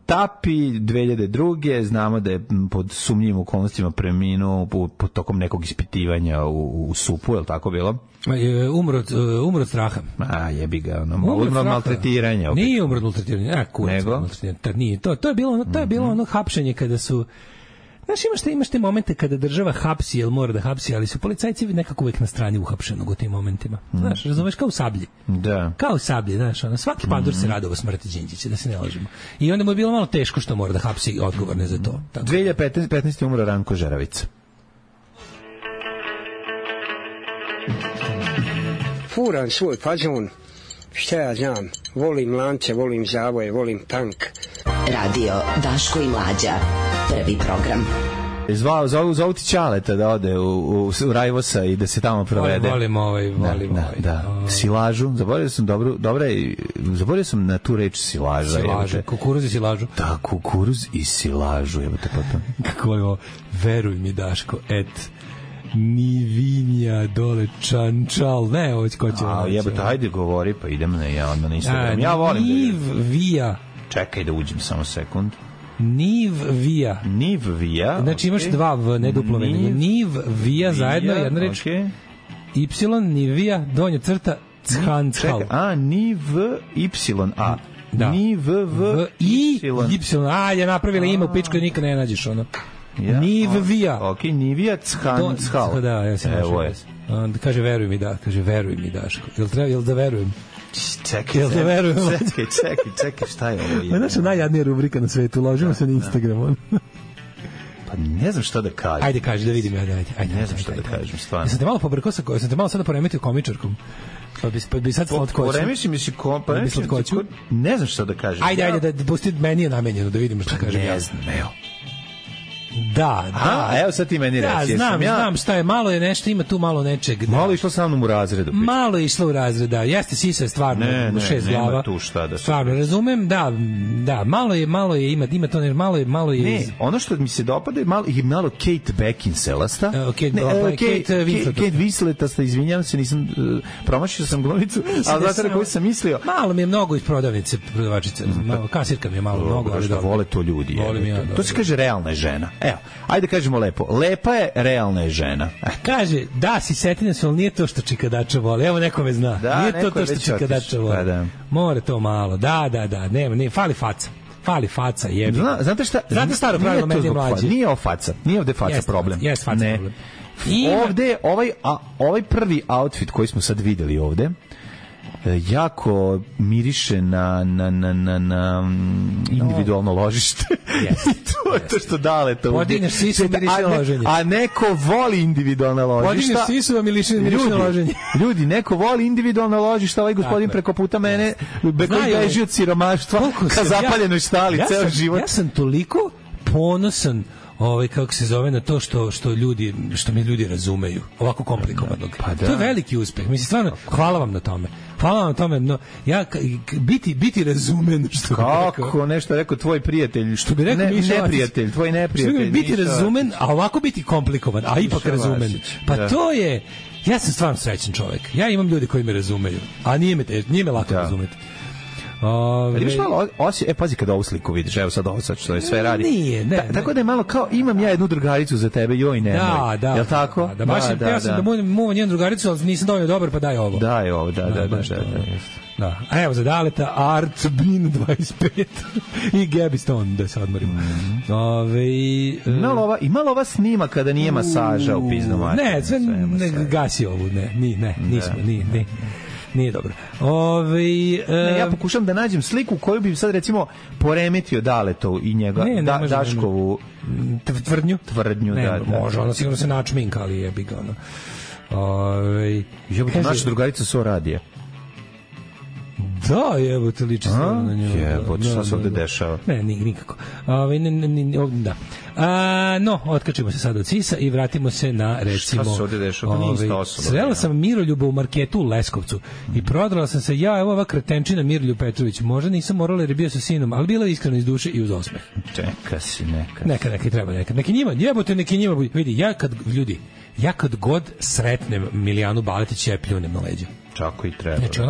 Tapi 2002. Znamo da je pod sumnjivim okolnostima preminuo tokom nekog ispitivanja u SUP-u, je li tako bilo? Umro od straha. Jebi ga, umro od maltretiranja. Opet. Nije umro od maltretiranja, nego? To je bilo ono hapšenje kada su... Znaš, imaš te momente kada država hapsi, jel mora da hapsi, ali su policajci nekako uvek na strani uhapšenog u tim momentima. Znaš, razumeš, kao u Sablji. Da. Kao u Sablji, znaš, svaki pandur se radova smrti Đinđića, da se ne lažemo. I onda mu je bilo malo teško što mora da hapsi odgovorne za to. 2015. umro Ranko Žeravica. Furan svoj fazon, šta ja znam, volim lance, volim zavoje, volim tank. Radio Daško i Mlađa. Prvi program. Zovu ti Ćaleta da ode u Rajvosa i da se tamo provede. Volim ovaj. Da. Silažu, zaboravio sam na tu reč silaža. Kukuruz i silažu. Da, kukuruz i silažu. Kako je ovo? Veruj mi, Daško, Nivinja dole Čančal. Ne, ovo ko će. Ajde govori, pa idem na Instagram. Ja volim Nivija. Čekaj da uđem samo sekund. Nivija. Znači imaš dva v, ne duplo V. Nivija zajedno, jedna reč. Y, Nivija, donja crta, Chancal. N-I-V-Y-A. Da. N-I-V-V-Y. Je napravila ime u pičku i nikad ne nađeš ono. Nivija. Ok, Nivija, Chancal. Da, ja sam našao. Kaže, veruj mi, Daško. Jel da verujem? Čekaj, šta je ovo? To je naša najjadnija rubrika na svetu, ložimo se na Instagram. Pa ne znam šta da kažem. Ajde, kaži, da vidim. Ajde, ne znam šta da kažem, stvarno. Sam te malo pobrkao sam te malo sada poremetio komičarkom. Pa bi sad slatkoću. Poremiši mi si slatkoću. Ne znam šta da kažem. Ajde, da pusti, meni je namenjeno, da vidimo šta kažem. Ne znam, evo. Da. Evo sad ti meni reći. Znam šta je, malo je nešto, ima tu malo nečeg. Malo je išlo sa mnom u razredu. Malo je išlo u razred, da. Jeste, sisa je stvarno u 6 glava. Nema tu šta da se... Stvarno, razumem, da, malo je, ima to nešto, malo je... Ne, ono što mi se dopada je malo Kate Beckinselasta. Kate Winsletasta, izvinjam se, nisam, promašio sam glumicu, ali zato na koju sam mislio... Malo mi je mnogo iz prodavnice, prodavačice, kasirka mi je malo mnogo, ali dobro. Vole to ljudi. To se kaže realna žena. Evo, ajde kažemo lepo. Lepa je, realna je žena. Kaže, da, si setina se, ali nije to što čikadača voli. Evo, neko me zna. Da, nije to što čikadača voli. Pa da. More to malo. Da, nema, fali faca. Fali faca, jebi. Znate šta? Znate staro pravilo meni mlađi? Nije ovo faca. Nije ovde faca problem. Jeste faca problem. Ovde, ovaj prvi outfit koji smo sad videli ovde, jako miriše na individualno ložište. To je to što dale to. Podigneš sisu, miriše na loženje. A neko voli individualna ložišta. Podigneš sisu, a miriše na loženje. Ljudi, neko voli individualna ložišta. Ovaj gospodin preko puta mene koji beži od siromaštva ka zapaljenoj štali ceo život. Ja sam toliko ponosan kako se zove na to što mi ljudi razumeju ovako komplikovanog. Pa da. To je veliki uspeh. Mislim stvarno hvala vam na tome. No ja biti razumen što kako nešto rekao tvoj prijatelj, što bi rekao neprijatelj, tvoj neprijatelj. Biti razumen, a ovako biti komplikovan, a ipak razumen. Pa to je ja sam stvarno srećan čovjek. Ja imam ljudi koji me razumeju, a nije me lako razumeti. Imaš malo pazi kada ovu sliku vidiš, evo sad ovo što je sve radi. Nije, tako da je malo kao imam ja jednu drugaricu za tebe, joj nemoj. Da. Jel tako? Da, baš ja sam da muvam jednu drugaricu, ali nisam dovoljno dobar, pa daj ovo. Daj ovo, da. A evo za Daleta, Art Bin 25 i Gabby Stone, da se odmorimo. Ima ova snima kada nije masaža u pizdu mater? Ne, gasi ovu, nismo. Nije dobro. Ja pokušam da nađem sliku koju bi sad recimo poremetio Daletovu i njega Daškovu tvrdnju. Može, ona sigurno se načminka, ali jebi ga ono. Naša drugarica so radije. Da, jebote, liči stvarno na nju. Jebote, šta se ovde dešava? Ne, nikako. Da. No, otkačimo se sad od Cisa i vratimo se na, recimo... Šta se ovde dešava? Nije ista osoba. Srela sam Miroljuba u marketu u Leskovcu i prodala sam se, evo ova kretenčina Miroljub Petrović. Možda nisam morala jer je bio sa sinom, ali bila je iskreno iz duše i uz osmeh. Čeka si, Neka treba. Neki njima, vidi, ja kad god sretnem Milijanu Baletić, ja pljunem na leđa. Čako i treba. Znači,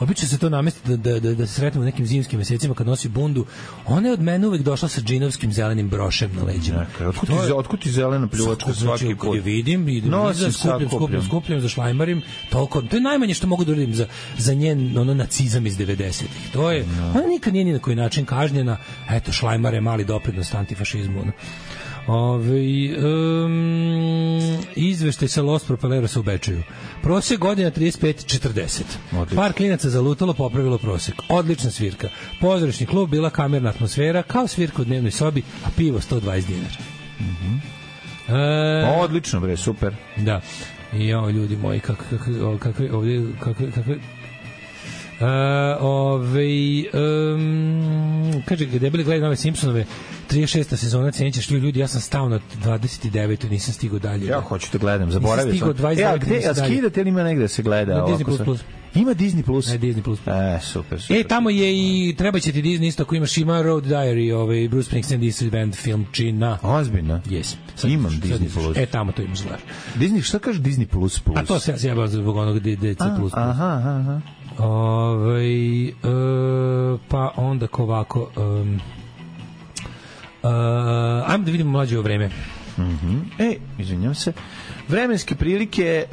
obično se to namesti da se sretnemo u nekim zimskim mesecima kad nosi bundu. Ona je od mene uvek došla sa džinovskim zelenim brošem na leđima. Otkud ti zelena pljuvačka svaki put? Vidim, skupljam, zašlajmarim, toliko. To je najmanje što mogu da uradim za njen nacizam iz 90-ih. To je, ona nikad nije ni na koji način kažnjena. Eto, šlajmar je mali doprinos antifašizmu. Izveštaj sa Los Propelerosa u Bečeju. Prosek godina 35-40. Par klinaca zalutalo, popravilo prosek. Odlična svirka. Pozorišni klub, bila kamerna atmosfera, kao svirka u dnevnoj sobi, a pivo 120 dinara. Odlično, bre, super. Da. I ljudi moji, kakve kaže, debeli gledaj nove Simpsonove 36. sezona, cenit ćeš ljudi, ja sam stao na 29. nisam stigao dalje. Ja hoću da gledam, zaboravio sam. Gde skidate ili ima negde se gleda? Na Disney Plus. Ima Disney Plus? Ne, Disney Plus. Super. Tamo je i treba će ti Disney isto ako imaš, ima Road Diary, Bruce Springsteen This Band film Čina. Ozbiljno? Yes. Imam Disney Plus. Tamo to imaš zvar. Disney, šta kaže Disney Plus Plus? A to se ja sjebam zbog onog DC Plus. Aha. Pa onda ovako ajmo da vidimo mlađe vreme. Izvinjam se. Vremenske prilike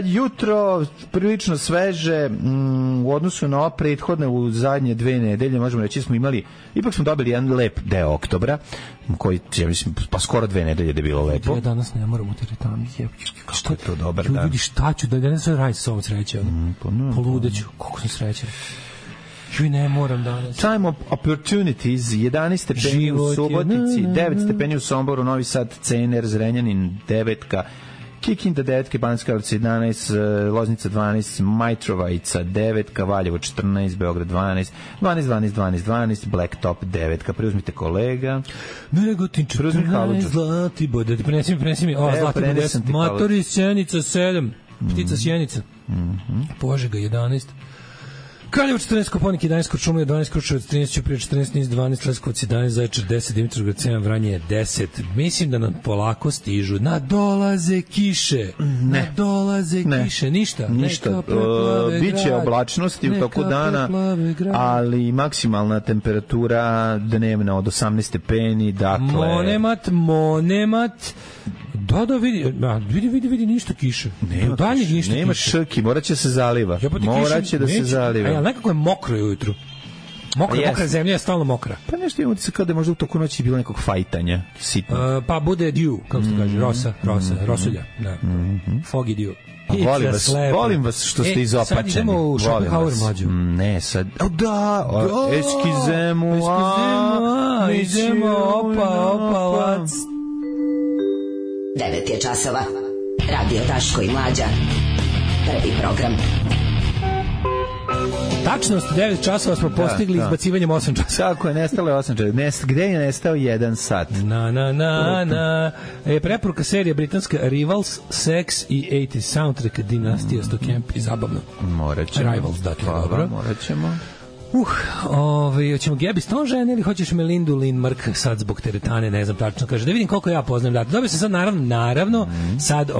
jutro prilično sveže u odnosu na ova prethodne u zadnje 2 nedelje, možemo reći smo imali, ipak smo dobili jedan lep deo oktobra koji, ja mislim, pa skoro 2 nedelje da je bilo lepo. Ja danas ne moram u teretani. Što je to dobar dan? Vidi šta ću, da ne sve radim sa ovom srećem. Poludeću, koliko sam srećan. Ne moram danas. Time of opportunities, 11 stepeni u Subotici, 9 stepeni u Somboru, Novi Sad, Cener, Zrenjanin, 9, Kikinda 9, Banjska Karlovac 11, Loznica 12, Majtrovajica 9, Valjevo 14, Beograd 12, Blacktop 9. Preuzmite kolega. Negotin 14, Zlatibor, da ti prenesi mi. Zlatibor 10, Matoris, Sjenica 7, Ptica Sjenica, Požega 11, Kraljevo 14, Koponik 11, Kuršumlija 12, Kruševac 13, Ćuprija 14, Niš 12, Leskovac 11, Zaječar 10, Dimitrovgrad 7, Vranje 10. Mislim da nam polako stižu. Nadolaze kiše. Nadolaze kiše. Ništa. Biće oblačnosti u toku dana, ali maksimalna temperatura dnevna od 18 stepeni, dakle... Monemat. Da, vidi ništa kiše. Nema šrki, morat će se zaliva. Morat će da se zaliva. Ali nekako je mokro ujutru. Mokra zemlja je stalno mokra. Pa nešto imamo kao da je možda u toku noći bilo nekog fajtanja, sitno. Pa bude dew, kako se kaže, rosulja. Da. Foggy dew. Volim vas što ste izopačeni. Sad idemo u Schopenhauer mlađu. Ne, sad... Da, eskizemu, idemo, opa, 9 je časova. Radio Daško i Mlađa. Prvi program. Tačnost 9 časova smo postigli izbacivanjem 8 časova. Kako je nestalo 8 časova? Gde je nestao 1 sat? Preporuka serija britanska Rivals, Sex i 80 soundtrack Dinastija Stocamp i zabavno. Morat ćemo. Rivals, dakle, dobro. Morat ćemo. Hoćemo Gabi Stone žene ili hoćeš Melindu Lindmark sad zbog teretane, ne znam tačno, kaže, da vidim koliko ja poznajem data. Dobio sam sad naravno, sad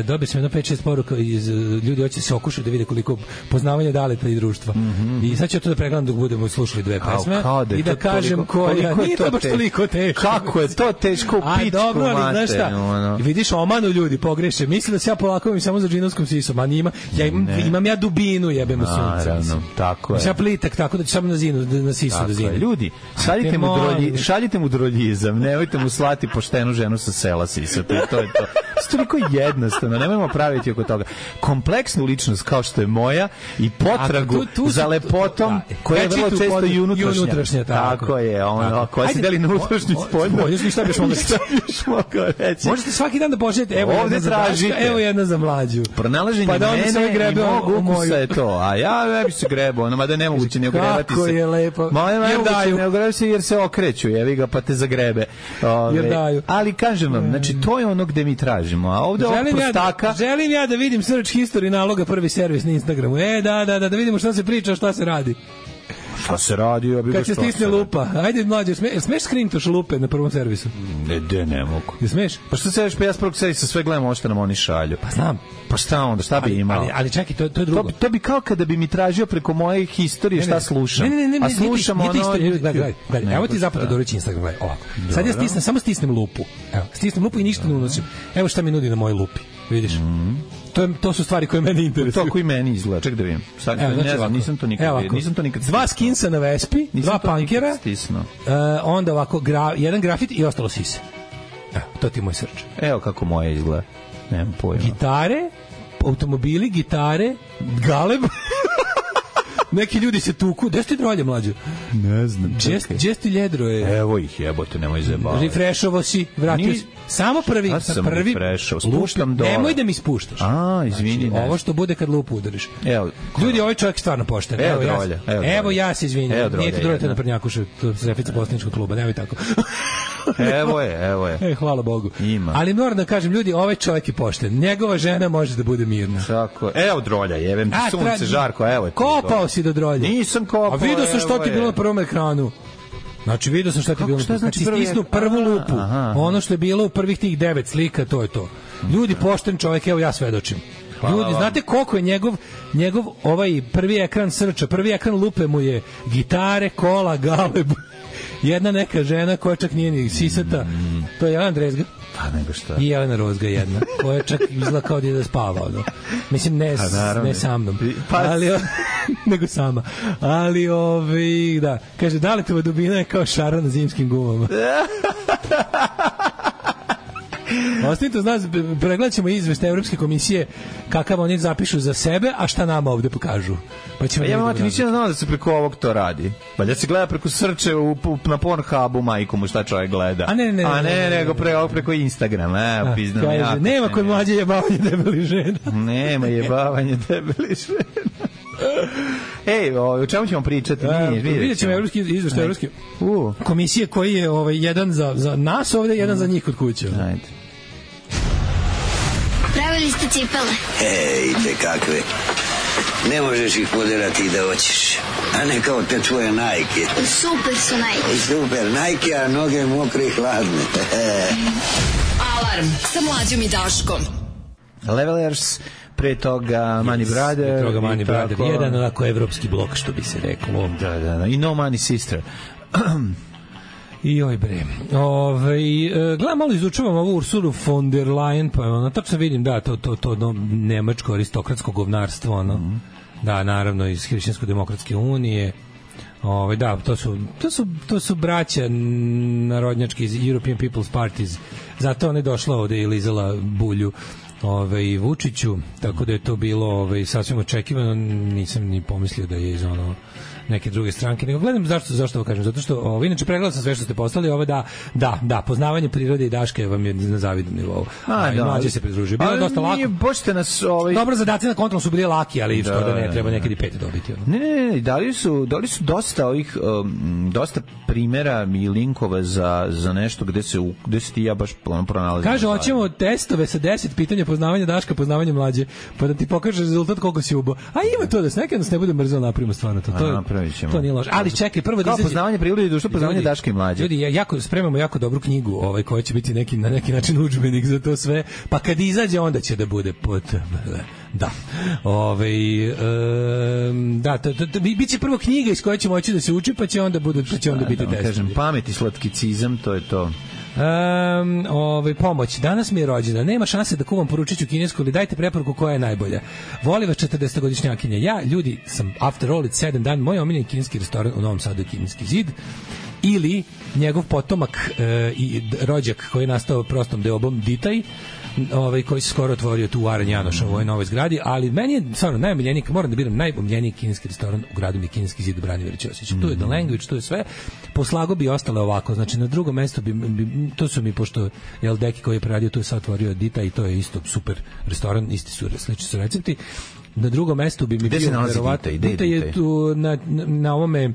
dobio sam jedno 5-6 poruka iz ljudi hoće se okušati da vide koliko poznavanja daleta i društva. I sad ću to da pregledam dok budemo slušali dve pesme i da kažem koja, nije to baš toliko teško. Kako je to teško u pičku, dobro, ali znaš šta, vidiš, omanu ljudi, pogreše, misle da se ja polako imam samo za džinovskom sisom, a nima, imam ja dubinu, jebemo sunce. Tako je. Tako da ću samo na sisu da zinu. Ljudi, šaljite mu droljizam, nemojte mu slati poštenu ženu sa sela sisati. To je to. Toliko jednostavno, nemojmo praviti oko toga. Kompleksnu ličnost kao što je moja i potragu za lepotom koja je vrlo često i unutrašnja. Tako je, koja se deli na unutrašnju i spoljnu. Šta biš mogao reći? Možete svaki dan da pošljete, evo jedna za Daška, evo jedna za Mlađu. Pronalaženje mene i mog ukusa je to. A ja ne bi se grebao, mada je nemoguće ne ogrebati se. Kako je lepo. Jer daju. Ne ogrebati se jer se okreću, jevi ga, pa te zagrebe. Jer daju. Ali kažem vam, znači to je ono gde mi tražimo. A ovde ovog prostaka... Želim ja da vidim search history naloga prvi servis na Instagramu. Da vidimo šta se priča, šta se radi. Šta se radi? Kad se stisne lupa. Ajde, Mlađe, smeš skrintoš lupe na prvom servisu? Ne mogu. Ne smeš? Pa što se već, pa ja s prvog servisa sve gledam ovo što nam oni šalju. Pa znam. Pa šta onda, šta bi imao? Ali čekaj, to je drugo. To bi kao kada bi mi tražio preko moje historije šta slušam. Ne, a slušam ono... Gledaj, evo ti zapravo Dorić Instagram, gledaj, ovako. Sad ja samo stisnem lupu. Evo, stisnem lupu i ništa ne unosim. Evo šta mi nudi na mojoj lupi. Vidiš? To su stvari koje mene interesuju. To koji meni izgleda. Ček da vidim. Sad ne znam, nisam to nikad vidio. Dva skinsa na Vespi, dva punkera. Onda ovako jedan grafit i ostalo sise. Evo, to ti je moj search. Evo kako moje izgleda. Nemam pojma. Gitare, automobili, gitare, galeb. Neki ljudi se tuku. Gde ste drolje, Mlađo? Ne znam. Gde ste ljedro je? Evo ih, jebote, nemoj zajebavati. Refreshovo si, vratio si. Samo prvi. Ja sam refreshao, spuštam dole. Nemoj da mi spuštaš. Izvini. Znači, ovo što bude kad lupu udariš. Evo. Ljudi, ovaj čovjek stvarno pošten. Evo ja se izvinjam. Nije ti drolje na Prnjakušu, to se refica poslaničkog kluba, nemoj tako. Evo je. Hvala Bogu. Ima. Ali moram da kažem, ljudi, ovaj čovjek je pošten. Njegova žena može da bude mirna. Tako. Evo drolja, jevem ti sunce žarko, evo je. Kopao si do drolje. Nisam kopao. A vidio sam što ti bilo na prvom ekranu. Znači, vidio sam šta ti je bilo. Znači, stisnu prvu lupu. Ono što je bilo u prvih tih 9 slika, to je to. Ljudi, pošten čovjek, evo ja svedočim. Ljudi, znate koliko je njegov ovaj prvi ekran srča, prvi ekran lupe mu je gitare, kola, galeb. Jedna neka žena koja čak nije ni sisata, to je Jelena Drezga. Pa nego šta. I Jelena Rozga jedna, koja čak izgleda kao da spava. Ono. Mislim, ne sa mnom, ali, nego sama. Ali, da, kaže, Daletova dubina je kao šara na zimskim gumama. Ostanite, znaš, pregledat ćemo izveštaj Evropske komisije kakav oni zapišu za sebe, a šta nama ovde pokažu. Pa ćemo mati, nisi znao da se preko ovog to radi. Valja se gleda preko srče na Pornhubu, majkomu, šta čovjek gleda. A ne, nego preko Instagrama. Nema kod Mlađe jebavanje debeli žena. Nema jebavanje debeli žena. Ej, o čemu ćemo pričati? Vidjet ćemo izveštaj Evropske komisije koji je jedan za nas ovde, jedan za njih kod kuće. Ajde. Pravili ste cipele. Ej, te kakve. Ne možeš ih poderati da hoćeš. A ne kao te tvoje Nike. Super su Nike. Super Nike, a noge mokre i hladne. Alarm sa Mlađom i Daškom. Levelers, pre toga Money Brother. Pre toga Money Brother. Jedan onako evropski blok, što bi se reklo. Da. I No Money Sister. I oj bre. Gledam, malo izučavam ovu Ursulu von der Leyen, pa ono, tačno vidim, da, to nemačko aristokratsko govnarstvo, ono. Da, naravno, iz Hrišćansko-demokratske unije. Da, to su braća narodnjački iz European People's Parties. Zato ona je došla ovde i lizala bulju Vučiću, tako da je to bilo sasvim očekivano. Nisam ni pomislio da je iz neke druge stranke, nego gledam zašto ovo kažem, zato što inače pregledao sam sve što ste poslali, da, poznavanje prirode i Daške vam je na zavidnom nivou. Mlađe se pridružio. Bilo je dosta lako. Boćete nas Dobro, zadaci na kontrolu su bili laki, ali što da ne, treba nekad i 5 dobiti. Ne, dali su dosta ovih dosta primera i linkova za nešto gde se ti ja baš pronalazim. Kaže, hoćemo testove sa 10 pitanja poznavanja Daška, poznavanja Mlađe, pa da ti pokaže rezultat koliko si ubo. A ima to da se nekad nas ne bude mrzelo, napravimo stvarno to. To nije loše. Ali čekaj, prvo da izađe poznavanje prirode i društva, poznavanje Daška i Mlađe. Ljudi, spremamo jako dobru knjigu, koja će biti na neki način udžbenik za to sve. Pa kad izađe, onda će da bude da. Biće prvo knjiga iz koje će moći da se uči, pa će onda biti test. Kažem, pamet i slatkicizam, to je to. Pomoć. Danas mi je rođena. Nema šanse da kuvam poručiću kinesku, ali dajte preporuku koja je najbolja. Voli vas 40-godišnjakinja. Ja, ljudi, sam after all it's 7 dan, moj omiljeni kineski restoran u Novom Sadu je Kineski zid. Ili njegov potomak i rođak koji je nastao prostom deobom Ditaj, koji se skoro otvorio tu u Aran Janoša u ovoj novoj zgradi, ali meni je stvarno najomiljeniji, moram da biram najomiljeniji kineski restoran u gradu mi je Kineski zid u Branimir Ćosić. Tu je The Language, tu je sve. Poslago bi ostale ovako, znači na drugom mestu to su mi, pošto je Deki koji je preradio, tu je sad otvorio Dita i to je isto super restoran, isti su, slični su recepti. Na drugom mestu bi mi bio verovatno Dita je tu na ovome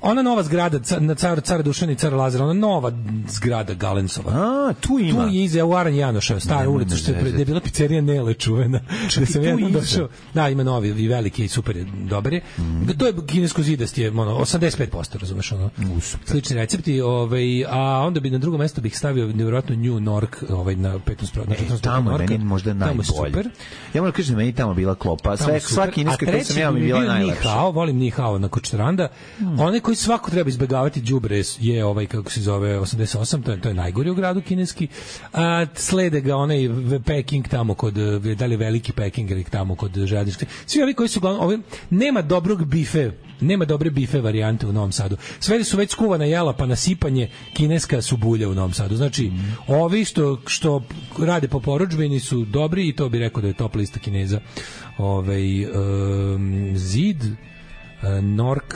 ona nova zgrada na Cara Dušana i Cara Lazara, ona nova zgrada Galensova. Tu ima. Tu je iza Aran Janoša, stara ulica, što je bila pizzerija Nele čuvena. Da sam jednom došao. Da, ima novi i veliki i super je, dobar je. To je kinesko zidast je 85%, razumeš ono. Slični recepti, a onda bi na drugo mesto bih stavio nevjerojatno New Nork, na 15%. Tamo je meni možda najbolje. Ja moram kažem, meni tamo bila klopa. Sva kineska koja sam ja mi bila najlepša. Volim Ni Hao na Kočaranda. Onaj koji svako treba izbegavati đubre je kako se zove 88, to je najgori u gradu kineski. Slede ga onaj Peking tamo kod, da li veliki Peking ili tamo kod železničke. Svi ovi koji su uglavnom, nema dobrog bife, nema dobre bife varijante u Novom Sadu. Sve su već skuvana jela, pa nasipanje kineska su bulja u Novom Sadu. Znači, ovi što rade po porudžbini su dobri i to bi rekao da je top lista Kineza. Zid, Nork,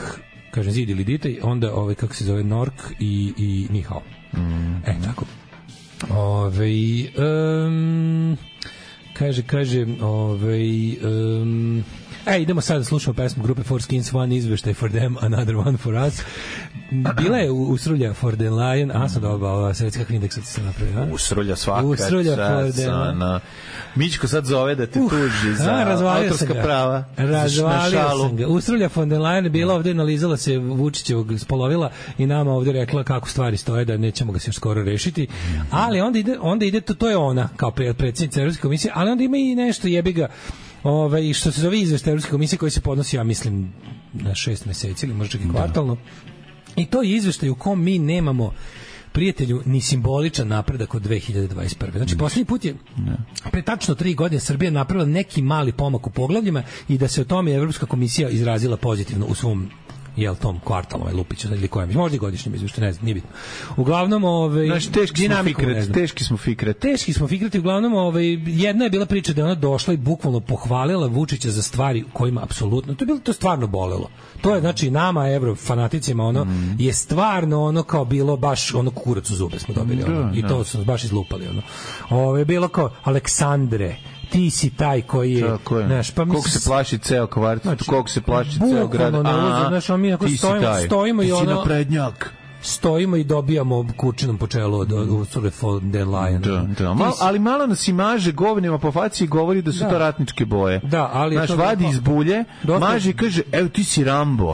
kažem Zid ili Ditaj, onda kako se zove Nork i Ni Hao. Tako. Kaže idemo sad da slušamo pesmu grupe Four Skins, One izveštaj for them, another one for us. Bila je Usrulja for the Lion, sam dobao svetska indeks ti se napravio. Usrulja svaka čast. Mićko sad zove da te tuži za autorska prava. Razvalio sam ga. Usrulja von der Leyen bila ovde, nalizala se Vučićevog spolovila i nama ovde rekla kako stvari stoje, da nećemo ga se još skoro rešiti. Ali onda ide to je ona kao predsjednica Evropske komisije, ali onda ima i nešto jebiga. Što se zove izveštaj Evropske komisije koji se podnosi, ja mislim, na 6 meseci ili možda čak i kvartalno. I to je izveštaj u kom mi nemamo, prijatelju, ni simboličan napredak od 2021. Znači, poslednji put je pre tačno 3 godine Srbija napravila neki mali pomak u poglavljima i da se o tome Evropska komisija izrazila pozitivno u svom tom kvartalom Lupiću ili kojem, možda i godišnjem izvještaju, ne znam, nije bitno. Uglavnom, teški smo fikreti, uglavnom, jedna je bila priča da je ona došla i bukvalno pohvalila Vučića za stvari kojima apsolutno, to stvarno bolelo. To je, znači, nama, evrofanaticima, je stvarno kao bilo baš kurac u zube smo dobili, i to su baš izlupali, je bilo kao Aleksandre, ti si taj koji je, znaš, pa koliko se plaši ceo kvart, koliko se plaši ceo grad, znaš, mi ako stojimo i ti si naprednjak. stojimo i dobijamo kurčinom po čelu od Ursule von der Leyen. Ali malo nas i maže govnima po faci i govori da su to ratničke boje. Da, ali naš vadi iz bulje, maže i kaže, evo ti si Rambo.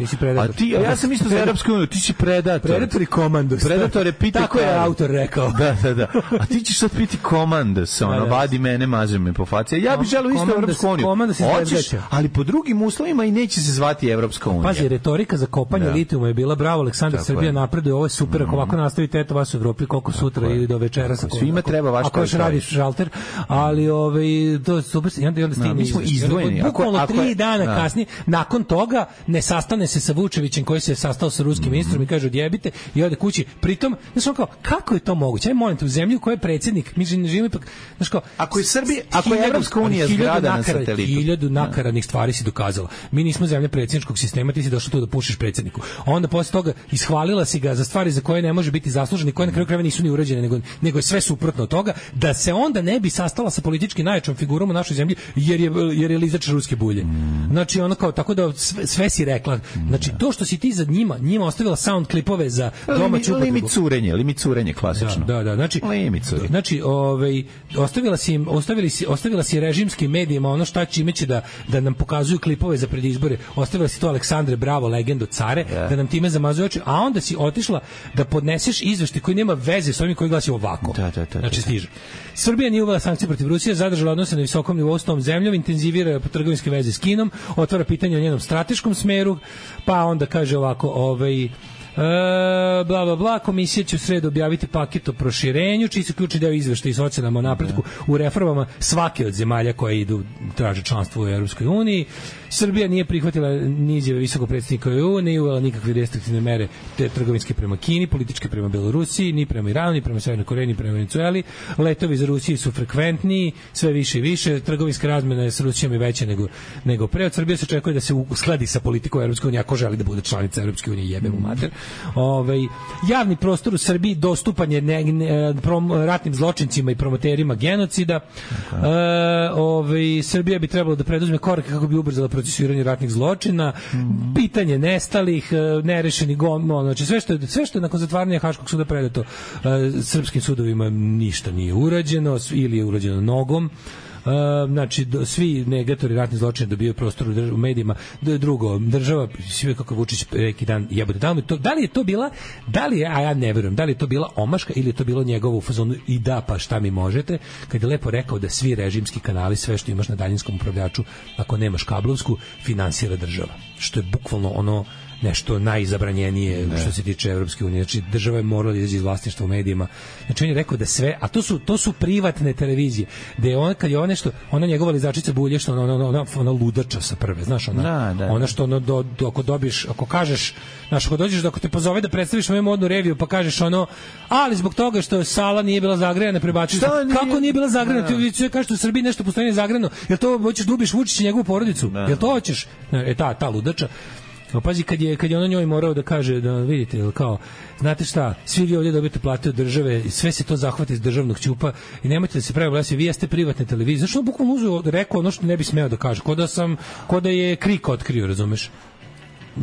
A ja sam isto za Evropsku uniju, ti si predator. Predator i komandos. Predator je piti. Tako je autor rekao. Da. A ti ćeš sad piti komandos, vadi mene, maže me po faci. Ja bih želeo isto Evropsku uniju. Hoćeš, ali po drugim uslovima i neće se zvati Evropska unija. Pazi, retorika za kopanje litijuma je bila bravo, Aleksandar, Srbija napreduje, ovo je super, ako ovako nastavite, eto vas u Evropi koliko sutra ili do večeras. Svima treba vaš ako još radiš šalter, ali to je super, i onda stigne. Mi smo izdvojeni. Bukvalno 3 dana kasnije, nakon toga, ne sastane se sa Vučevićem koji se sastao sa ruskim ministrom i kaže odjebite i ode kući. Pritom, znaš kao, kako je to moguće? Aj molim te, u zemlji u kojoj je predsjednik, mi živimo ipak, znaš kao, ako je Srbija, ako je Evropska unija zgrada na satelitu. 1000 nakaradnih stvari si dokazala. Mi nismo zemlja predsjedničkog sistema, ti si došao tu da pušiš predsjedniku. Onda posle toga ishvalila si ga za stvari za koje ne može biti zaslužen i koje na kraju krajeva nisu ni urađene, nego je sve suprotno od toga, da se onda ne bi sastala sa politički najjačom figurom u našoj zemlji jer je lizač ruske bulje. Znači ono kao tako da sve si rekla. Znači to što si ti za njima ostavila sound klipove za domaću upotrebu. Limit curenje klasično. Da. Znači ostavila si režimskim medijima ono čime će da nam pokazuju klipove za predizbore. Ostavila si to Aleksandre Bravo, legendo care, da nam time zamazuje oči, a onda si otišla da podneseš izveštaj koji nema veze s ovim koji glasi ovako. Znači stiže. Srbija nije uvela sankcije protiv Rusije, zadržala odnose na visokom nivou s tom zemljom, intenzivira trgovinske veze s Kinom, otvara pitanje o njenom strateškom smeru, pa onda kaže ovako, bla bla bla, komisija će u sredu objaviti paket o proširenju, čiji su ključni deo izveštaja i ocenama o napretku u reformama svake od zemalja koje idu traže članstvo u Evropskoj uniji. Srbija nije prihvatila ni izjave visokog predsjednika EU, nije uvela nikakve restriktivne mere te trgovinske prema Kini, političke prema Belorusiji, ni prema Iranu, ni prema Severnoj Koreji, ni prema Venezueli. Letovi za Rusiju su frekventniji, sve više i više. Trgovinska razmena s Rusijom je veća nego pre. Od Srbije se očekuje da se uskladi sa politikom Evropske unije ako želi da bude članica Evropske unije, jebe mu mater. Javni prostor u Srbiji dostupan je ratnim zločincima i promoterima genocida. Srbija bi trebalo da preduzme korake kako bi ubrzala procesuiranje ratnih zločina, pitanje nestalih, nerešeni znači sve što je nakon zatvaranja Haškog suda predato srpskim sudovima ništa nije urađeno ili je urađeno nogom. Znači svi negatori ratnih zločina dobiju prostor u medijima. Drugo, država, sve kako Vučić neki dan jebote, da li je to bila, a ja ne verujem, da li je to bila omaška ili je to bilo njegovo u fazonu i da pa šta mi možete, kad je lepo rekao da svi režimski kanali, sve što imaš na daljinskom upravljaču, ako nemaš kablovsku, finansira država, što je bukvalno ono nešto najzabranjenije što se tiče Evropske unije. Znači država je morala da izađe iz vlasništva u medijima. Znači on je rekao da sve, a to su privatne televizije, da je on kad je ona njegova lizačica bulje što ona ludača sa prve, znaš, ona što ako dobiješ, ako kažeš, znaš, ako dođeš ako te pozove da predstaviš svoju modnu reviju pa kažeš ali zbog toga što sala nije bila zagrejana, prebaciš kako nije bila zagrejana, ti sve kažeš u Srbiji nešto postoji nezagrejano, jel to hoćeš da ubiš Vučića i njegovu porodicu, jel to hoćeš, ta ludača. Pazi, kad je ono njoj morao da kaže, da vidite, kao, znate šta, svi vi ovdje dobijete plate od države, sve se to zahvati iz državnog ćupa i nemojte da se pravi glasi, vi jeste privatne televizije. Zašto on bukvalno rekao ono što ne bi smeo da kaže, ko da je Krik otkrio, razumeš?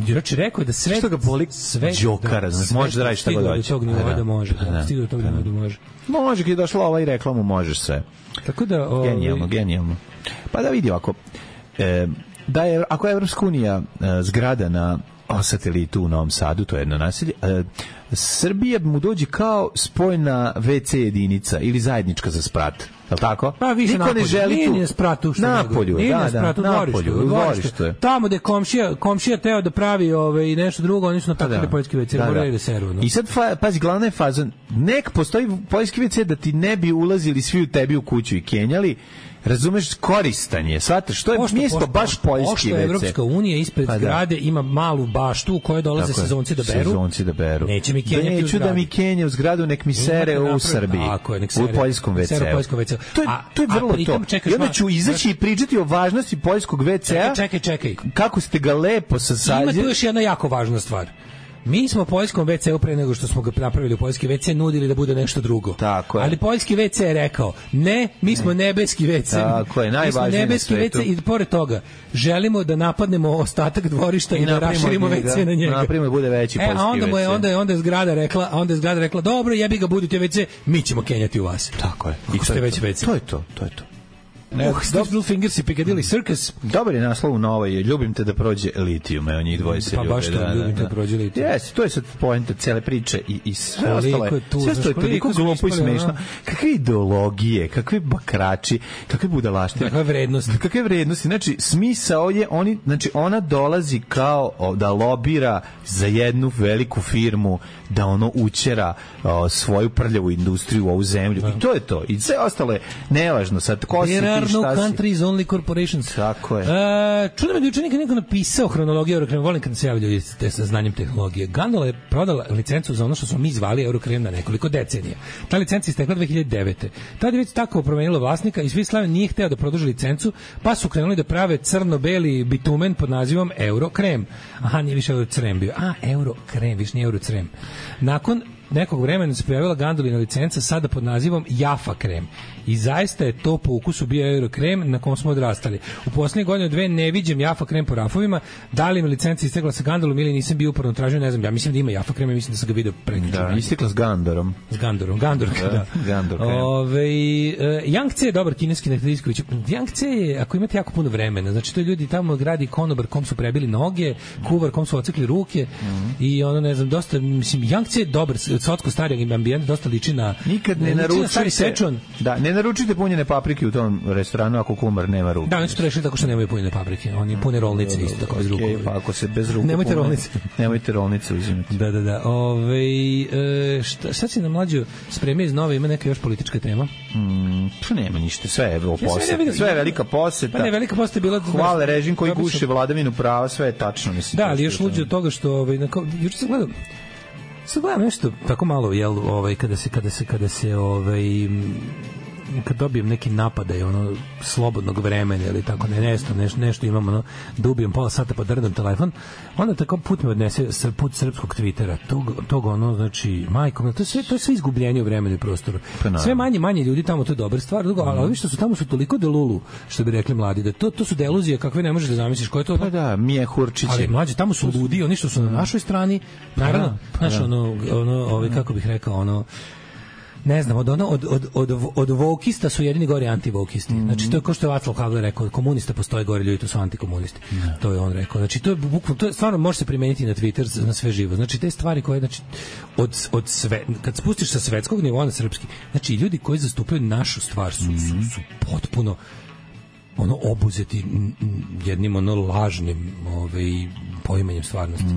Znači, rekao je da sve... Što ga boli džokara, može da radi šta god hoće. Stigu do tog nivoa da može. Stigu do tog nivoa da može. Može, kad je došla ova i reklamu, možeš sve. Tako da... Genijalno. Pa da vidi ovako... ako je Evropska unija zgrada na satelitu u Novom Sadu, to je jedno naselje, Srbija mu dođe kao spojna WC jedinica ili zajednička za sprat. Je li tako? Pa više niko ne želi tu. Napolju, dvorištu. Tamo gde komšija teo da pravi nešto drugo, oni su natakali poljski WC, morali da seru. I sad, pazi, glavna je faza, nek postoji poljski WC da ti ne bi ulazili svi u tebi u kuću i kenjali, razumeš, koristan je. Shvataš, što je mjesto baš poljski WC. Evropska unija ispred zgrade ima malu baštu u kojoj dolaze sezonci da beru. Neće mi kenjati u zgradu. Neću da mi kenje u zgradu, nek mi sere u Srbiji. U poljskom WC-u. To je vrlo to. I onda ću izaći i pričati o važnosti poljskog WC-a. Čekaj. Kako ste ga lepo sasadili. Ima tu još jedna jako važna stvar. Mi smo poljskom WC-u pre nego što smo ga napravili u poljski WC nudili da bude nešto drugo. Tako je. Ali poljski WC je rekao, ne, mi smo nebeski WC. Tako je, najvažnije na svetu. WC i pored toga, želimo da napadnemo ostatak dvorišta i da raširimo WC na njega. Napravimo bude veći poljski WC. Onda je zgrada rekla, dobro, jebi ga, budite WC, mi ćemo kenjati u vas. Tako je. I ste već WC. To je to. Little Fingers i Piccadilly Circus. Dobar je naslov na ovoj, ljubim te da prođe litijum, evo njih dvoje se ljube. Pa baš to, ljubim te da prođe litijum. Jesi, to je sad poenta cele priče i sve ostalo je. Sve što je toliko glupo i smešno. Kakve ideologije, kakve bakrači, kakve budalaštine. Kakve vrednosti. Znači, smisao je, ona dolazi kao da lobira za jednu veliku firmu, da ono učera svoju prljavu industriju u ovu zemlju. I to je to. I sve ostalo je nevažno. Sad, ko si ti, šta si? No countries, only corporations. Tako je. Čudo me da juče neko napisao hronologiju Eurokrema. Volim kad se javljaju sa znanjem tehnologije. Gondola je prodala licencu za ono što smo mi zvali Eurokrem na nekoliko decenija. Ta licenca je istekla 2009. Tada je već tako promenilo vlasnika i svi Slaven nije hteo da produži licencu, pa su krenuli da prave crno-beli bitumen pod nazivom Eurokrem. Aha, nije više Eurocrem bio. Eurokrem, više nije Eurocrem. Nakon nekog vremena se pojavila Gondolina licenca sada pod nazivom Jaffa krem. I zaista je to po ukusu bio Eurokrem na kom smo odrastali. U posljednje godine dve ne viđem Jaffa krem po rafovima. Da li mi licenca istekla sa Gondolom ili nisam bio uporno tražio, ne znam. Ja mislim da ima Jaffa krem i mislim da sam ga vidio prekjuče. Da, istekla s Gandorom. S Gandorom, Gandor krem. Yangtze je dobar kineski nekadijsković. Yangtze je, ako imate jako puno vremena, znači to je ljudi tamo gradi konobar kom su prebili noge, kuvar kom su ocekli ruke i ono, ne znam, dosta, mislim, Yangtze je dobar, sotsko starijeg ambijenta, dosta liči na... Nikad ne naručujte... Da, ne naručite punjene paprike u tom restoranu ako kumar nema ruke. Da, oni su to rešili tako što nemaju punjene paprike. Oni pune rolnice isto tako bez ruku. Pa ako se bez ruku nemojte rolnice. Nemojte rolnice uzimati. Da. Šta si nam mlađo spremio iz nove, ima neka još politička tema? Pa nema ništa, sve je poseta. Sve je velika poseta. Pa ne, velika poseta je bila... Hvale režim koji guši vladavinu prava, sve je tačno. Mislim, da, ali još luđe od toga što... Juče sam gledao... Sad gledam nešto tako malo, jel, kad dobijem neki napadaj slobodnog vremena ili tako nešto imam da ubijem pola sata pa drndam telefon, onda tako put me odnese put srpskog Twittera tog znači majko, to je sve izgubljenje u vremenu i prostoru, sve manje ljudi tamo, to je dobra stvar, ali vi što su tamo su toliko delulu, što bi rekli mladi, da to su deluzije kakve ne možeš da zamisliš, ko je to? Pa da, Mije Hurčić. Ali mlađi, tamo su ludi, oni što su na našoj strani, naravno, znaš, kako bih rekao, ne znam, od vokista su jedini gori antivokisti. Znači, to je kao što je Václav Havel rekao, komunista postoje gori ljudi, to su antikomunisti. To je on rekao. Znači, to je stvarno može se primeniti na Twitter, na sve živo. Znači, te stvari koje, znači, od sve, kad spustiš sa svetskog nivoa na srpski, znači, ljudi koji zastupaju našu stvar su potpuno obuzeti jednim lažnim poimanjem stvarnosti.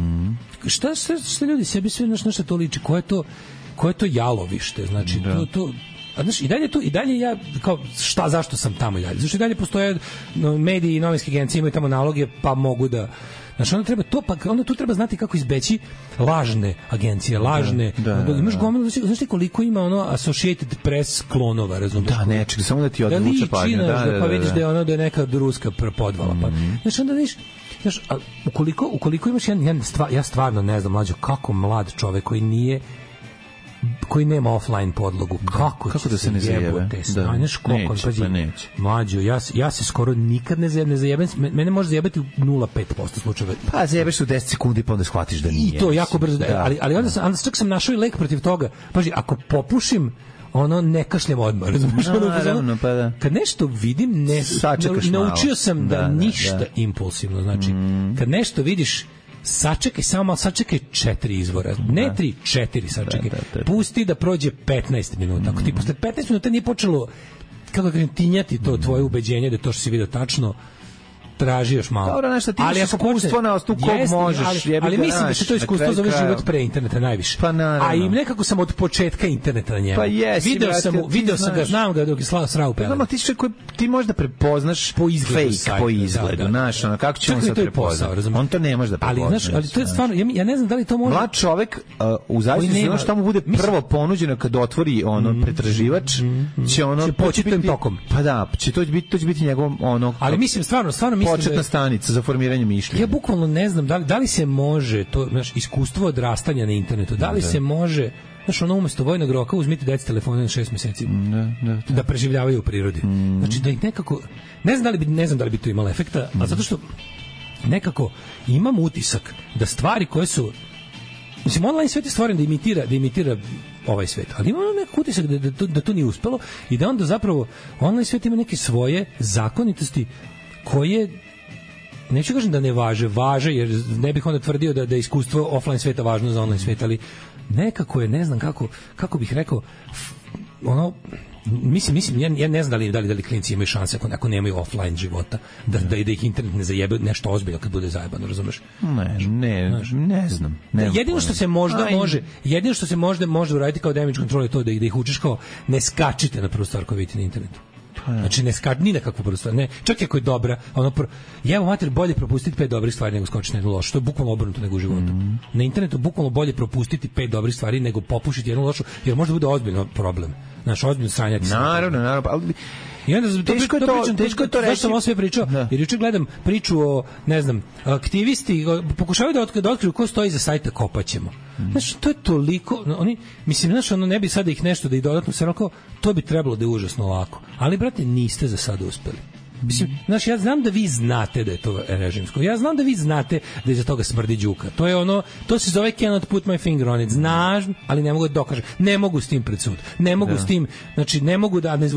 Šta ljudi sebi sve na što to liči? Koje je to jalovište, znači to znaš, i dalje ja kao zašto sam tamo i dalje, zašto i dalje postoje mediji i novinske agencije imaju tamo naloge pa mogu da, znači onda treba to, pa onda tu treba znati kako izbeći lažne agencije, lažne, imaš gomilu, znaš ti koliko ima Associated Press klonova, razumiješ? Da, nečeg, samo da ti odvuče pažnju, pa vidiš da je neka ruska podvala, pa znači onda vidiš, znaš, ukoliko imaš ja stvarno ne znam, mlađo, kako mlad čovek koji nema offline podlogu, kako da se ne zajebe? Neće. Mlađo, ja se skoro nikad ne zajebem, mene može zajebati u 0,5% slučajeva. Pa zajebeš u 10 sekundi pa onda shvatiš da nije. I to jako brzo, ali onda čak sam našao i lek protiv toga. Paži, ako popušim, ne kašljem odmah, razumiješ? Pa da. Kad nešto vidim, naučio sam da ništa impulsivno, znači, kad nešto vidiš, sačekaj 4 izvora, ne 3, 4 sačekaj. Pusti da prođe 15 minuta. Ako ti posle 15 minuta nije počelo, kako kažem, tinjati to tvoje ubeđenje da to što si vidio tačno, traži još malo. Dobro, nešto ti imaš iskustvo na osnovu kog možeš. Ali mislim da se to iskustvo zove život pre interneta najviše. Pa naravno. A i nekako sam od početka interneta na njemu. Pa jesi. Video sam ga, znam ga dok je srao pelem. Ti možda prepoznaš fake po izgledu. Znaš, kako će on sad prepoznati? On to ne može da prepozna. Ali to je stvarno, ja ne znam da li to može. Mlad čovek, u zavisnosti ono što mu bude prvo ponuđeno kad otvori pretraživač, će poći tim tokom. Pa da, to će biti njegov ali mislim, stvarno početna stanica za formiranje mišljenja. Ja bukvalno ne znam da li se može to, znaš, iskustvo odrastanja na internetu, da li se može, znaš, ono umesto vojnog roka uzmite deci telefone na 6 meseci da preživljavaju u prirodi. Znači da ih nekako, ne znam da li bi to imalo efekta, a zato što nekako imam utisak da stvari koje su, mislim, online svet je stvoren da imitira ovaj svet, ali ima nekako utisak da to nije uspelo i da onda zapravo online svet ima neke svoje zakonitosti koje, neću kažem da ne važe, jer ne bih onda tvrdio da je iskustvo offline sveta važno za online svet, ali nekako je, ne znam kako bih rekao, ono, mislim, ja ne znam da li klinci imaju šanse ako nemaju offline života, da ih internet ne zajebe nešto ozbiljno kad bude zajebano, razumeš? Ne znam. Jedino što se može uraditi kao damage control je to da ih učiš kao ne skačite na prvu stvar koju vidite na internetu. Znači ne skači ni na kakvu prvu stvar. Ne, čak i ako je dobra, jevo mater, bolje propustiti 5 dobrih stvari nego skočiti na jednu lošu. To je bukvalno obrnuto nego u životu. Na internetu bukvalno bolje propustiti 5 dobrih stvari nego popušiti jednu lošu, jer možda bude ozbiljno problem. Znaš, ozbiljno sranjati. Naravno, ali i onda teško je to reći. Zašto sam ovo sve pričao? Jer juče gledam priču o, ne znam, aktivisti pokušavaju da otkriju ko stoji za sajta Kopaćemo. Znaš, to je toliko, oni, mislim, znaš, ono ne bi sada ih nešto da ih dodatno sve onako, to bi trebalo da je užasno lako. Ali, brate, niste za sada uspeli. Mislim, znaš, ja znam da vi znate da je to režimsko. Ja znam da vi znate da iza toga smrdi đuka. To je ono, to se zove cannot put my finger on it. Znaš, ali ne mogu da dokažem. Ne mogu s tim pred sud. Ne mogu s tim, znači ne mogu da ne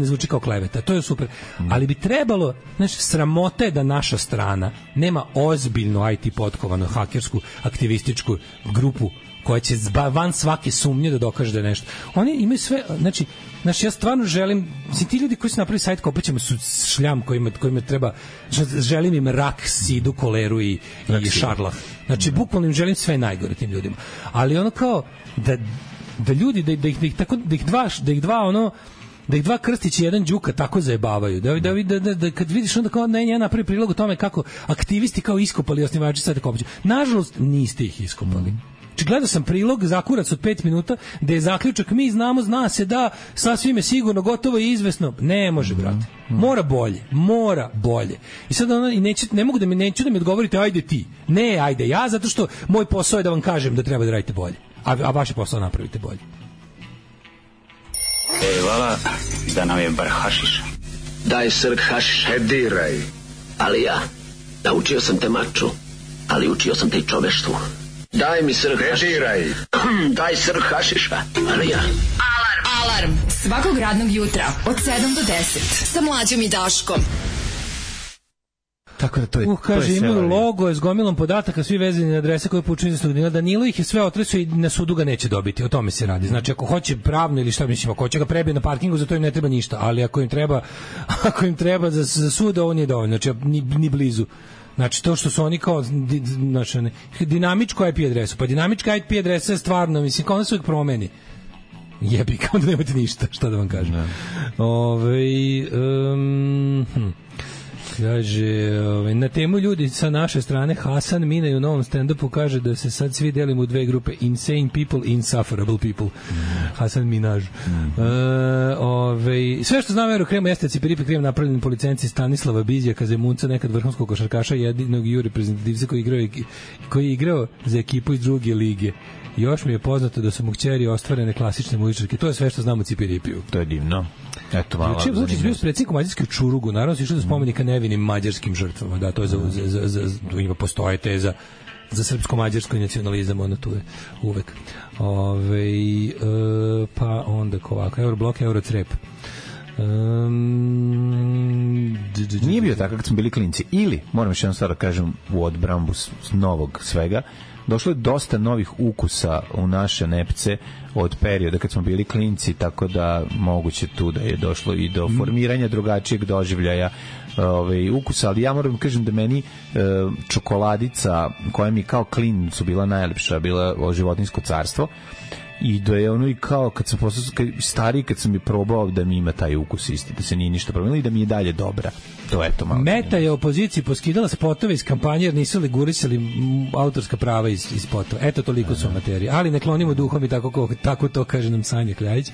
zvuči kao kleveta. To je super. Ali bi trebalo, znači, sramota je da naša strana nema ozbiljno IT potkovanu hakersku aktivističku grupu koja će van svake sumnje da dokaže da je nešto. Oni imaju sve, znači ja stvarno želim, ti ljudi koji su napravili sajt Kopaćemo su šljam kojima treba, želim im rak, sidu, koleru i šarlah. Znači, bukvalno im želim sve najgore tim ljudima. Ali ono kao, da ljudi, da ih dva Krstića i jedan Đuka tako zajebavaju. Da kad vidiš onda kao ja napravi prilog o tome kako aktivisti kao iskopali osnivači sajta Kopaćemo. Nažalost, niste ih iskopali. Gledao sam prilog, zakurac od 5 minuta, da je zaključak, mi znamo, zna se da, sasvim je sigurno, gotovo i izvesno. Ne može, brate. Mora bolje. I sad neću da mi odgovorite, ajde ti. Ne, ajde ja, zato što moj posao je da vam kažem da treba da radite bolje. A vaš posao napravite bolje. Vala, da nam je bar hašiš. Daj srk hašiš. Diraj. Ali ja, naučio sam te maču, ali učio sam te i čoveštvu. Daj mi srk hašiša. Daj srk hašiša. Ali ja. Alarm. Svakog radnog jutra od 7 do 10. Sa Mlađom i Daškom. Tako da to je. Kaže, imaju logo je s gomilom podataka, svi vezani na adrese koje poučuju za studina. Danilo ih je sve otresao i na sudu ga neće dobiti. O tome se radi. Znači, ako hoće pravno ili šta, mislim, ako hoće ga prebije na parkingu, za to im ne treba ništa. Ali ako im treba za sud, ovo nije dovoljno. Znači, ni blizu. Znači, to što su oni kao dinamičku IP adresu. Pa dinamička IP adresa je stvarno, mislim, kao ona se uvijek promeni. Jebi, kao da nemate ništa, šta da vam kažem. Kaže, na temu ljudi sa naše strane, Hasan Minaj u novom stand-upu kaže da se sad svi delimo u dve grupe, insane people i insufferable people. Hasan Minaj. Sve što znam o Aerokremu jeste Cipiripi krem napravljen po licenci Stanislava Bizjaka, Zemunca, nekad vrhunskog košarkaša, jedinog ju reprezentativca koji je igrao za ekipu iz druge lige. Još mi je poznato da su mu kćeri ostvarene klasične muzičarke. To je sve što znam o Cipiripiju. To je divno. Eto, malo. Znači, Vučić bio s predsjednikom Mađarske u Čurugu, naravno se išlo do spomenika nevinim mađarskim žrtvama. Da, to je ima postoje teza za srpsko-mađarski nacionalizam, ono tu je uvek. Pa onda ovako, Euroblok, Eurocrep. Nije bio tako kad smo bili klinci. Ili, moram još jednom stvar da kažem u odbrambu novog svega, došlo je dosta novih ukusa u naše nepce od perioda kad smo bili klinci, tako da moguće tu da je došlo i do formiranja drugačijeg doživljaja ukusa, ali ja moram kažem da meni čokoladica koja mi kao klincu bila najlepša, bila Životinjsko carstvo, i da je ono i kao kad sam postao stariji, kad sam je probao da mi ima taj ukus isti, da se nije ništa promenilo i da mi je dalje dobra. To je to malo. Meta je opoziciji poskidala spotove iz kampanje jer nisu li gurisali autorska prava iz spotova. Eto, toliko su materije. Ali ne klonimo duhom i tako to kaže nam Sanja Kljajić.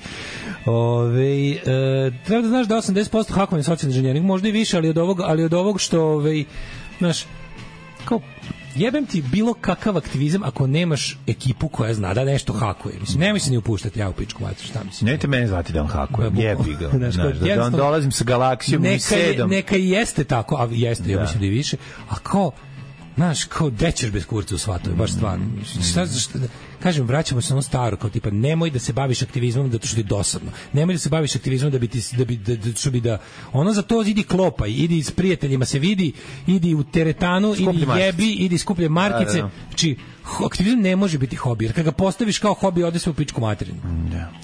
Treba da znaš da 80% hakovanja socijalni inženjering, možda i više, ali od ovog što znaš, kao jebem ti bilo kakav aktivizam ako nemaš ekipu koja zna da nešto hakuje. Mislim, nemoj se ni upuštati ja u pičku mater, šta mislim. Nemojte mene zvati da on hakuje, jebi ga. Da dolazim sa galaksijom i sedom. Neka i jeste tako, a jeste, ja mislim da i više, a kao, znaš, kao dećeš bez kurca u svatove, baš stvarno. Šta, kažem, vraćamo se na ono staro, kao tipa, nemoj da se baviš aktivizmom zato što ti je dosadno. Nemoj da se baviš aktivizmom da ono za to idi klopaj, idi s prijateljima se vidi, idi u teretanu, idi jebi, idi skuplje markice. Znači, aktivizam ne može biti hobi, jer kad ga postaviš kao hobi, ode se u pičku materinu.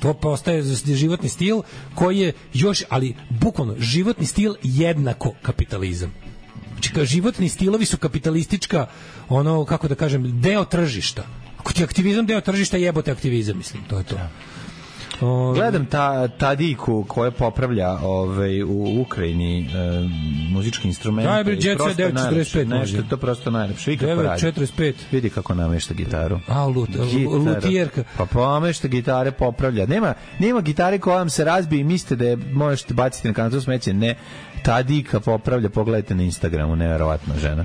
To postaje životni stil koji je još, ali bukvalno, životni stil jednako kapitalizam. Znači, životni stilovi su kapitalistička, ono, kako da kažem, deo tržišta. Ako ti aktivizam deo tržišta, jebote aktivizam, mislim, to je to. Gledam Tadiku koja popravlja u Ukrajini muzički instrumente. Daj, Jet Set 945 nešto, to prosto najlepše. 945. Vidi kako namešta gitaru. Lutijerka. Pa pomešta gitare, popravlja. Nema gitare koja vam se razbije i mislite da je možete baciti na kantu smeće. Ne, Tadika popravlja, pogledajte na Instagramu, neverovatna žena.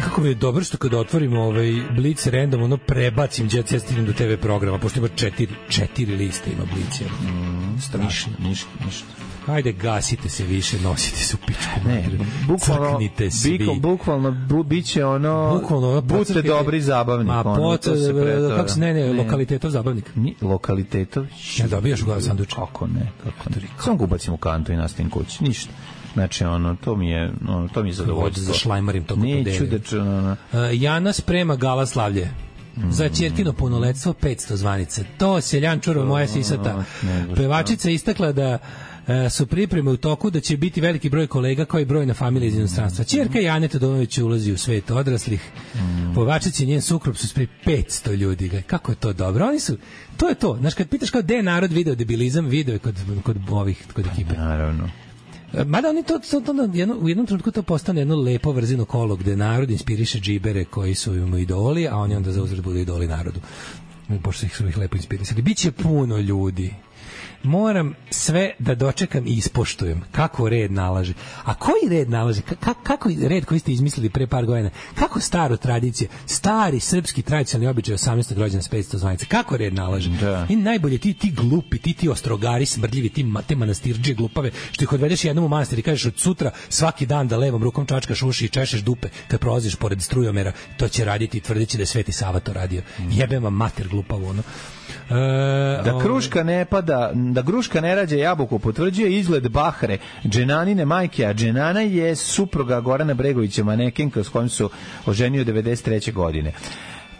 Kako je dobro što kada otvorimo Blic random, ono prebacim Jet Set, stignem do TV programa, pošto ima 4 liste ima Blic. Strašno. Ništa. Hajde, gasite se više, nosite se u pičku. Ne, bukvalno biće ono budite dobri zabavnik. Kako se, lokalitetov zabavnik. Lokalitetov? Ja dobijaš u glavu sanduč. Kako ne? Samo ga ubacim u kantu i nastavim kući, ništa. Znači, to mi je zadovoljstvo. Za šlajmarim to neću Jana sprema gala slavlje. Za ćerkino punoletstvo 500 zvanica. To seljan čuro moja sisata. Pevačica istakla da su pripreme u toku, da će biti veliki broj kolega kao i brojna familija iz inostranstva. Ćerka Jane Todorović ulazi u svet odraslih. Pevačica i njen suprug su spremni 500 ljudi. Kako je to dobro? Oni su, to je to. Znaš, kad pitaš kao gde je narod video debilizam, video je kod ekipe. Naravno. Mada oni u jednom trenutku to postane jedno lepo vrzino kolo gde narod inspiriše džibere koji su im idoli, a oni onda za uzvrat budu idoli narodu. Pošto su ih lepo inspirisali. Biće puno ljudi. Moram sve da dočekam i ispoštujem kako red nalaže. A koji red nalaže? Kako red koji ste izmislili pre par godina? Kako staro tradicije? Stari srpski tradicionalni običaj 18. rođendan s 500 zvanica. Kako red nalaže? Da. I najbolje ti glupi, ti ostrogari smrdljivi, te manastirđe glupave, što ih odvedeš jednom u manastir i kažeš od sutra svaki dan da levom rukom čačkaš uši i češeš dupe kad prolaziš pored strujomera, to će raditi i tvrdići da je Sveti Sava to radio. Jebem vam mater glupavo, ono. Da kruška ne pada, da gruška ne rađa jabuku, potvrđuje izgled Bahre, Dženanine majke, a Dženana je supruga Gorana Bregovića, manekenka s kojim su oženio 93. godine.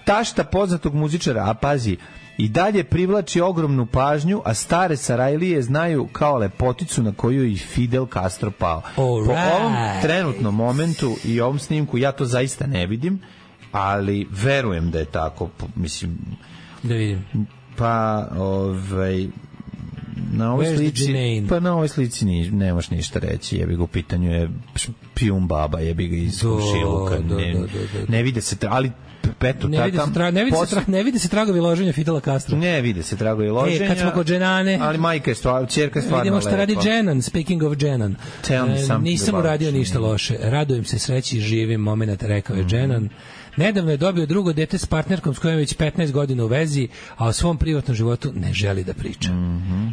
Tašta poznatog muzičara, a pazi, i dalje privlači ogromnu pažnju, a stare Sarajlije znaju kao lepoticu na koju i Fidel Castro pao. Po ovom trenutnom momentu i ovom snimku ja to zaista ne vidim, ali verujem da je tako, mislim. Da vidim. Pa, na ovoj slici nemaš ništa reći, jebi ga, u pitanju je špijun baba, jebi ga iz komšiluka, ne vide se, ali peto, ne vide se tragovi loženja Fidela Castro. Ne vide se tragovi loženja. Kad smo kod Dženane, ali majka je ćerka je stvarno lepa. Vidimo što radi Dženan, speaking of Dženan. Nisam uradio ništa loše, radujem se sreći i živim moment, rekao je Dženan. Nedavno je dobio drugo dete s partnerkom s kojom već 15 godina u vezi, a o svom privatnom životu ne želi da priča.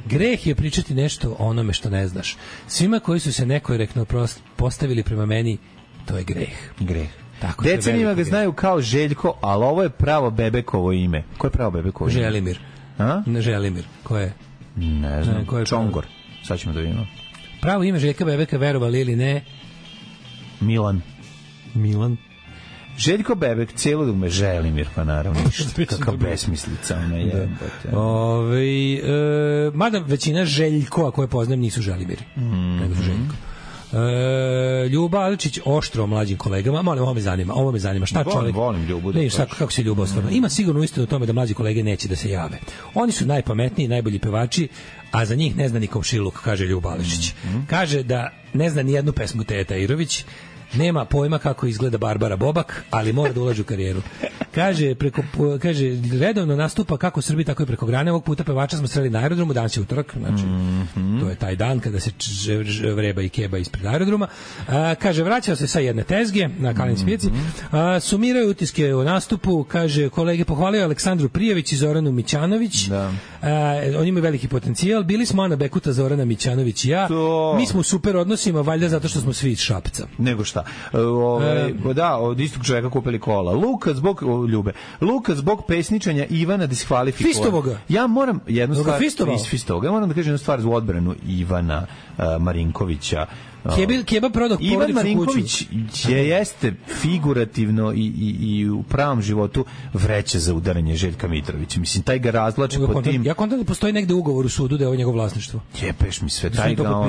Greh je pričati nešto o onome što ne znaš. Svima koji su se nekorektno postavili prema meni, to je greh. Decenima ga znaju kao Željko, ali ovo je pravo Bebekovo ime. Ko je pravo Bebekovo ime? Želimir. Želimir. Ko je? Ne znam. Čongor. Sad ćemo da vidimo. Pravo ime Željka Bebeka, verovali ili ne? Milan. Željko Bebek, celo dugme Želimir, pa naravno ništa. Kakav besmislica ona je. Mada većina Željkova koje poznajem nisu Želimiri. Nego su Željko. Ljuba Aličić oštro o mlađim kolegama. Molim, ovo me zanima. Šta čovjek? Volim Ljubu. Ne, šta, kako se Ljuba ostvarno? Ima sigurno istinu o tome da mlađi kolege neće da se jave. Oni su najpametniji, najbolji pevači, a za njih ne zna ni komšiluk, kaže Ljuba Aličić. Kaže da ne zna ni jednu pesmu Teta Irović, nema pojma kako izgleda Barbara Bobak, ali mora da ulaže u karijeru. Kaže, redovno nastupa kako u Srbiji, tako i preko grane. Ovog puta pevača smo sreli na aerodromu, danas je utorak, znači, to je taj dan kada se vreba i keba ispred aerodroma. Kaže, vraćao se sa jedne tezge na Kalenici pijaci. Sumiraju utiske o nastupu, kaže, kolege pohvalio Aleksandru Prijević i Zoranu Mićanović. Da. Oni imaju veliki potencijal. Bili smo Ana Bekuta, Zorana Mićanović i ja. Mi smo u super odnosima, valjda zato što smo svi iz Šapca. Nego šta? Da, od istog čovjeka kupili kola. Luka zbog pesničanja Ivana diskvalifikovan. Fistovoga. Ja moram jednu stvar Fistovoga. Ja moram da kažem jednu stvar za odbranu Ivana Marinkovića. Keba prodao Ivan Marinković jeste figurativno i u pravom životu vreća za udaranje Željka Mitrovića. Mislim, taj ga razvlači po tim... Ja kontam da postoji negde ugovor u sudu da je ovo njegovo vlasništvo. Jepeš mi sve, taj ga,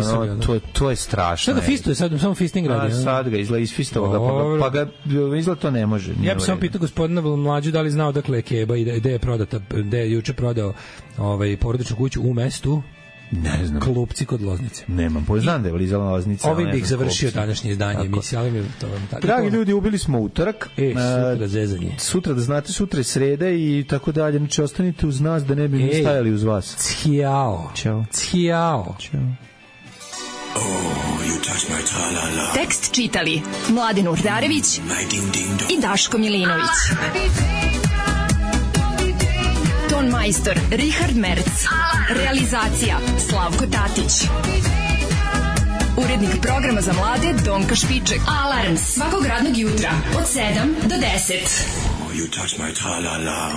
to je strašno. Sada fistuje, sad samo fisting radi. Sad ga izgleda iz Fistovoga, pa ga izgleda to ne može. Ja bih samo pitao gospodina Mlađu da li znao dakle je Keba i gde je prodata, gde je juče prodao porodičnu kuću u mestu. Ne znam. Klupci kod Loznice. Nemam, znam da je Lizala Loznica. Ovim bih završio današnje izdanje emisije, ali mi to vam tako. Dragi ljudi, ubili smo utorak. Sutra zezanje. Sutra, da znate, sutra je sreda i tako dalje. Znači, ostanite uz nas da ne bi mi stajali uz vas. Ćao. Ćao. Tekst čitali Mladen Urdarević i Daško Milinović. Ton majstor Richard Merc. Realizacija Slavko Tatić. Urednik programa za mlade Donka Špiček. Alarms svakog radnog jutra od 7 do 10. You touch my tra-la-la.